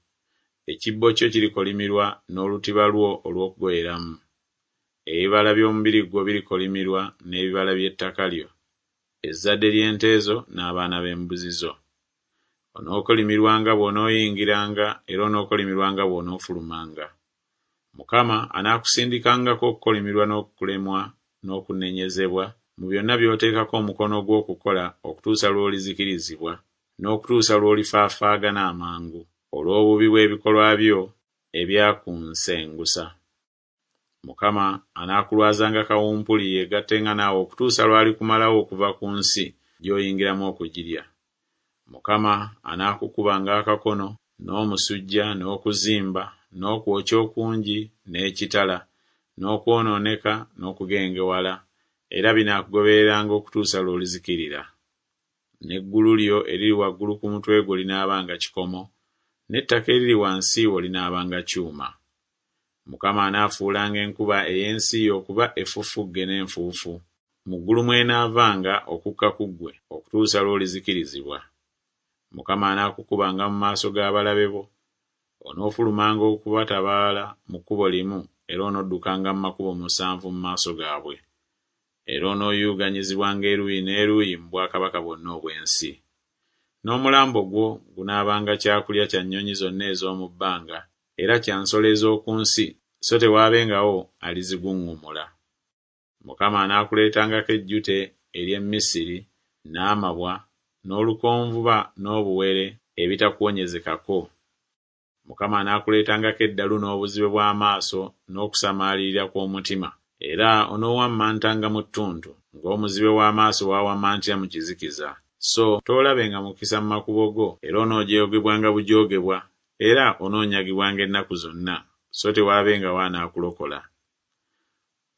Ekibbo kyo kirikolimirwa n'olutiba lwo olw'okugoyeramu. Ebibala by'omubiri gwo birikolimirwa n'ebibala by'ettaka lyo, ezzadde ly'ente zo n'abaana b'embuzi zo. Onookolimirwanga bw'onooyingiranga era onookolimirwanga bw'onoofulumanga. Mukama anaakusindikangako okukolimirwa n'okulemwa n'okunenyezebwa mu byonna by'oteekako omukono gwo okukola okutuusa lw'olizikirizibwa, n'okutuusa lw'olifaafaagana amangu, olw'obubi bw'ebikolwa byo ebyakunsengusa. Mukama anaakulwazanga kawumpuli yeegattenga naawe okutuusa lw'alikumalawo okuva ku nsi gy'oyingiramu okugirya. Mukama anaakukubanga akakono, n'omusujja, n'okuzimba, n'okwokya okungi, n'ekitala, n'okwonooneka, n'okugengewala, era binaakugobereranga okutuusa lw'olizikirira. N'eggulu lyo eriri waggulu ku mutwe gwo linaabanga kikomo, n'ettaka eriri wansi wo linaabanga kyuma. Mukama anaafuulanga enkuba ey'ensi yo okuba effufugge n'enfuufu, mu ggulu mw'enaavanga okukka ku ggwe okutuusa lw'olizikirizibwa. Mukama anaakukubanga mu maaso g'abalabe bo, onoofulumanga okubatabaala mu kkubo limu era onoddukanga mu makubo musanvu mu maaso gaabwe. Era onooyuuguumizibwanga eruuyi n'eruuyi mu bwakabaka bwonna obw'ensi. N'omulambo gwo gunaabanga kyakulya kya nnyonyi zonna ez'omu bbanga era kya nsolo ez'oku nsi, so tewaabengawo aliziguŋŋumula. Mukama anaakuleetangako ejjute ery'e Misiri, n'amabwa, n'olukonvuba n'obuwere ebitakuwonyezekako. Mukama anaakuleetangako eddalu n'obuzibe bw'amaaso n'okusamaalirira kw'omutima, era onoowammantanga mu ttuntu, ng'omuzibe w'amaaso bw'awammantira mu kizikiza. So toolabenga mukisa mu makubo go, era onoojoogebwanga bujoogebwa, era onoonyagibwanga ennaku zonna, so tewaabengawo anaakulokola.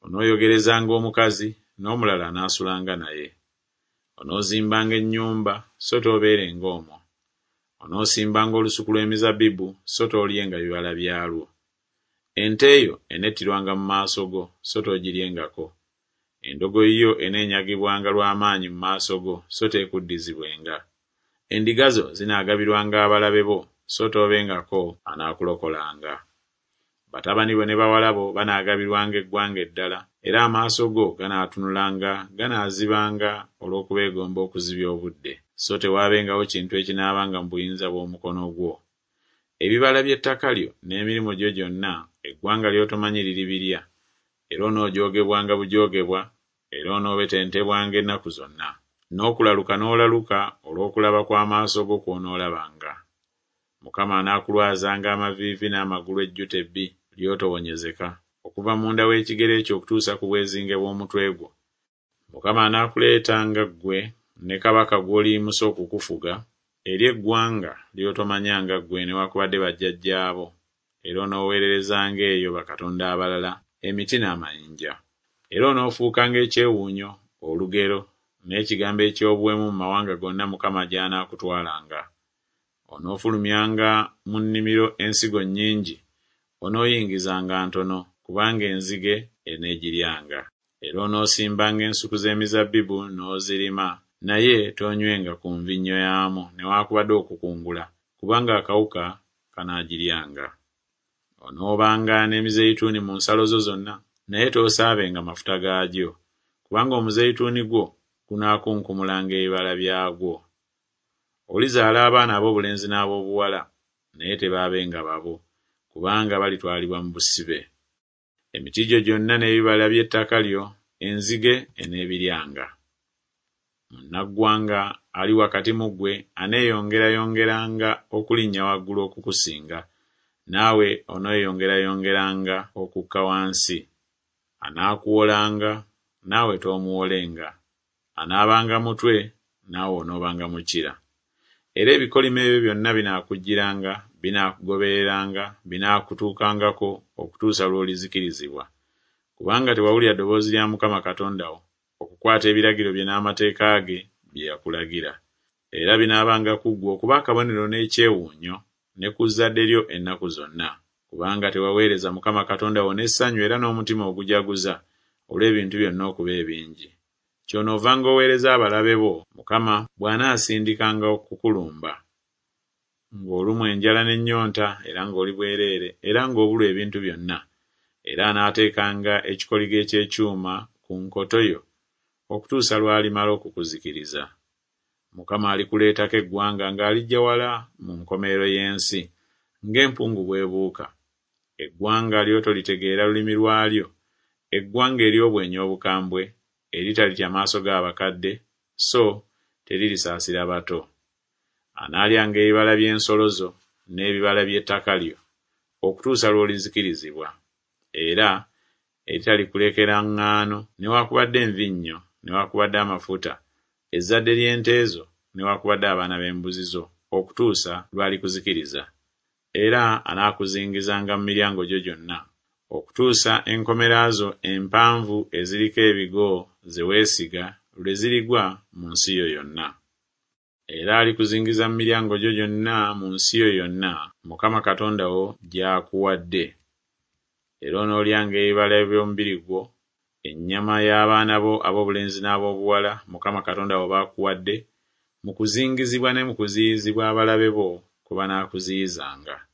Onooyogerezanga omukazi, n'omulala anaasulanga naye. Onoozimbanga ennyumba, so toobeerenga omwo. Onoosimbanga olusuku lw'emizabbibu, so toolyenga bibala byalwo. Ente yo enettirwanga mu maaso go, so toogiryengako. Endogoyi yo eneenyagibwanga lw'amaanyi mu maaso go, so teekuddizibwenga. Endiga zo zinaagabirwanga abalabe bo, so toobengako anaakulokolanga. Batabani bo ne bawala bo banaagabirwanga eggwanga eddala, era amaaso go ganaatunulanga ganaazibanga olw'okubeegomba okuzibya obudde, so tewaabengawo kintu ekinaabanga mu buyinza bw'omukono gwo. Ebibala by'ettaka lyo n'emirimu gyo gyonna eggwanga ly'otomanyi liribirya, era onoojoogebwanga bujoogebwa, era onoobetentebwanga ennaku zonna. N'okulaluka n'olaluka olw'okulaba kw'amaaso go kw'onoolabanga. Mukama anaakulwazanga amaviivi n'amagulu ejjute ebbi ly'otowonyezeka, okuva munda w'ekigere kyo okutuusa ku bwezinge bw'omutwe gwo. Mukama anaakuleetanga ggwe ne kabaka gw'oliyimusa okukufuga, eri eggwanga ly'otomanyanga ggwe newakubadde bajjajjaabo, era onooweererezanga eyo bakatonda abalala, emiti n'amayinja. Era onoofuukanga ekyewuunyo, olugero, n'ekigambo eky'obuwemu mu mawanga gonna Mukama gy'anaakutwalanga. Onoofulumyanga mu nnimiro ensigo nnyingi, onooyingizanga ntono, kubanga enzige eneegiryanga. Era onoosimbanga ensuku z'emizabbibu n'ozirima, naye toonywenga ku nvinnyo yaamu newakubadde okukungula, kubanga akawuka kanaagiryanga. Onoobanga n'emizeyituuni mu nsalo zo zonna, naye toosaabenga mafuta gaagyo, kubanga omuzeyituuni gwo gunaakunkumulanga ebibala byagwo. Olizaala abaana ab'obulenzi n'ab'obuwala, naye tebaabenga babo, kubanga balitwalibwa mu busibe. Emiti gyo gyonna n'ebibala by'ettaka lyo enzige eneebiryanga. Munnaggwanga ali wakati mu ggwe aneeyongerayongeranga okulinnya waggulu okukusinga, naawe oneeyongerayongeranga okukka wansi. Anaakuwolanga, naawe toomuwolenga. Anaabanga mutwe, naawe onoobanga mukira. Era ebikolimo ebyo byonna binaakujjiranga, binaakugobereranga, binaakutuukangako okutuusa lw'olizikirizibwa. Kubanga tewawulira ddoboozi lya Mukama Katonda wo, okukwata ebiragiro bye n'amateeka ge bye yakulagira. Era binaabanga ku ggwe okuba akabonero n'ekyewuunyo ne ku zzadde lyo ennaku zonna. Kubanga tewaweereza Mukama Katonda wo n'essanyu era n'omutima ogujaguza olw'ebintu byonna okuba ebingi. Kyonoovanga oweereza abalabe bo Mukama bw'anaasindikanga okukulumba. Ng'olumwa enjala n'ennyonta era ng'oli bwereere era ng'obulwa ebintu byonna, era anaateekanga ekikoligo eky'ekyuma ku nkoto yo okutuusa lw'alimala okukuzikiriza. Mukama alikuleetako eggwanga ng'aliggya wala mu nkomerero y'ensi, ng'empungu bw'ebuuka, eggwanga ly'otolitegeera lulimi lwalyo, eggwanga ery'obwenyi obukambwe, eritalitya maaso g'abakadde, so teririsaasira bato. Anaalyanga ebibala by'ensolo zo n'ebibala by'ettaka lyo, okutuusa lw'olizikirizibwa. Era eritalikulekera ŋŋaano newakubadde envinnyo newakubadde amafuta, ezzadde ly'ente zo newakubadde abaana b'embuzi zo, okutuusa lw'alikuzikiriza. Era anaakuzingizanga mu miryango gyo gyonna, okutuusa enkomera zo empanvu eziriko ebigo ze weesiga lwe zirigwa mu nsi yo yonna. Era alikuzingiza mu miryango gyo gyonna mu nsi yo yonna Mukama Katonda wo gy'akuwadde. Era onoolyanga ebibala by'omubiri gwo, ennyama y'abaana bo ab'obulenzi n'ab'obuwala Mukama Katonda wo b'akuwadde, mu kuzingizibwa ne mu kuziyizibwa abalabe bo kwe banaakuziyizanga.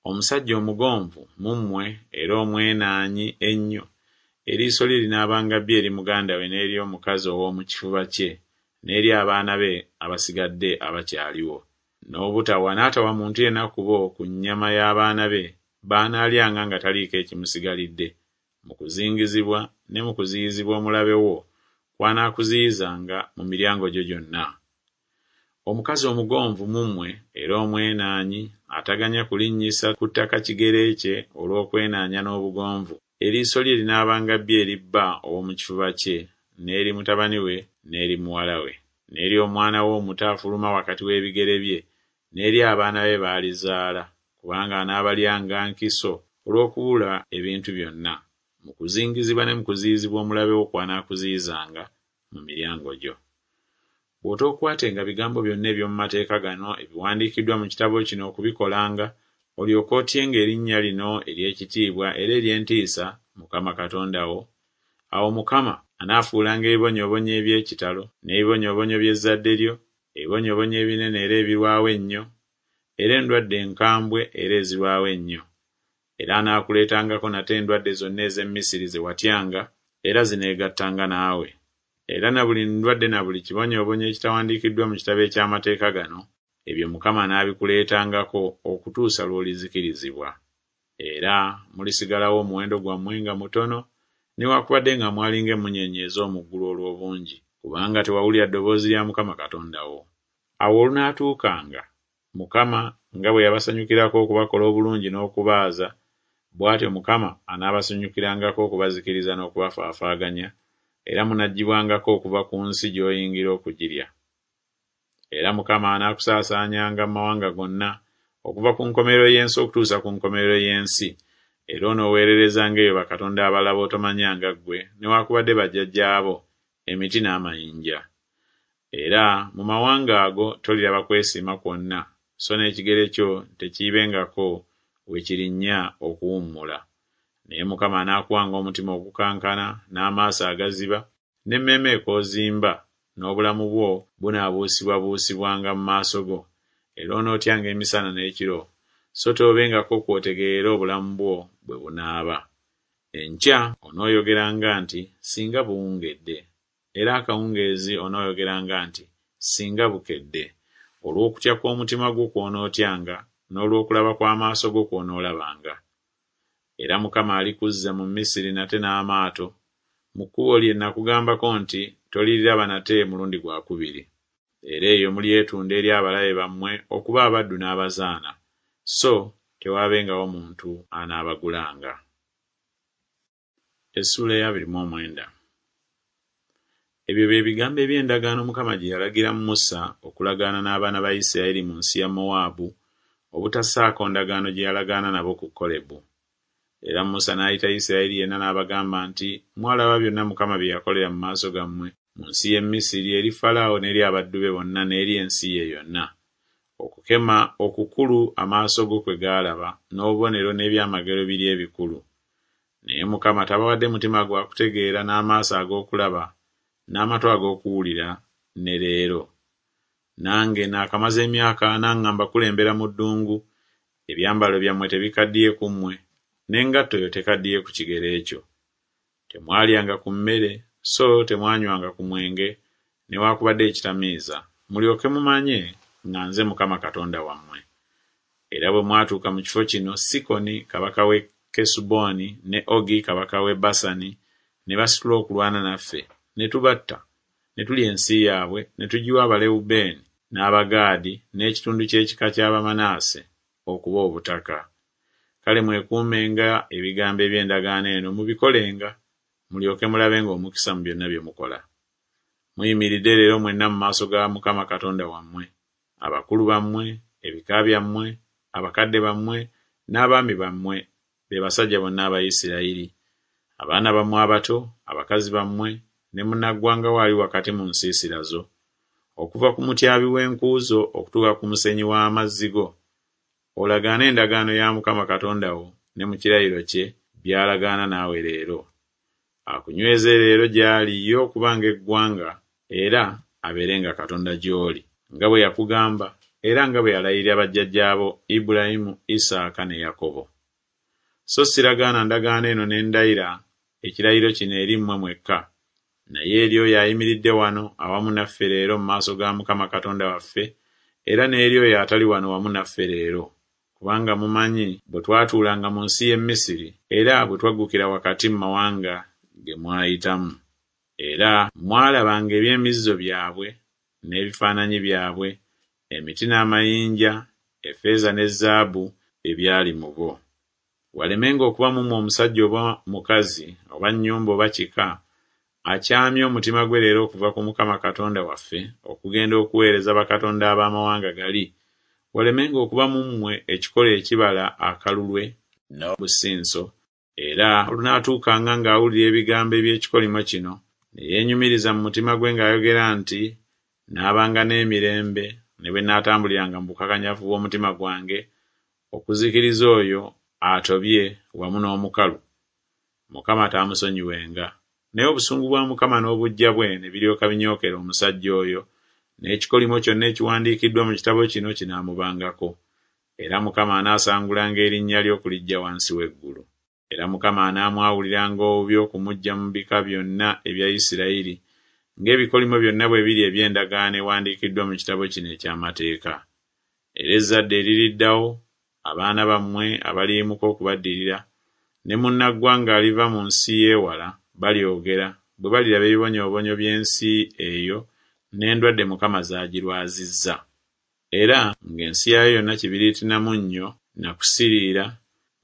Omusajja omugonvu mu mmwe era omwenaanyi ennyo, eriiso lye linaabanga bbi eri muganda we n'eri omukazi ow'omu kifuba kye n'eri abaana be abasigadde abakyaliwo. N'obutawa n'atawa muntu yenna ku bo ku nnyama y'abaana be b'anaalyanga nga taliiko ekimusigalidde, mu kuzingizibwa ne mu kuziyizibwa omulabe wo kw'anaakuziyizanga mu miryango gyo gyonna. Omukazi omugonvu mu mmwe era omwenaanyi ataganya kulinnyisa ku ttaka kigere kye olw'okwenaanya n'obugonvu, eriiso lye linaabanga bbi eri bba ow'omu kifuba kye n'eri mutabani we n'eri muwala we, n'eri omwana we omuto afuluma wakati w'ebigere bye, n'eri abaana be b'alizaala, kubanga anaabalyanga nkiso olw'okubula ebintu byonna, mu kuzingizibwa ne mu kuziyizibwa omulabe wo kw'anaakuziyizanga mu miryango gyo. Bw'otookwatenga bigambo byonna eby'omu mateeka gano ebiwandiikiddwa mu kitabo kino okubikolanga, olyoke otyenga erinnya lino ery'ekitiibwa era ery'entiisa Mukama Katonda wo, awo Mukama anaafuulanga ebibonyoobonyo eby'ekitalo n'ebibonyoobonyo by'ezzadde lyo, ebibonyoobonyo ebinene era ebirwawo ennyo, era endwadde enkambwe era ezirwawo ennyo. Era anaakuleetangako nate endwadde zonna ez'e Misiri ze watyanga, era zineegattanga naawe. Era na buli ndwadde na buli kibonyoobonyo ekitawandiikiddwa mu kitabo eky'amateeka gano, ebyo Mukama anaabikuleetangako okutuusa lw'olizikirizibwa. Era mulisigalawo omuwendo gwammwe nga mutono, newakubadde nga mwali ng'emmunyeenye ez'omu ggulu olw'obungi, kubanga tewawulira ddoboozi lya Mukama Katonda wo. Awo olunaatuukanga, Mukama nga bwe yabasanyukirako okubakola obulungi n'okubaaza, bw'atyo Mukama anaabasanyukirangako okubazikiriza n'okubafaafaaganya, era munaggyibwangako okuva ku nsi gy'oyingira okugirya. Era Mukama anaakusaasaanyanga mu mawanga gonna, okuva ku nkomerero y'ensi okutuusa ku nkomerero y'ensi, era onooweererezanga eyo bakatonda abalala b'otomanyanga ggwe newaakubadde bajjajjaabo, emiti n'amayinja. Era mu mawanga ago toliraba kwesiima kwonna, so n'ekigere kyo tekiibengako we kirinnya okuwummula. Naye Mukama anaakuwanga omutima ogukankana n'amaaso agaziba n'emmeeme ekoozimba, n'obulamu bwo bunaabuusibwabuusibwanga mu maaso go, era onootyanga emisana n'ekiro, so toobengako kw'otegeerera obulamu bwo bwe bunaaba. Enkya onooyogeranga nti, Singa buwungedde! Era akawungeezi onooyogeranga nti, Singa bukedde! Olw'okutya kw'omutima gwo kw'onootyanga, n'olw'okulaba kw'amaaso go kw'onoolabanga. Era Mukama alikuzza mu Misiri nate n'amaato, mu kkubo lye nakugambako nti Toliriraba nate mulundi gwa kubiri. Era eyo mulyetunda eri abalabe bammwe okuba abaddu n'abazaana, so tewaabengawo muntu anaabagulanga. Essuula ey'abiri mu omwenda. Ebyo bye bigambo eby'endagaano Mukama gye yalagira Musa okulagaana n'abaana ba Isirayiri mu nsi ya Mowaabu, obutassaako ndagaano gye yalagaana nabo ku Kolebu. Era Musa n'ayita Isirayiri yenna n'abagamba nti, Mwalaba byonna Mukama bye yakolera mu maaso gammwe mu nsi y'e Misiri eri Falaawo n'eri abaddu be bonna n'eri ensi ye yonna. Okukema okukulu amaaso go kwe gaalaba, n'obubonero n'ebyamagero biri ebikulu. Naye Mukama tabawadde mutima gwa kutegeera n'amaaso ag'okulaba n'amatu ag'okuwulira ne leero. Nange naakamaze emyaka ana nga mbakulembera mu ddungu, ebyambalo byammwe tebikaddiye ku mmwe, n'engatto yo tekaddiye ku kigere kyo. Temwalyanga ku mmere, so temwanywanga ku mwenge newaakubadde ekitamiiza, mulyoke mumanye nga nze Mukama Katonda wammwe. Era bwe mwatuuka mu kifo kino, Sikoni kabaka w'e Kesuboni ne Ogi kabaka w'e Basani ne basitula okulwana naffe, ne tubatta, ne tulya ensi yaabwe, ne tugiwa Abalewubeeni n'Abagaadi n'ekitundu ky'ekika ky'Abamanaase okuba obutaka. Kale mwekuumenga ebigambo eby'endagaano eno mubikolenga, mulyoke mulabenga omukisa mu byonna bye mukola. Muyimiridde leero mwenna mu maaso ga Mukama Katonda wammwe, abakulu bammwe, ebika byammwe, abakadde bammwe, n'abaami bammwe, be basajja bonna aba Isirayiri, abaana bammwe abato, abakazi bammwe, ne munnaggwanga wo ali wakati mu nsiisira zo, okuva ku mutyabi w'enku zo okutuuka ku musenyi w'amazzi go, olagaane endagaano ya Mukama Katonda wo ne mu kirayiro kye by'alagaana naawe leero. Akunyweze leero gy'ali ye okubanga eggwanga era abeerenga Katonda gy'oli, nga bwe yakugamba era nga bwe yalayirira bajjajjaabo Ibulayimu, Isaaka ne Yakobo. So siragaana ndagaano eno ne ndayira ekirayiro kino eri mmwe mwekka, naye eri oyo ayimiridde wano awamu naffe leero mu maaso ga Mukama Katonda waffe, era n'eri oyo atali wano wamu naffe leero. Kubanga mumanyi bwe twatuulanga mu nsi y'e Misiri, era bwe twaggukira wakati mu mawanga ge mwayitamu. Era mwalabanga eby'emizizo byabwe n'ebifaananyi byabwe, emiti n'amayinja, effeeza ne zaabu ebyali mu bo. Walemenga okuba mu mmwe omusajja oba mukazi oba nnyumba oba kika, akyamya omutima gwe leero okuva ku Mukama Katonda waffe okugenda okuweereza bakatonda ab'amawanga gali, walemenga okuba mu mmwe ekikolo ekibala akalulwe n'obusinso, era olunaatuukanga ng'awulira ebigambo eby'ekikolimo kino, ne yeenyumiriza mu mutima gwe ng'ayogera nti, Naabanga n'emirembe, ne bwe naatambuliranga mu bukakanyavu bw'omutima gwange, okuzikiriza oyo atobye wamu n'omukalu, Mukama taamusonyiwenga. Naye obusungu bwa Mukama n'obuggya bwe ne biryoka binyookera omusajja oyo, n'ekikolimo kyonna ekiwandiikiddwa mu kitabo kino kinaamubangako. Era Mukama anaasangulanga erinnya lye okuliggya wansi w'eggulu. Era Mukama anaamwawuliranga obubi okumuggya mu bika byonna ebya Isirayiri, ng'ebikolimo byonna bwe biri eby'endagaano ewandiikiddwa mu kitabo kino eky'amateeka. Era ezzadde eririddawo, abaana bammwe abaliyimuka okubaddirira, ne munnaggwanga aliva mu nsi y'ewala, balyogera, bwe baliraba ebibonyoobonyo by'ensi eyo n'endwadde Mukama z'agirwazizza. Era ng'ensi yaayo yonna kibiriiti na munnyo na kusiriira,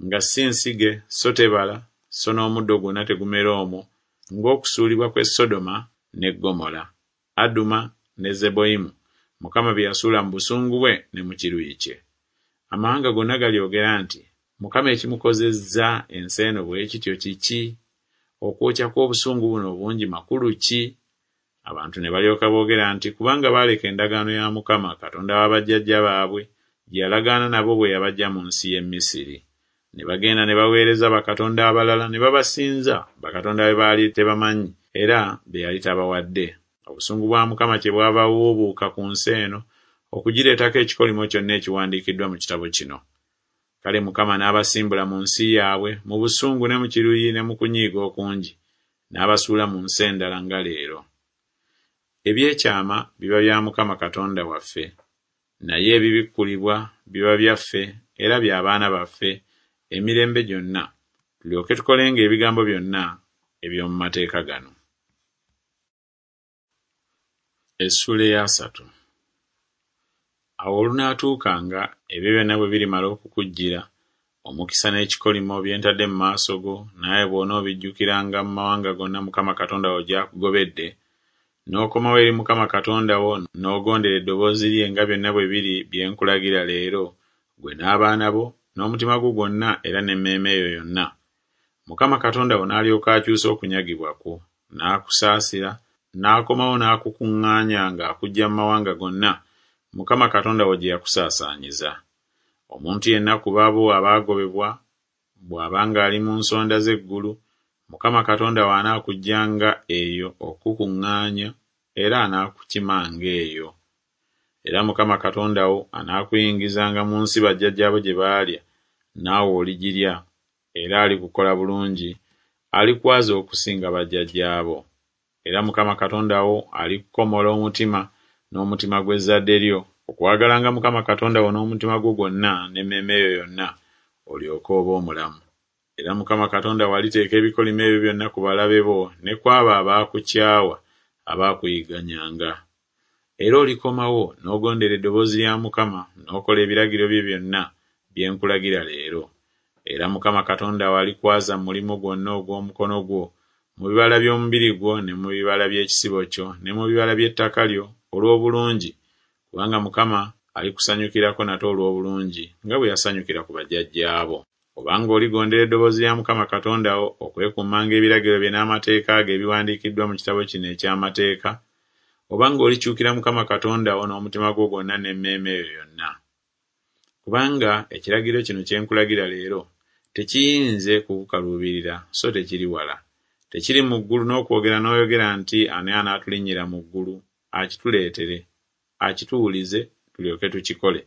nga si nsige so tebala, so n'omuddo gwonna tegumera omwo, ng'okusuulibwa kw'e Sodoma ne Ggomola, Aduma ne Zeboyimu, Mukama bye yasuula mu busungu bwe ne mu kiruyi kye. Amawanga gonna galyogera nti, Mukama ekimukozezza ensi eno bwe kityo kiki? Okwokya kw'obusungu buno obungi makulu ki? Abantu ne balyoka boogera nti, kubanga baaleka endagaano ya Mukama Katonda wa bajjajja baabwe gye yalagaana nabo bwe yabaggya mu nsi y'e Misiri. Ne bagenda ne baweereza bakatonda abalala ne babasinza, bakatonda be baali tebamanyi era be yali tabawadde. Obusungu bwa Mukama kyebwava bubuubuuka ku nsi eno okugireetako ekikolimo kyonna ekiwandiikiddwa mu kitabo kino. Kale Mukama n'abasimbula mu nsi yaabwe mu busungu ne mu kiruyi ne mu kunyiiga okungi, n'abasuula mu nsi endala nga leero. Ebyekyama biba bya Mukama Katonda waffe, naye ebibikkulibwa biba byaffe era bya baana baffe emirembe gyonna, tulyoke tukolenga ebigambo byonna eby'omu mateeka gano. Essuula eyasatu. Awo olunaatuukanga ebyo byonna bwe birimala okukujjira, omukisa n'ekikolimo bye ntadde mu maaso go, naawe bw'onoobijjukiranga mu mawanga gonna Mukama Katonda wo gy'akugobedde, n'okomawo eri Mukama Katonda wo n'ogondera eddoboozi lye nga byonna bwe biri bye nkulagira leero, ggwe n'abaana bo, n'omutima gwo gwonna era n'emmeeme yo yonna. Mukama Katonda wo n'alyoka akyusa okunyagibwa kwo, n'akusaasira, n'akomawo n'akukuŋŋaanya ng'akuggya mu mawanga gonna Mukama Katonda wo gye yakusaasaanyiza. Omuntu yenna ku babo abaagobebwa bw'abanga ali mu nsonda z'eggulu, Mukama Katonda wo anaakuggyanga eyo okukuŋŋaanya era anaakukimanga eyo. Era Mukama Katonda wo anaakuyingizanga mu nsi bajjajjaabo gye baalya, naawe oligirya, era alikukola bulungi, alikwaza okusinga bajjajjaabo. Era Mukama Katonda wo alikukomola omutima n'omutima gw'ezzadde lyo, okwagalanga Mukama Katonda wo n'omutima gwo gwonna n'emmeeme yo yonna, olyoke obe omulamu. Era Mukama Katonda wo aliteeka ebikolimo ebyo byonna ku balabe bo ne ku abo abaakukyawa abaakuyigganyanga. Era olikomawo n'ogondera eddoboozi lya Mukama n'okola ebiragiro bye byonna bye nkulagira leero. Era Mukama Katonda wo alikwaza mu mulimu gwonna ogw'omukono gwo, mu bibala by'omubiri gwo ne mu bibala by'ekisibo kyo ne mu bibala by'ettaka lyo olw'obulungi, kubanga Mukama alikusanyukirako nate olw'obulungi nga bwe yasanyukira ku bajjajjaabo. Obanga oligondera eddoboozi lya Mukama Katonda wo okwekuumanga ebiragiro bye n'amateeka ge ebiwandiikiddwa mu kitabo kino eky'amateeka, obanga olikyukira Mukama Katonda wo n'omutima gwo gwonna n'emmeeme yo yonna. Kubanga ekiragiro kino kye nkulagira leero tekiyinze kukukaluubirira, so tekiri wala. Tekiri mu ggulu n'okwogera n'oyogera nti ani anaatulinnyira mu ggulu akituleetere, akituwulize tulyoke tukikole.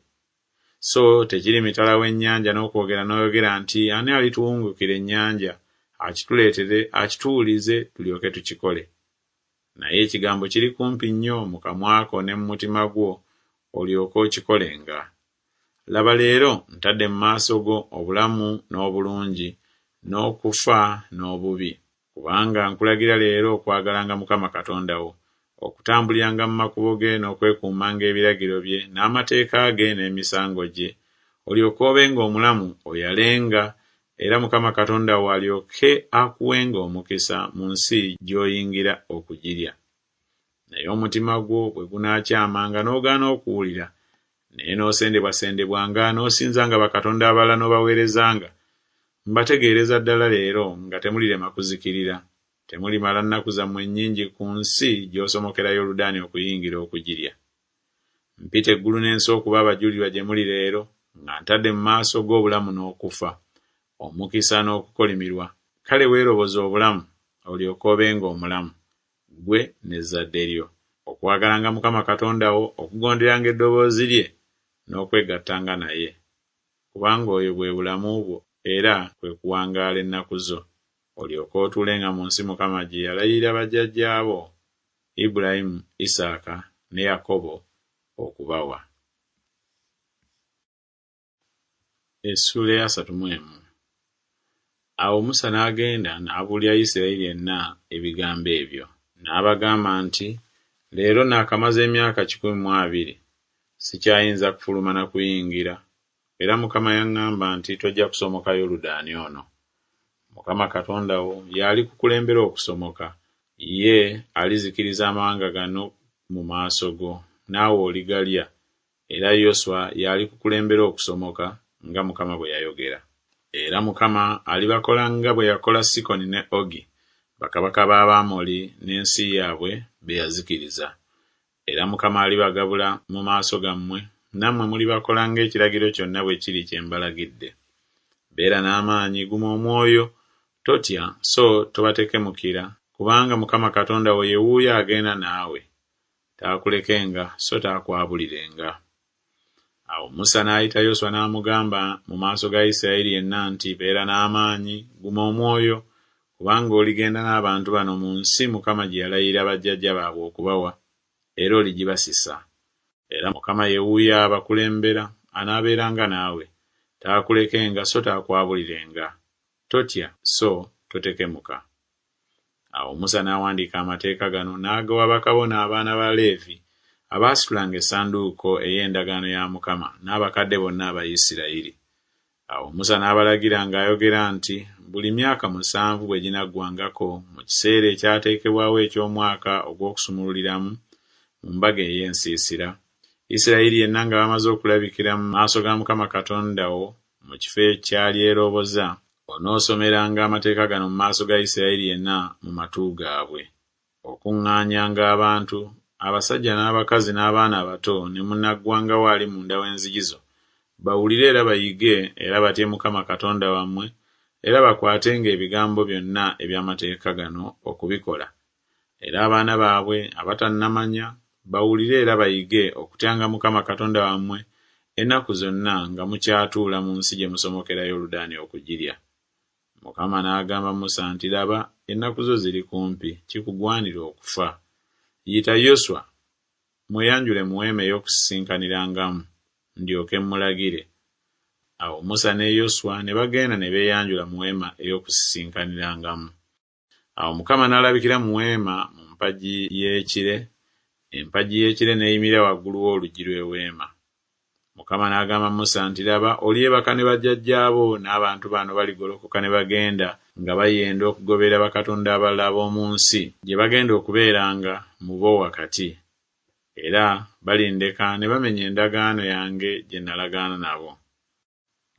So tekiri mitala w'ennyanja n'okwogera n'oyogera nti ani alituwungukira ennyanja akituleetere, akituwulize tulyoke tukikole. Naye ekigambo kiri kumpi nnyo mu kamwa ko ne mu mutima gwo, olyoke okikolenga. Laba leero ntadde mu maaso go obulamu n'obulungi, n'okufa n'obubi. Kubanga nkulagira leero okwagalanga Mukama Katonda wo, okutambuliranga mu makubo ge n'okwekuumanga ebiragiro bye n'amateeka ge n'emisango gye, olyoke obenga omulamu oyalenga, era Mukama Katonda wo alyoke akuwenga omukisa mu nsi gy'oyingira okugirya. Naye omutima gwo bwe gunaakyamanga n'ogaana okuwulira, naye n'osendebwasendebwanga n'osinzanga bakatonda abalala n'obaweerezanga, mbategeereza ddala leero nga temulirema kuzikirira, temulimala nnaku zammwe nnyingi ku nsi gy'osomokera Yoludaani okuyingira okugirya. Mpita eggulu n'ensi okuba abajulirwa gye muli leero, nga ntadde mu maaso g'obulamu n'okufa, omukisa n'okukolimirwa. Kale weeroboze obulamu, olyoke obenga omulamu, ggwe n'ezzadde lyo, okwagalanga Mukama Katonda wo, okugonderanga eddoboozi lye n'okwegattanga naye. Kubanga oyo bwe bulamu bwo era kwe kuwangaala ennaku zo, olyoke otuulenga mu nsi Mukama gye yalayirira bajjajjaabo, Ibulayimu, Isaaka ne Yakobo okubawa. Essuula eyasatu mu emu. Awo Musa n'agenda n'abuulira Isirayiri yenna ebigambo ebyo. N'abagamba nti, Leero naakamaze emyaka kikumi mu abiri, sikyayinza kufuluma na kuyingira, era Mukama yaŋŋamba nti tojja kusomoka Yoludaani ono. Mukama Katonda wo y'alikukulembera okusomoka, ye alizikiriza amawanga gano mu maaso go, naawe oligalya, era Yoswa y'alikukulembera okusomoka, nga Mukama bwe yayogera. Era Mukama alibakola nga bwe yakola Sikoni ne Ogi, bakabaka b'Abamoli n'ensi yaabwe be yazikiriza. Era Mukama alibagabula mu maaso gammwe, nammwe mulibakola ng'ekiragiro kyonna bwe kiri kye mbalagidde. Beera n'amaanyi, guma omwoyo, totya so tobatekemukira, kubanga Mukama Katonda wo ye wuuyo agenda naawe, taakulekenga so taakwabulirenga. Awo Musa n'ayita Yoswa n'amugamba mu maaso ga Isirayiri yenna nti, Beera n'amaanyi, guma omwoyo, kubanga oligenda n'abantu bano mu nsi Mukama gye yalayirira bajjajja baabwe okubawa, era oligibasisa. Era Mukama ye wuuyo abakulembera, anaabeeranga naawe, taakulekenga so taakwabulirenga. Totya so totekemuka. Awo Musa n'awandiika amateeka gano n'agawa bakabona abaana ba Leevi abaasitulanga essanduuko ey'endagaano ya Mukama n'abakadde bonna aba Isirayiri. Awo Musa n'abalagira ng'ayogera nti, Buli myaka musanvu bwe ginaggwangako mu kiseera ekyateekebwawo eky'omwaka ogw'okusumululiramu mu mbaga ey'ensiisira, Isirayiri yenna nga bamaze okulabikira mu maaso ga Mukama Katonda wo mu kifo ky'alyeroboza, onoosomeranga amateeka gano mu maaso ga Isirayiri yenna mu matu gaabwe. Okuŋŋaanyanga abantu, abasajja n'abakazi n'abaana abato ne munnaggwanga wo ali munda w'enzigi zo, bawulire era bayige era batye Mukama Katonda wammwe era bakwatenga ebigambo byonna eby'amateeka gano okubikola. Era abaana baabwe abatannamanya bawulire era bayige okutyanga Mukama Katonda wammwe ennaku zonna nga mukyatuula mu nsi gye musomokera Yoludaani okugirya. Mukama n'agamba Musa nti, Laba, ennaku zo ziri kumpi, kikugwanira okufa. Yita Yoswa, mweyanjule mu weema ey'okusisinkanirangamu, ndyoke mmulagire. Awo Musa ne Yoswa ne bagenda ne beeyanjula mu weema ey'okusisinkanirangamu. Awo Mukama n'alabikira mu weema mu mpagi y'ekire, empagi y'ekire n'eyimirira waggulu w'oluggi lw'eweema. Mukama n'agamba Musa nti, Laba, olyebaka ne bajjajjaabo, n'abantu bano baligolokoka ne bagenda nga bayenda okugoberera bakatonda abalala ab'omu nsi gye bagenda okubeeranga mu bo wakati. Era balindeka ne bamenya endagaano yange gye nalagaana nabo.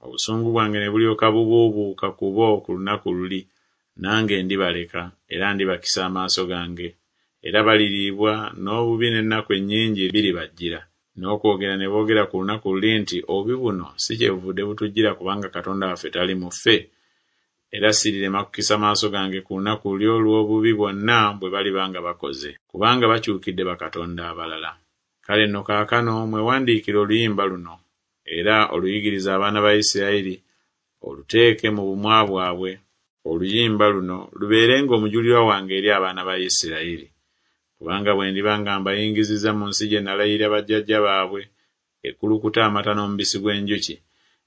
Obusungu bwange ne bulyoka bubuubuuka ku bo ku lunaku luli, nange ndibaleka, era ndibakisa amaaso gange, era baliriibwa n'obubi n'ennaku ennyingi biribajjira. N'okwogera ne boogera ku lunaku luli nti, Obubi buno si kyebuvudde butujjira kubanga Katonda waffe tali mu ffe? Era sirirema kukisa maaso gange ku lunaku luli olw'obubi bwonna bwe baliba nga bakoze, kubanga bakyukidde bakatonda abalala. Kale nno kaakano mwewandiikire oluyimba luno, era oluyigirize abaana ba Isirayiri, oluteeke mu bumwa bwabwe. Oluyimba luno lubeerenga omujulirwa wange eri abaana ba Isirayiri. Kubanga bwe ndiba nga mbayingizizza mu nsi gye nalayirira bajjajja baabwe, ekulukuta amata n'omubisi gw'enjuki,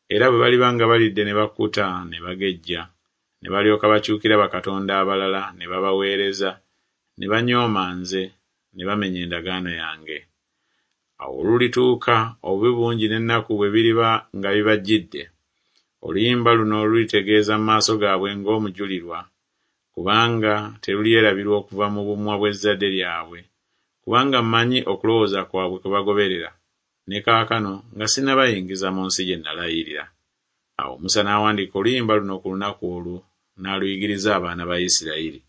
era bwe baliba nga balidde ne bakkuta ne bagejja, ne balyoka bakyukira bakatonda abalala ne babaweereza, ne banyooma nze, ne bamenya endagaano yange. Awo olulituuka obubi bungi n'ennaku bwe biriba nga bibajjidde, oluyimba luno lulitegeeza mu maaso gaabwe ng'omujulirwa, kubanga terulyerabirwa okuva mu bumwa bw'ezzadde lyabwe, kubanga mmanyi okulowooza kwabwe kwe bagoberera, ne kaakano nga sinnabayingiza mu nsi gye nalayirira. Awo Musa n'awandiika oluyimba luno ku lunaku olwo, n'aluyigiriza abaana ba Isirayiri.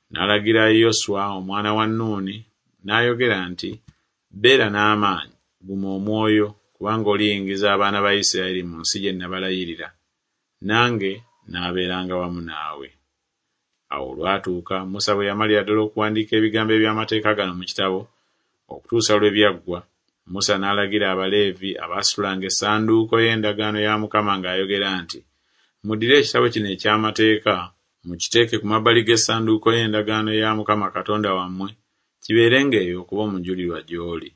N'alagira Yoswa omwana wa Nuuni, n'ayogera nti, Beera n'amaanyi, guma omwoyo, kubanga oliyingiza abaana ba Isirayiri mu nsi gye nabalayirira, nange naabeeranga wamu naawe. Awo olwatuuka Musa bwe yamalira ddala okuwandiika ebigambo eby'amateeka gano mu kitabo, okutuusa lwe byaggwa, Musa n'alagira Abaleevi abaasitulanga essanduuko y'endagaano ya Mukama ng'ayogera nti, Muddire ekitabo kino eky'amateeka, mukiteeke ku mabbali g'essanduuko y'endagaano ya Mukama Katonda wammwe, kibeerenga eyo okuba omujulirwa gy'oli.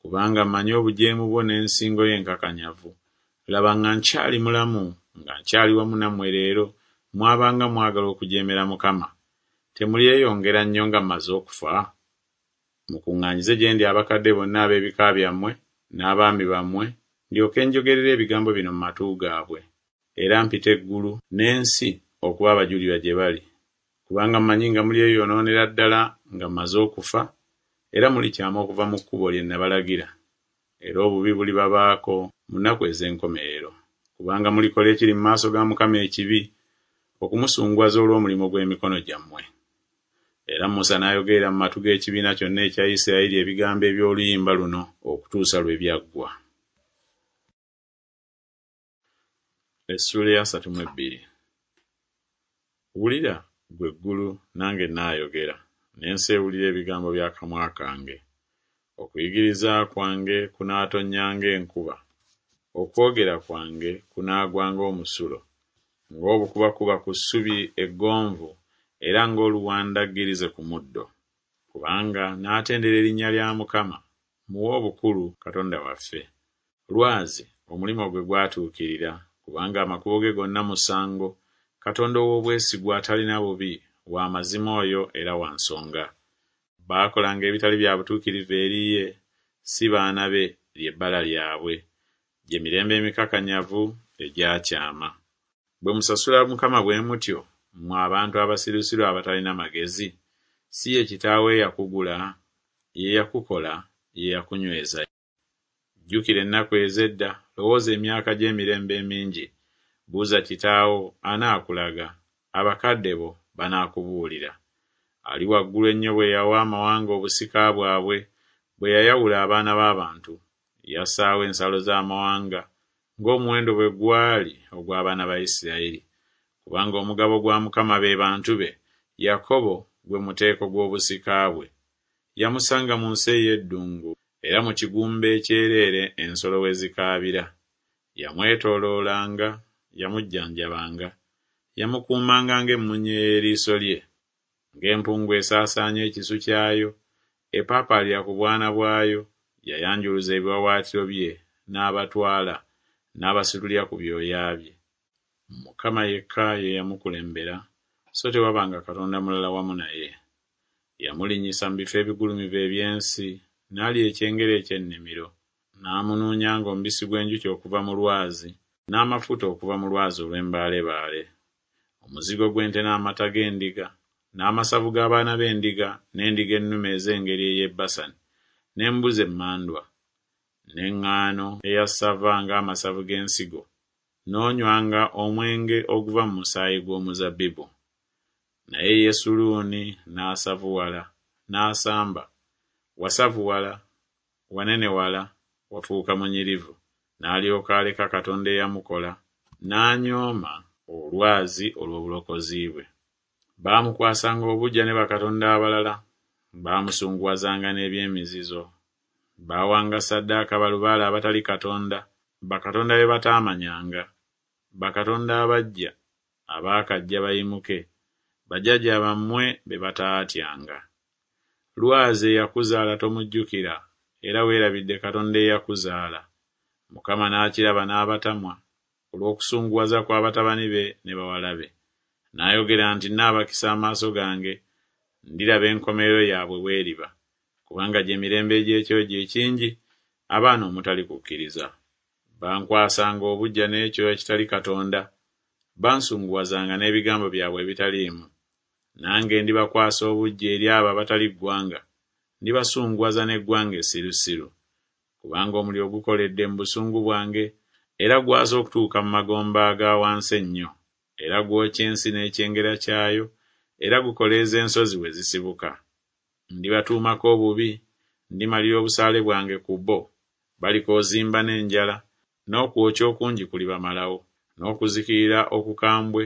Kubanga mmanyi obujeemu bwo n'ensingo yo enkakanyavu. Laba nga nkyali mulamu, nga nkyali wamu nammwe leero, mwabanga mwagala okujeemera Mukama, temulyeyongera nnyo nga mmaze okufa? Mukuŋŋaanyize gye ndi abakadde bonna ab'ebika byammwe n'abaami bammwe, ndyoke njogerere ebigambo bino mu matu gaabwe, era mpite eggulu n'ensi okuba abajulirwa gye bali. Kubanga mmanyi nga mulyeyonoonera ddala nga mmaze okufa, era mulikyama okuva mu kkubo lye nabalagira. Era obubi bulibabaako mu nnaku ez'enkomerero, kubanga mulikola ekiri mu maaso ga Mukama ekibi, okumusunguwaza olw'omulimu gw'emikono gyammwe. Era Musa n'ayogerera mu matu g'ekibiina kyonna ekya Isirayiri ebigambo eby'oluyimba luno okutuusa lwe byaggwa. Essuula ey'asatu mu ebbiri. Wulira, ggwe eggulu, nange nnaayogera, n'ensi ewulire ebigambo by'akamwa kange. Okuyigiriza kwange kunaatonnya ng'enkuba, okwogera kwange kunaagwa ng'omusulo, ng'obukubakuba ku ssubi eggonvu era ng'oluwandaggirize ku muddo. Kubanga naatendera erinnya lya Mukama, muwe obukulu Katonda waffe. Lwazi, omulimu gwe gwatuukirira, kubanga amakubo ge gonna musango, Katonda ow'obwesigwa atalina bubi, wa mazima oyo era wa nsonga. Baakolanga ebitali bya butuukirivu eri ye, si baana be lye bbala lyabwe, gye mirembe emikakanyavu egyakyama. Bwe musasula Mukama bwe mutyo, mmwe abantu abasirusiru abatalina magezi, si ye kitaawo eyakugula, ye yakukola, ye yakunyweza. Jjukira ennaku ez'edda, lowooza emyaka gy'emirembe emingi. Buuza kitaawo, anaakulaga, abakadde bo banaakubuulira. Ali waggulu ennyo bwe yawa amawanga obusika bwabwe, bwe yayawula abaana b'abantu, yassaawo ensalo z'amawanga, ng'omuwendo bwe gwali ogw'abaana ba Isirayiri. Kubanga omugabo gwa Mukama be bantu be, Yakobo gwe muteeko gw'obusika bwe. Yamusanga mu nsi ey'eddungu, era mu kigumba ekyereere ensolo we zikaabira. Yamwetooloolanga, yamujjanjabanga, yamukuumanga ng'emmunye y'eriiso lye. Ng'empungu esaasaanya ekisu kyayo, epaapaalira ku bwana bwayo, yayanjuluza ebiwaawaatiro bye n'abatwala, n'abasitulira ku byoya bye. Mukama yekka ye yamukulembera, so tewabanga katonda mulala wamu naye. Yamulinnyisa mu bifo ebigulumivu eby'ensi, n'alya ekyengera eky'ennimiro, n'amunuunya ng'omubisi gw'enjuki okuva mu lwazi, n'amafuta okuva mu lwazi olw'embaalebaale. Omuzigo gw'ente n'amata g'endiga, n'amasavu g'abaana b'endiga, n'endiga ennume ez'engeri ey'e Basani, n'embuzi emmandwa, n'eŋŋaano eya ssava ng'amasavu g'ensigo, n'onywanga omwenge oguva mu musaayi gw'omuzabbibu. Naye Yesuluuni n'asavuwala, n'asamba, wasavuwala, wanenewala, wafuuka munyirivu, n'alyoka aleka Katonda eyamukola, n'anyooma olwazi olw'obulokozi bwe. Baamukwasanga obuggya ne bakatonda abalala, baamusunguwazanga n'eby'emizizo. Baawanga ssaddaaka balubaale abatali Katonda, bakatonda be bataamanyanga, bakatonda abaggya abaakajja bayimuke, bajjajja bammwe be bataatyanga. Lwazi eyakuzaala tomujjukira, era weerabidde Katonda eyakuzaala. Mukama n'akiraba n'abatamwa olw'okusunguwaza kwa batabani be ne bawala be. N'ayogera nti nnaabakisa amaaso gange, ndiraba enkomerero yaabwe bw'eriba, kubanga gye mirembe egy'ekyojo ekingi, abaana omutali kukkiriza. Bankwasanga obuggya n'ekyo ekitali Katonda, bansunguwazanga n'ebigambo byabwe ebitaliimu. Nange ndibakwasa obuggya eri abo abatali ggwanga, ndibasunguwaza n'eggwanga essirusiru. Kubanga omuliro gukoledde mu busungu bwange, era gwasa okutuuka mu magombe aga wansi ennyo, era gwokya ensi n'ekyengera kyayo, era gukoleeza ensozi we zisibuka. Ndibatuumako obubi, ndimalira obusaale bwange ku bo, balikoozimba n'enjala, n'okwokya okungi kulibamalawo, n'okuzikirira okukambwe,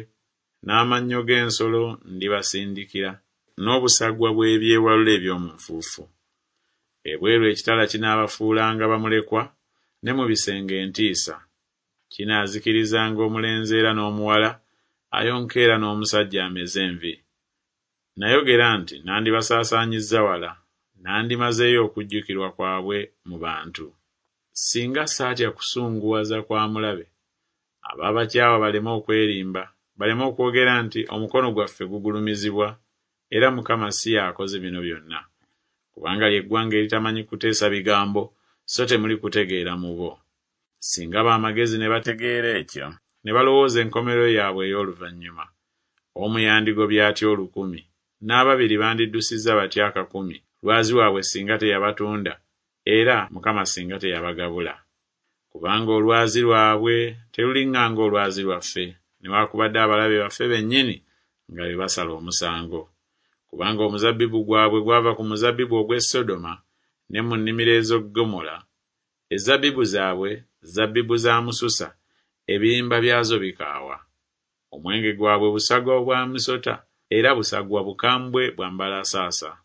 n'amannyo g'ensolo ndibasindikira, n'obusagwa bw'ebyewalula eby'omu nfuufu. Ebweru ekitala kinaabafuulanga bamulekwa, ne mu bisenge entiisa. Kinaazikirizanga omulenzi era n'omuwala, ayonka era n'omusajja ameze envi. Nayogera nti nandibasaasaanyizza wala, nandimazeeyo okujjukirwa kwabwe mu bantu. Singa saatya kusunguwaza kwa mulabe, ababakyawa baleme okwerimba, baleme okwogera nti omukono gwaffe gugulumizibwa, era Mukama si y'akoze bino byonna. Kubanga lye ggwanga eritamanyi kuteesa bigambo, so temuli kutegeera mu bo. Singa b'amagezi ne bategeera ekyo, ne balowooza enkomerero yaabwe ey'oluvannyuma. Omu yandigobye atya olukumi, n'ababiri bandiddusizza batya akakumi, lwazi waabwe singa teyabatunda, era Mukama singa teyabagabula. Kubanga olwazi lwabwe teruliŋŋanga olwazi lwaffe, newaakubadde abalabe baffe bennyini nga be basala omusango. Kubanga omuzabbibu gwabwe gwava ku muzabbibu ogw'e Sodoma ne mu nnimiro ez'e Ggomola, ezabbibu zaabwe zabbibu za mususa, ebirimba byazo bikaawa. Omwenge gwabwe busagwa bwa misota, era busagwa bukambwe bwa mbalasaasa.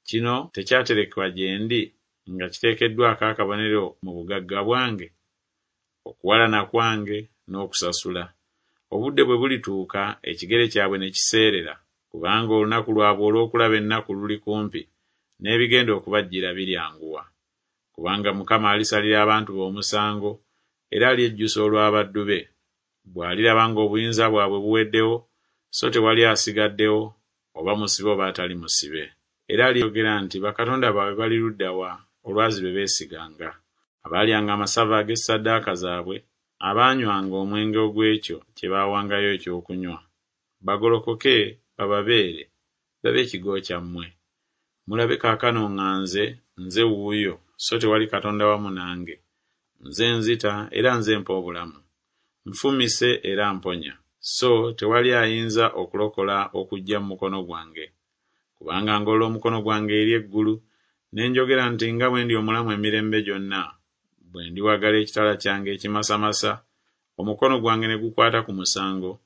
Kino tekyaterekebwa gye ndi nga kiteekeddwako akabonero mu bugagga bwange, okuwalana kwange n'okusasula. Obudde bwe bulituuka ekigere kyabwe ne kiseerera, kubanga olunaku lwabwe olw'okulaba ennaku luli kumpi, n'ebigenda okubajjira biryanguwa. Kubanga Mukama alisalira abantu be omusango, era alyejjusa olw'abaddu be. Bw'aliraba ng'obuyinza bwabwe buweddewo, so tewali asigaddewo, oba musibe oba atali musibe. Era alyogera nti bakatonda baabwe bali ludda wa, olwazi lwe beesiganga, abaalyanga amasavu ag'essaddaaka zaabwe, abaanywanga omwenge ogw'ekyo kye baawangayo ekyokunywa. Bagolokoke bababeere, babe ekigo kyammwe. Mulabe kaakano nga nze, nze wuuyo, so tewali Katonda wamu nange. Nze nzita era nze mpa obulamu. Nfumise era mponya, so tewali ayinza okulokola okuggya mu mukono gwange. Kubanga ngolola omukono gwange eri eggulu, ne njogera nti nga bwe ndi omulamu emirembe gyonna, bwe ndiwagala ekitala kyange ekimasamasa, omukono gwange ne gukwata ku musango,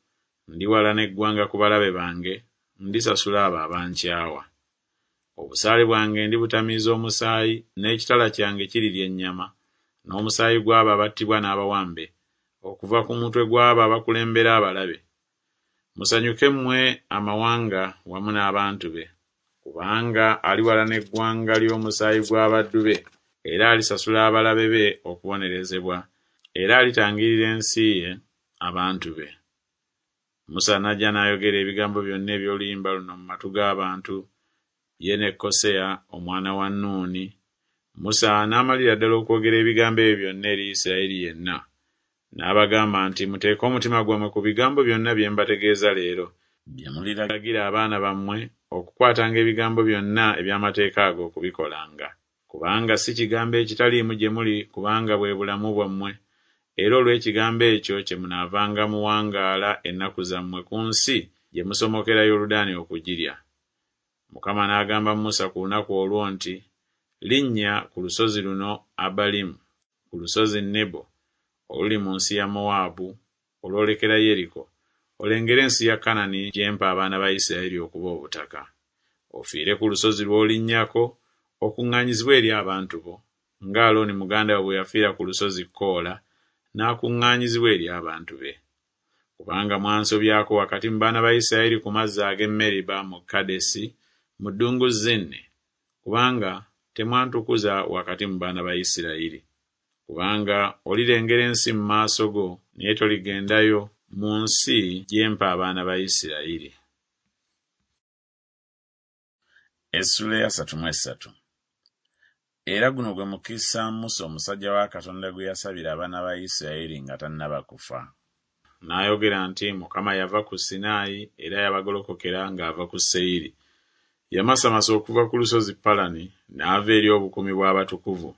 ndiwalana eggwanga ku balabe bange, ndisasula abo abankyawa. Obusaale bwange ndibutamiiza omusaayi, n'ekitala kyange kirirya ennyama, n'omusaayi gw'abo abattibwa n'abawambe, okuva ku mutwe gw'abo abakulembera abalabe. Musanyuke mmwe amawanga wamu n'abantu be, kubanga aliwalana eggwanga ly'omusaayi gw'abaddu be, era alisasula abalabe be okubonerezebwa, era alitangirira ensi ye, abantu be. Musa n'ajja n'ayogera ebigambo byonna eby'oluyimba luno mu matu g'abantu, ye ne Koseya omwana wa Nuuni. Musa n'amalira ddala okwogera ebigambo ebyo byonna eri Isirayiri yenna. N'abagamba nti muteeke omutima gwammwe ku bigambo byonna bye mbategeeza leero, bye muliragira abaana bammwe okukwatanga ebigambo byonna eby'amateeka ago okubikolanga. Kubanga si kigambo ekitaliimu gye muli, kubanga bwe bulamu bwammwe, era olw'ekigambo ekyo kye munaavanga muwangaala ennaku zammwe ku nsi gye musomokera Yoludaani okugirya. Mukama n'agamba Musa ku lunaku olwo nti, Linnya ku lusozi luno Abalimu, ku lusozi Nebo, oluli mu nsi ya Mowaabu, olwolekera Yeriko, olengere ensi ya Kanani gye mpa abaana ba Isirayiri okuba obutaka. Ofiire ku lusozi lw'olinnyako, okuŋŋaanyizibwe eri abantu bo, nga Alooni muganda wo bwe yafiira ku lusozi Koola, n'akuŋŋaanyizibwa eri abantu be. Kubanga mwansobyako wakati mu baana ba Isirayiri ku mazzi ag'e Meriba mu Kadesi, mu ddungu Zini, kubanga temwantukuza wakati mu baana ba Isirayiri. Kubanga olirengera ensi mu maaso go, naye toligendayo mu nsi gye mpa abaana ba Isirayiri. Essuula eyasatu mu essatu. Era guno gwe mukisa Musa omusajja wa Katonda gwe yasabira abaana ba Isirayiri nga tannaba kufa. N'ayogera nti Mukama yava ku Sinaayi, era yabagolokokera ng'ava ku Seyiri. Yamasamasa okuva ku lusozi Palani, n'ava eri obukuumi bw'abatukuvu.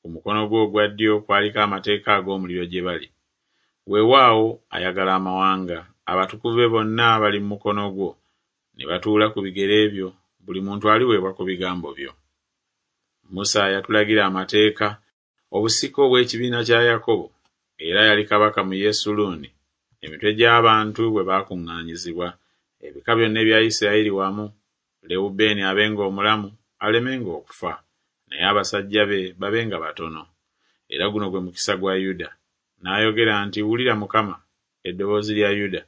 Ku mukono gwe ogwa ddyo kwaliko amateeka ag'omuliro gye bali. Weewaawo ayagala amawanga, abatukuvu be bonna bali mu mukono gwo, ne batuula ku bigere byo, buli muntu aliweebwa ku bigambo byo. Musa yatulagira amateeka, obusika obw'ekibiina kya Yakobo, era yali kabaka mu Yesuluuni, emitwe gy'abantu bwe baakuŋŋaanyizibwa, ebika byonna ebya Isirayiri wamu, Lewubeeni abenga omulamu, alemenga okufa, naye abasajja be babenga batono. Era guno gwe mukisa gwa Yuda. N'ayogera nti wulira Mukama, eddoboozi lya Yuda,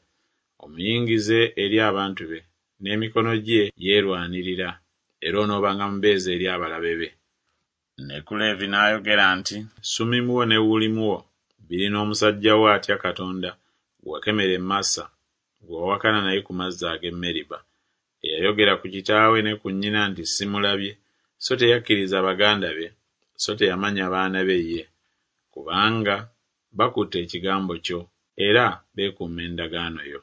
omuyingize eri abantu be, n'emikono gye yeerwanirira, era onoobanga mubeezi eri abalabe be. Ne ku Leevi n'ayogera nti, Sumimu wo ne Ulimu wo biri n'omusajja wo atya Katonda, gwe wakemera e Masa, gwe wawakana naye ku mazzi ag'e Meriba, eyayogera ku kitaawe ne ku nnyina nti Simulabye, so teyakkiriza baganda be, so teyamanya baana be ye, kubanga bakutte ekigambo kyo, era beekuuma endagaano yo.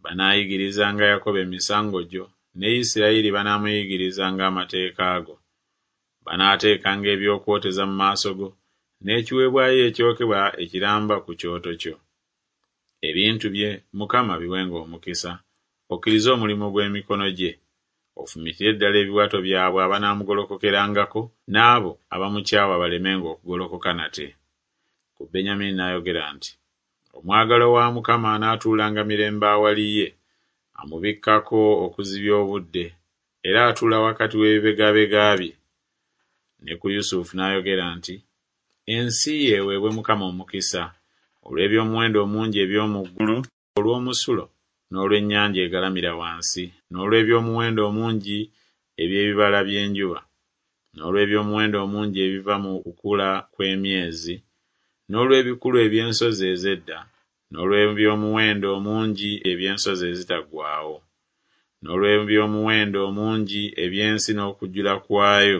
Banaayigirizanga Yakobo emisango gyo, ne Isirayiri banaamuyigirizanga amateeka go. Banaateekanga ebyokwoteza mu maaso go, n'ekiweebwayo ekyokebwa ekiramba ku kyoto kyo. Ebintu bye Mukama biwenga omukisa, okkirize omulimu gw'emikono gye. Ofumitire ddala ebiwato byabwe abanaamugolokokerangako, n'abo abamukyawa balemenga okugolokoka nate. Ku Benyamini n'ayogera nti, Omwagalwa wa Mukama anaatuulanga mirembe awali ye, amubikkako okuzibya obudde, era atuula wakati w'ebibegabega bye. Ne ku Yusufu n'ayogera nti, Ensi ye eweebwe Mukama omukisa, olw'eby'omuwendo omungi eby'omu ggulu, olw'omusulo, n'olw'ennyanja egalamira wansi, n'olw'eby'omuwendo omungi eby'ebibala by'enjuba, n'olw'eby'omuwendo omungi ebiva mu kukula kw'emyezi, n'olw'ebikulu eby'ensozi ez'edda, n'olw'eby'omuwendo omungi eby'ensozi ezitaggwaawo, n'olw'eby'omuwendo omungi eby'ensi n'okujjula kwayo,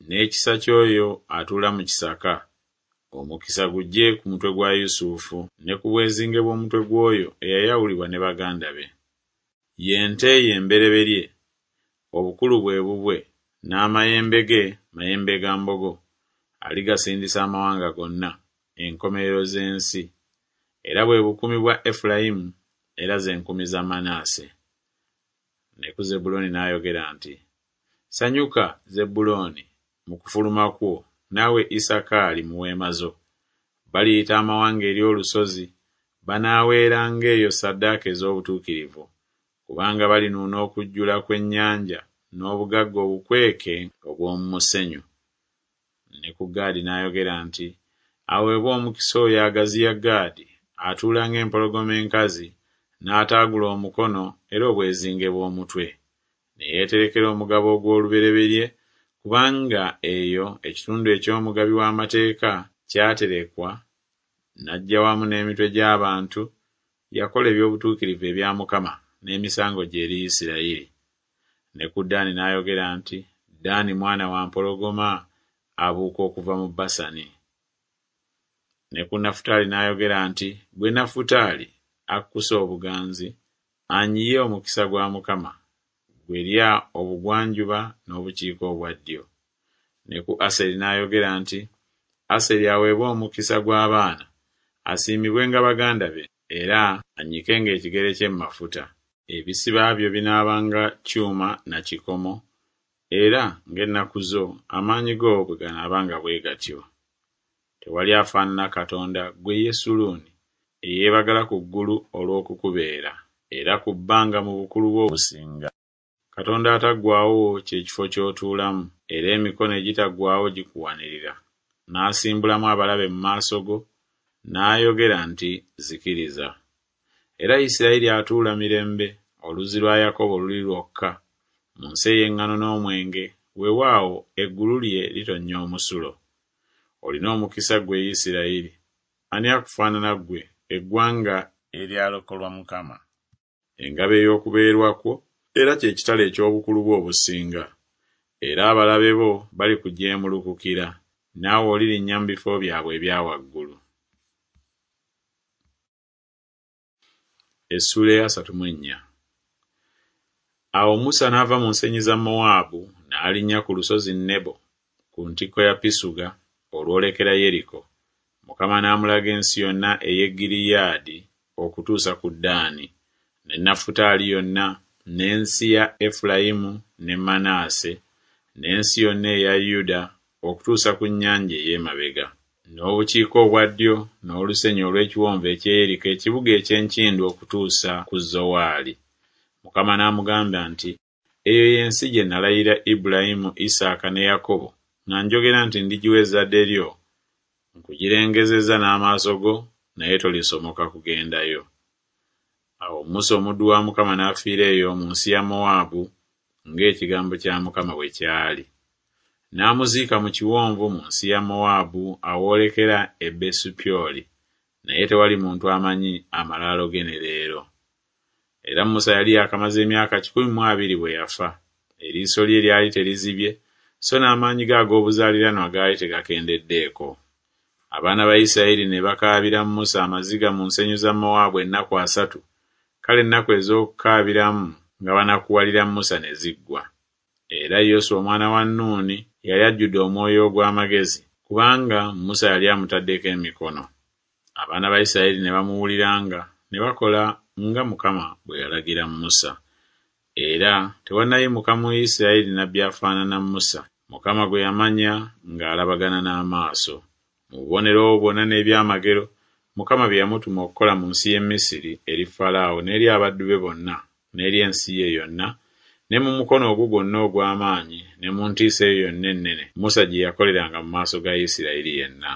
n'ekisa ky'oyo atuula mu kisaka. Omukisa gujje ku mutwe gwa Yusufu, ne ku bwezinge bw'omutwe gw'oyo eyayawulibwa ne baganda be. Ye nte ye embereberye, obukulu bwe bubwe, n'amayembe ge mayembe ga mbogo. Aligasindisa amawanga gonna, enkomerero z'ensi. Era bwe bukumi bwa Efulayimu, era ze nkumi za Manase. Ne ku Zebbulooni n'ayogera nti, Sanyuka, Zebbulooni, mu kufuluma kwo, naawe Isakaali mu weema zo. Baliyita amawanga eri olusozi, banaaweeranga eyo ssaddaaka ez'obutuukirivu, kubanga balinuuna okujjula kw'ennyanja n'obugagga obukweke obw'omu musenyu. Ne ku Gaadi n'ayogera nti, Aweebwe omukisa oyo agaziya Gaadi, atuula ng'empologoma enkazi, n'ataagula omukono era obwezinge bw'omutwe. Ne yeeterekera omugabo ogw'olubereberye, kubanga eyo ekitundu eky'omugabi w'amateeka kyaterekwa, n'ajja wamu n'emitwe gy'abantu, yakola eby'obutuukirivu ebya Mukama n'emisango gye eri Isirayiri. Ne ku Ddaani n'ayogera nti, Ddaani mwana wa mpologoma abuuka okuva mu Basani. Ne ku Nafutaali n'ayogera nti, Ggwe Nafutaali, akkusa obuganzi, anyiye omukisa gwa Mukama, ggwe lya obugwanjuba n'obukiika obwa ddyo. Ne ku Aseri n'ayogera nti, Aseri aweebwe omukisa gw'abaana, asiimibwenga baganda be, era annyikenga ekigere kye mu mafuta. Ebisiba byo binaabanga kyuma na kikomo, era ng'ennaku zo amaanyi go bwe ganaabanga bwe gatyo. Tewali afaanana Katonda, ggwe Yesuluuni, eyeebagala ku ggulu olw'okukubeera, era ku bbanga mu bukulu bwe obusinga. Katonda ataggwaawo kye kifo ky'otuulamu, era emikono egitaggwaawo gikuwanirira. N'asimbulamu abalabe mu maaso go, n'ayogera nti Zikiriza. Era Isirayiri atuula mirembe, oluzzi lwa Yakobo luli lwokka, mu nsi ey'eŋŋano n'omwenge, weewaawo eggulu lye litonnya omusulo. Olina omukisa ggwe Isirayiri! Ani akufaanana ggwe, eggwanga eryalokolwa Mukama? Engabo ey'okubeerwa kwo, era kye kitala eky'obukulu bwo obusinga. Era abalabe bo balikujeemulukukira, naawe olirinnya mu bifo byabwe ebya waggulu. Essuula ey'asatu mu ennya. Awo Musa n'ava mu nsenyi za Mowaabu n'alinnya ku lusozi Nebo ku ntikko ya Pisuga olwolekera Yeriko. Mukama n'amulaga ensi yonna ey'e Gireyaadi okutuusa ku Ddaani, ne Nafutaali yonna, n'ensi ya Efulayimu ne Manase, n'ensi yonna eya Yuda okutuusa ku nnyanja ey'emabega, n'obukiika obwa ddyo, n'olusenyi olw'ekiwonvu eky'e Yeriko ekibuga eky'enkindu okutuusa ku Zowaali. Mukama n'amugamba nti, Eyo y'ensi gye nalayirira Ibulayimu, Isaaka ne Yakobo nga njogera nti ndigiwa ezzadde lyo, nkugirengezezza n'amaaso go, naye tolisomoka kugendayo. Awo Musa omuddu wa Mukama n'afiira eyo mu nsi ya Mowaabu ng'ekigambo kya Mukama bwe kyali. N'amuziika mu kiwonvu mu nsi ya Mowaabu awoolekera e Besupyoli, naye tewali muntu amanyi amalaalo ge ne leero. Era Musa yali yaakamaze emyaka kikumi mu abiri bwe yafa. Eriiso lye lyali terizibye, so n'amaanyi ge ag'obuzaaliranwa gaali tegakendeddeeko. Abaana ba Isirayiri ne bakaabira Musa amaziga mu nsenyi za Mowaabu ennaku asatu, kale ennaku ez'okukaabiramu nga banakuwalira Musa ne ziggwa. Era Yoswa omwana wa Nuuni yali ajjudde omwoyo ogw'amagezi, kubanga Musa yali amutaddeko emikono. Abaana ba Isirayiri ne bamuwuliranga, ne bakola nga Mukama bwe yalagira Musa. Era tewannayimuka mu Isirayiri nnabbi afaanana Musa, Mukama gwe yamanya ng'alabagana n'amaaso. Mu bubonero obwo bwonna n'ebyamagero Mukama bye yamutuma okukola mu nsi y'e Misiri eri Falaawo n'eri abaddu be bonna n'eri ensi ye yonna, ne mu mukono ogwo gwonna ogw'amaanyi ne mu ntiisa eyo yonna ennene Musa gye yakoleranga mu maaso ga Isirayiri yenna.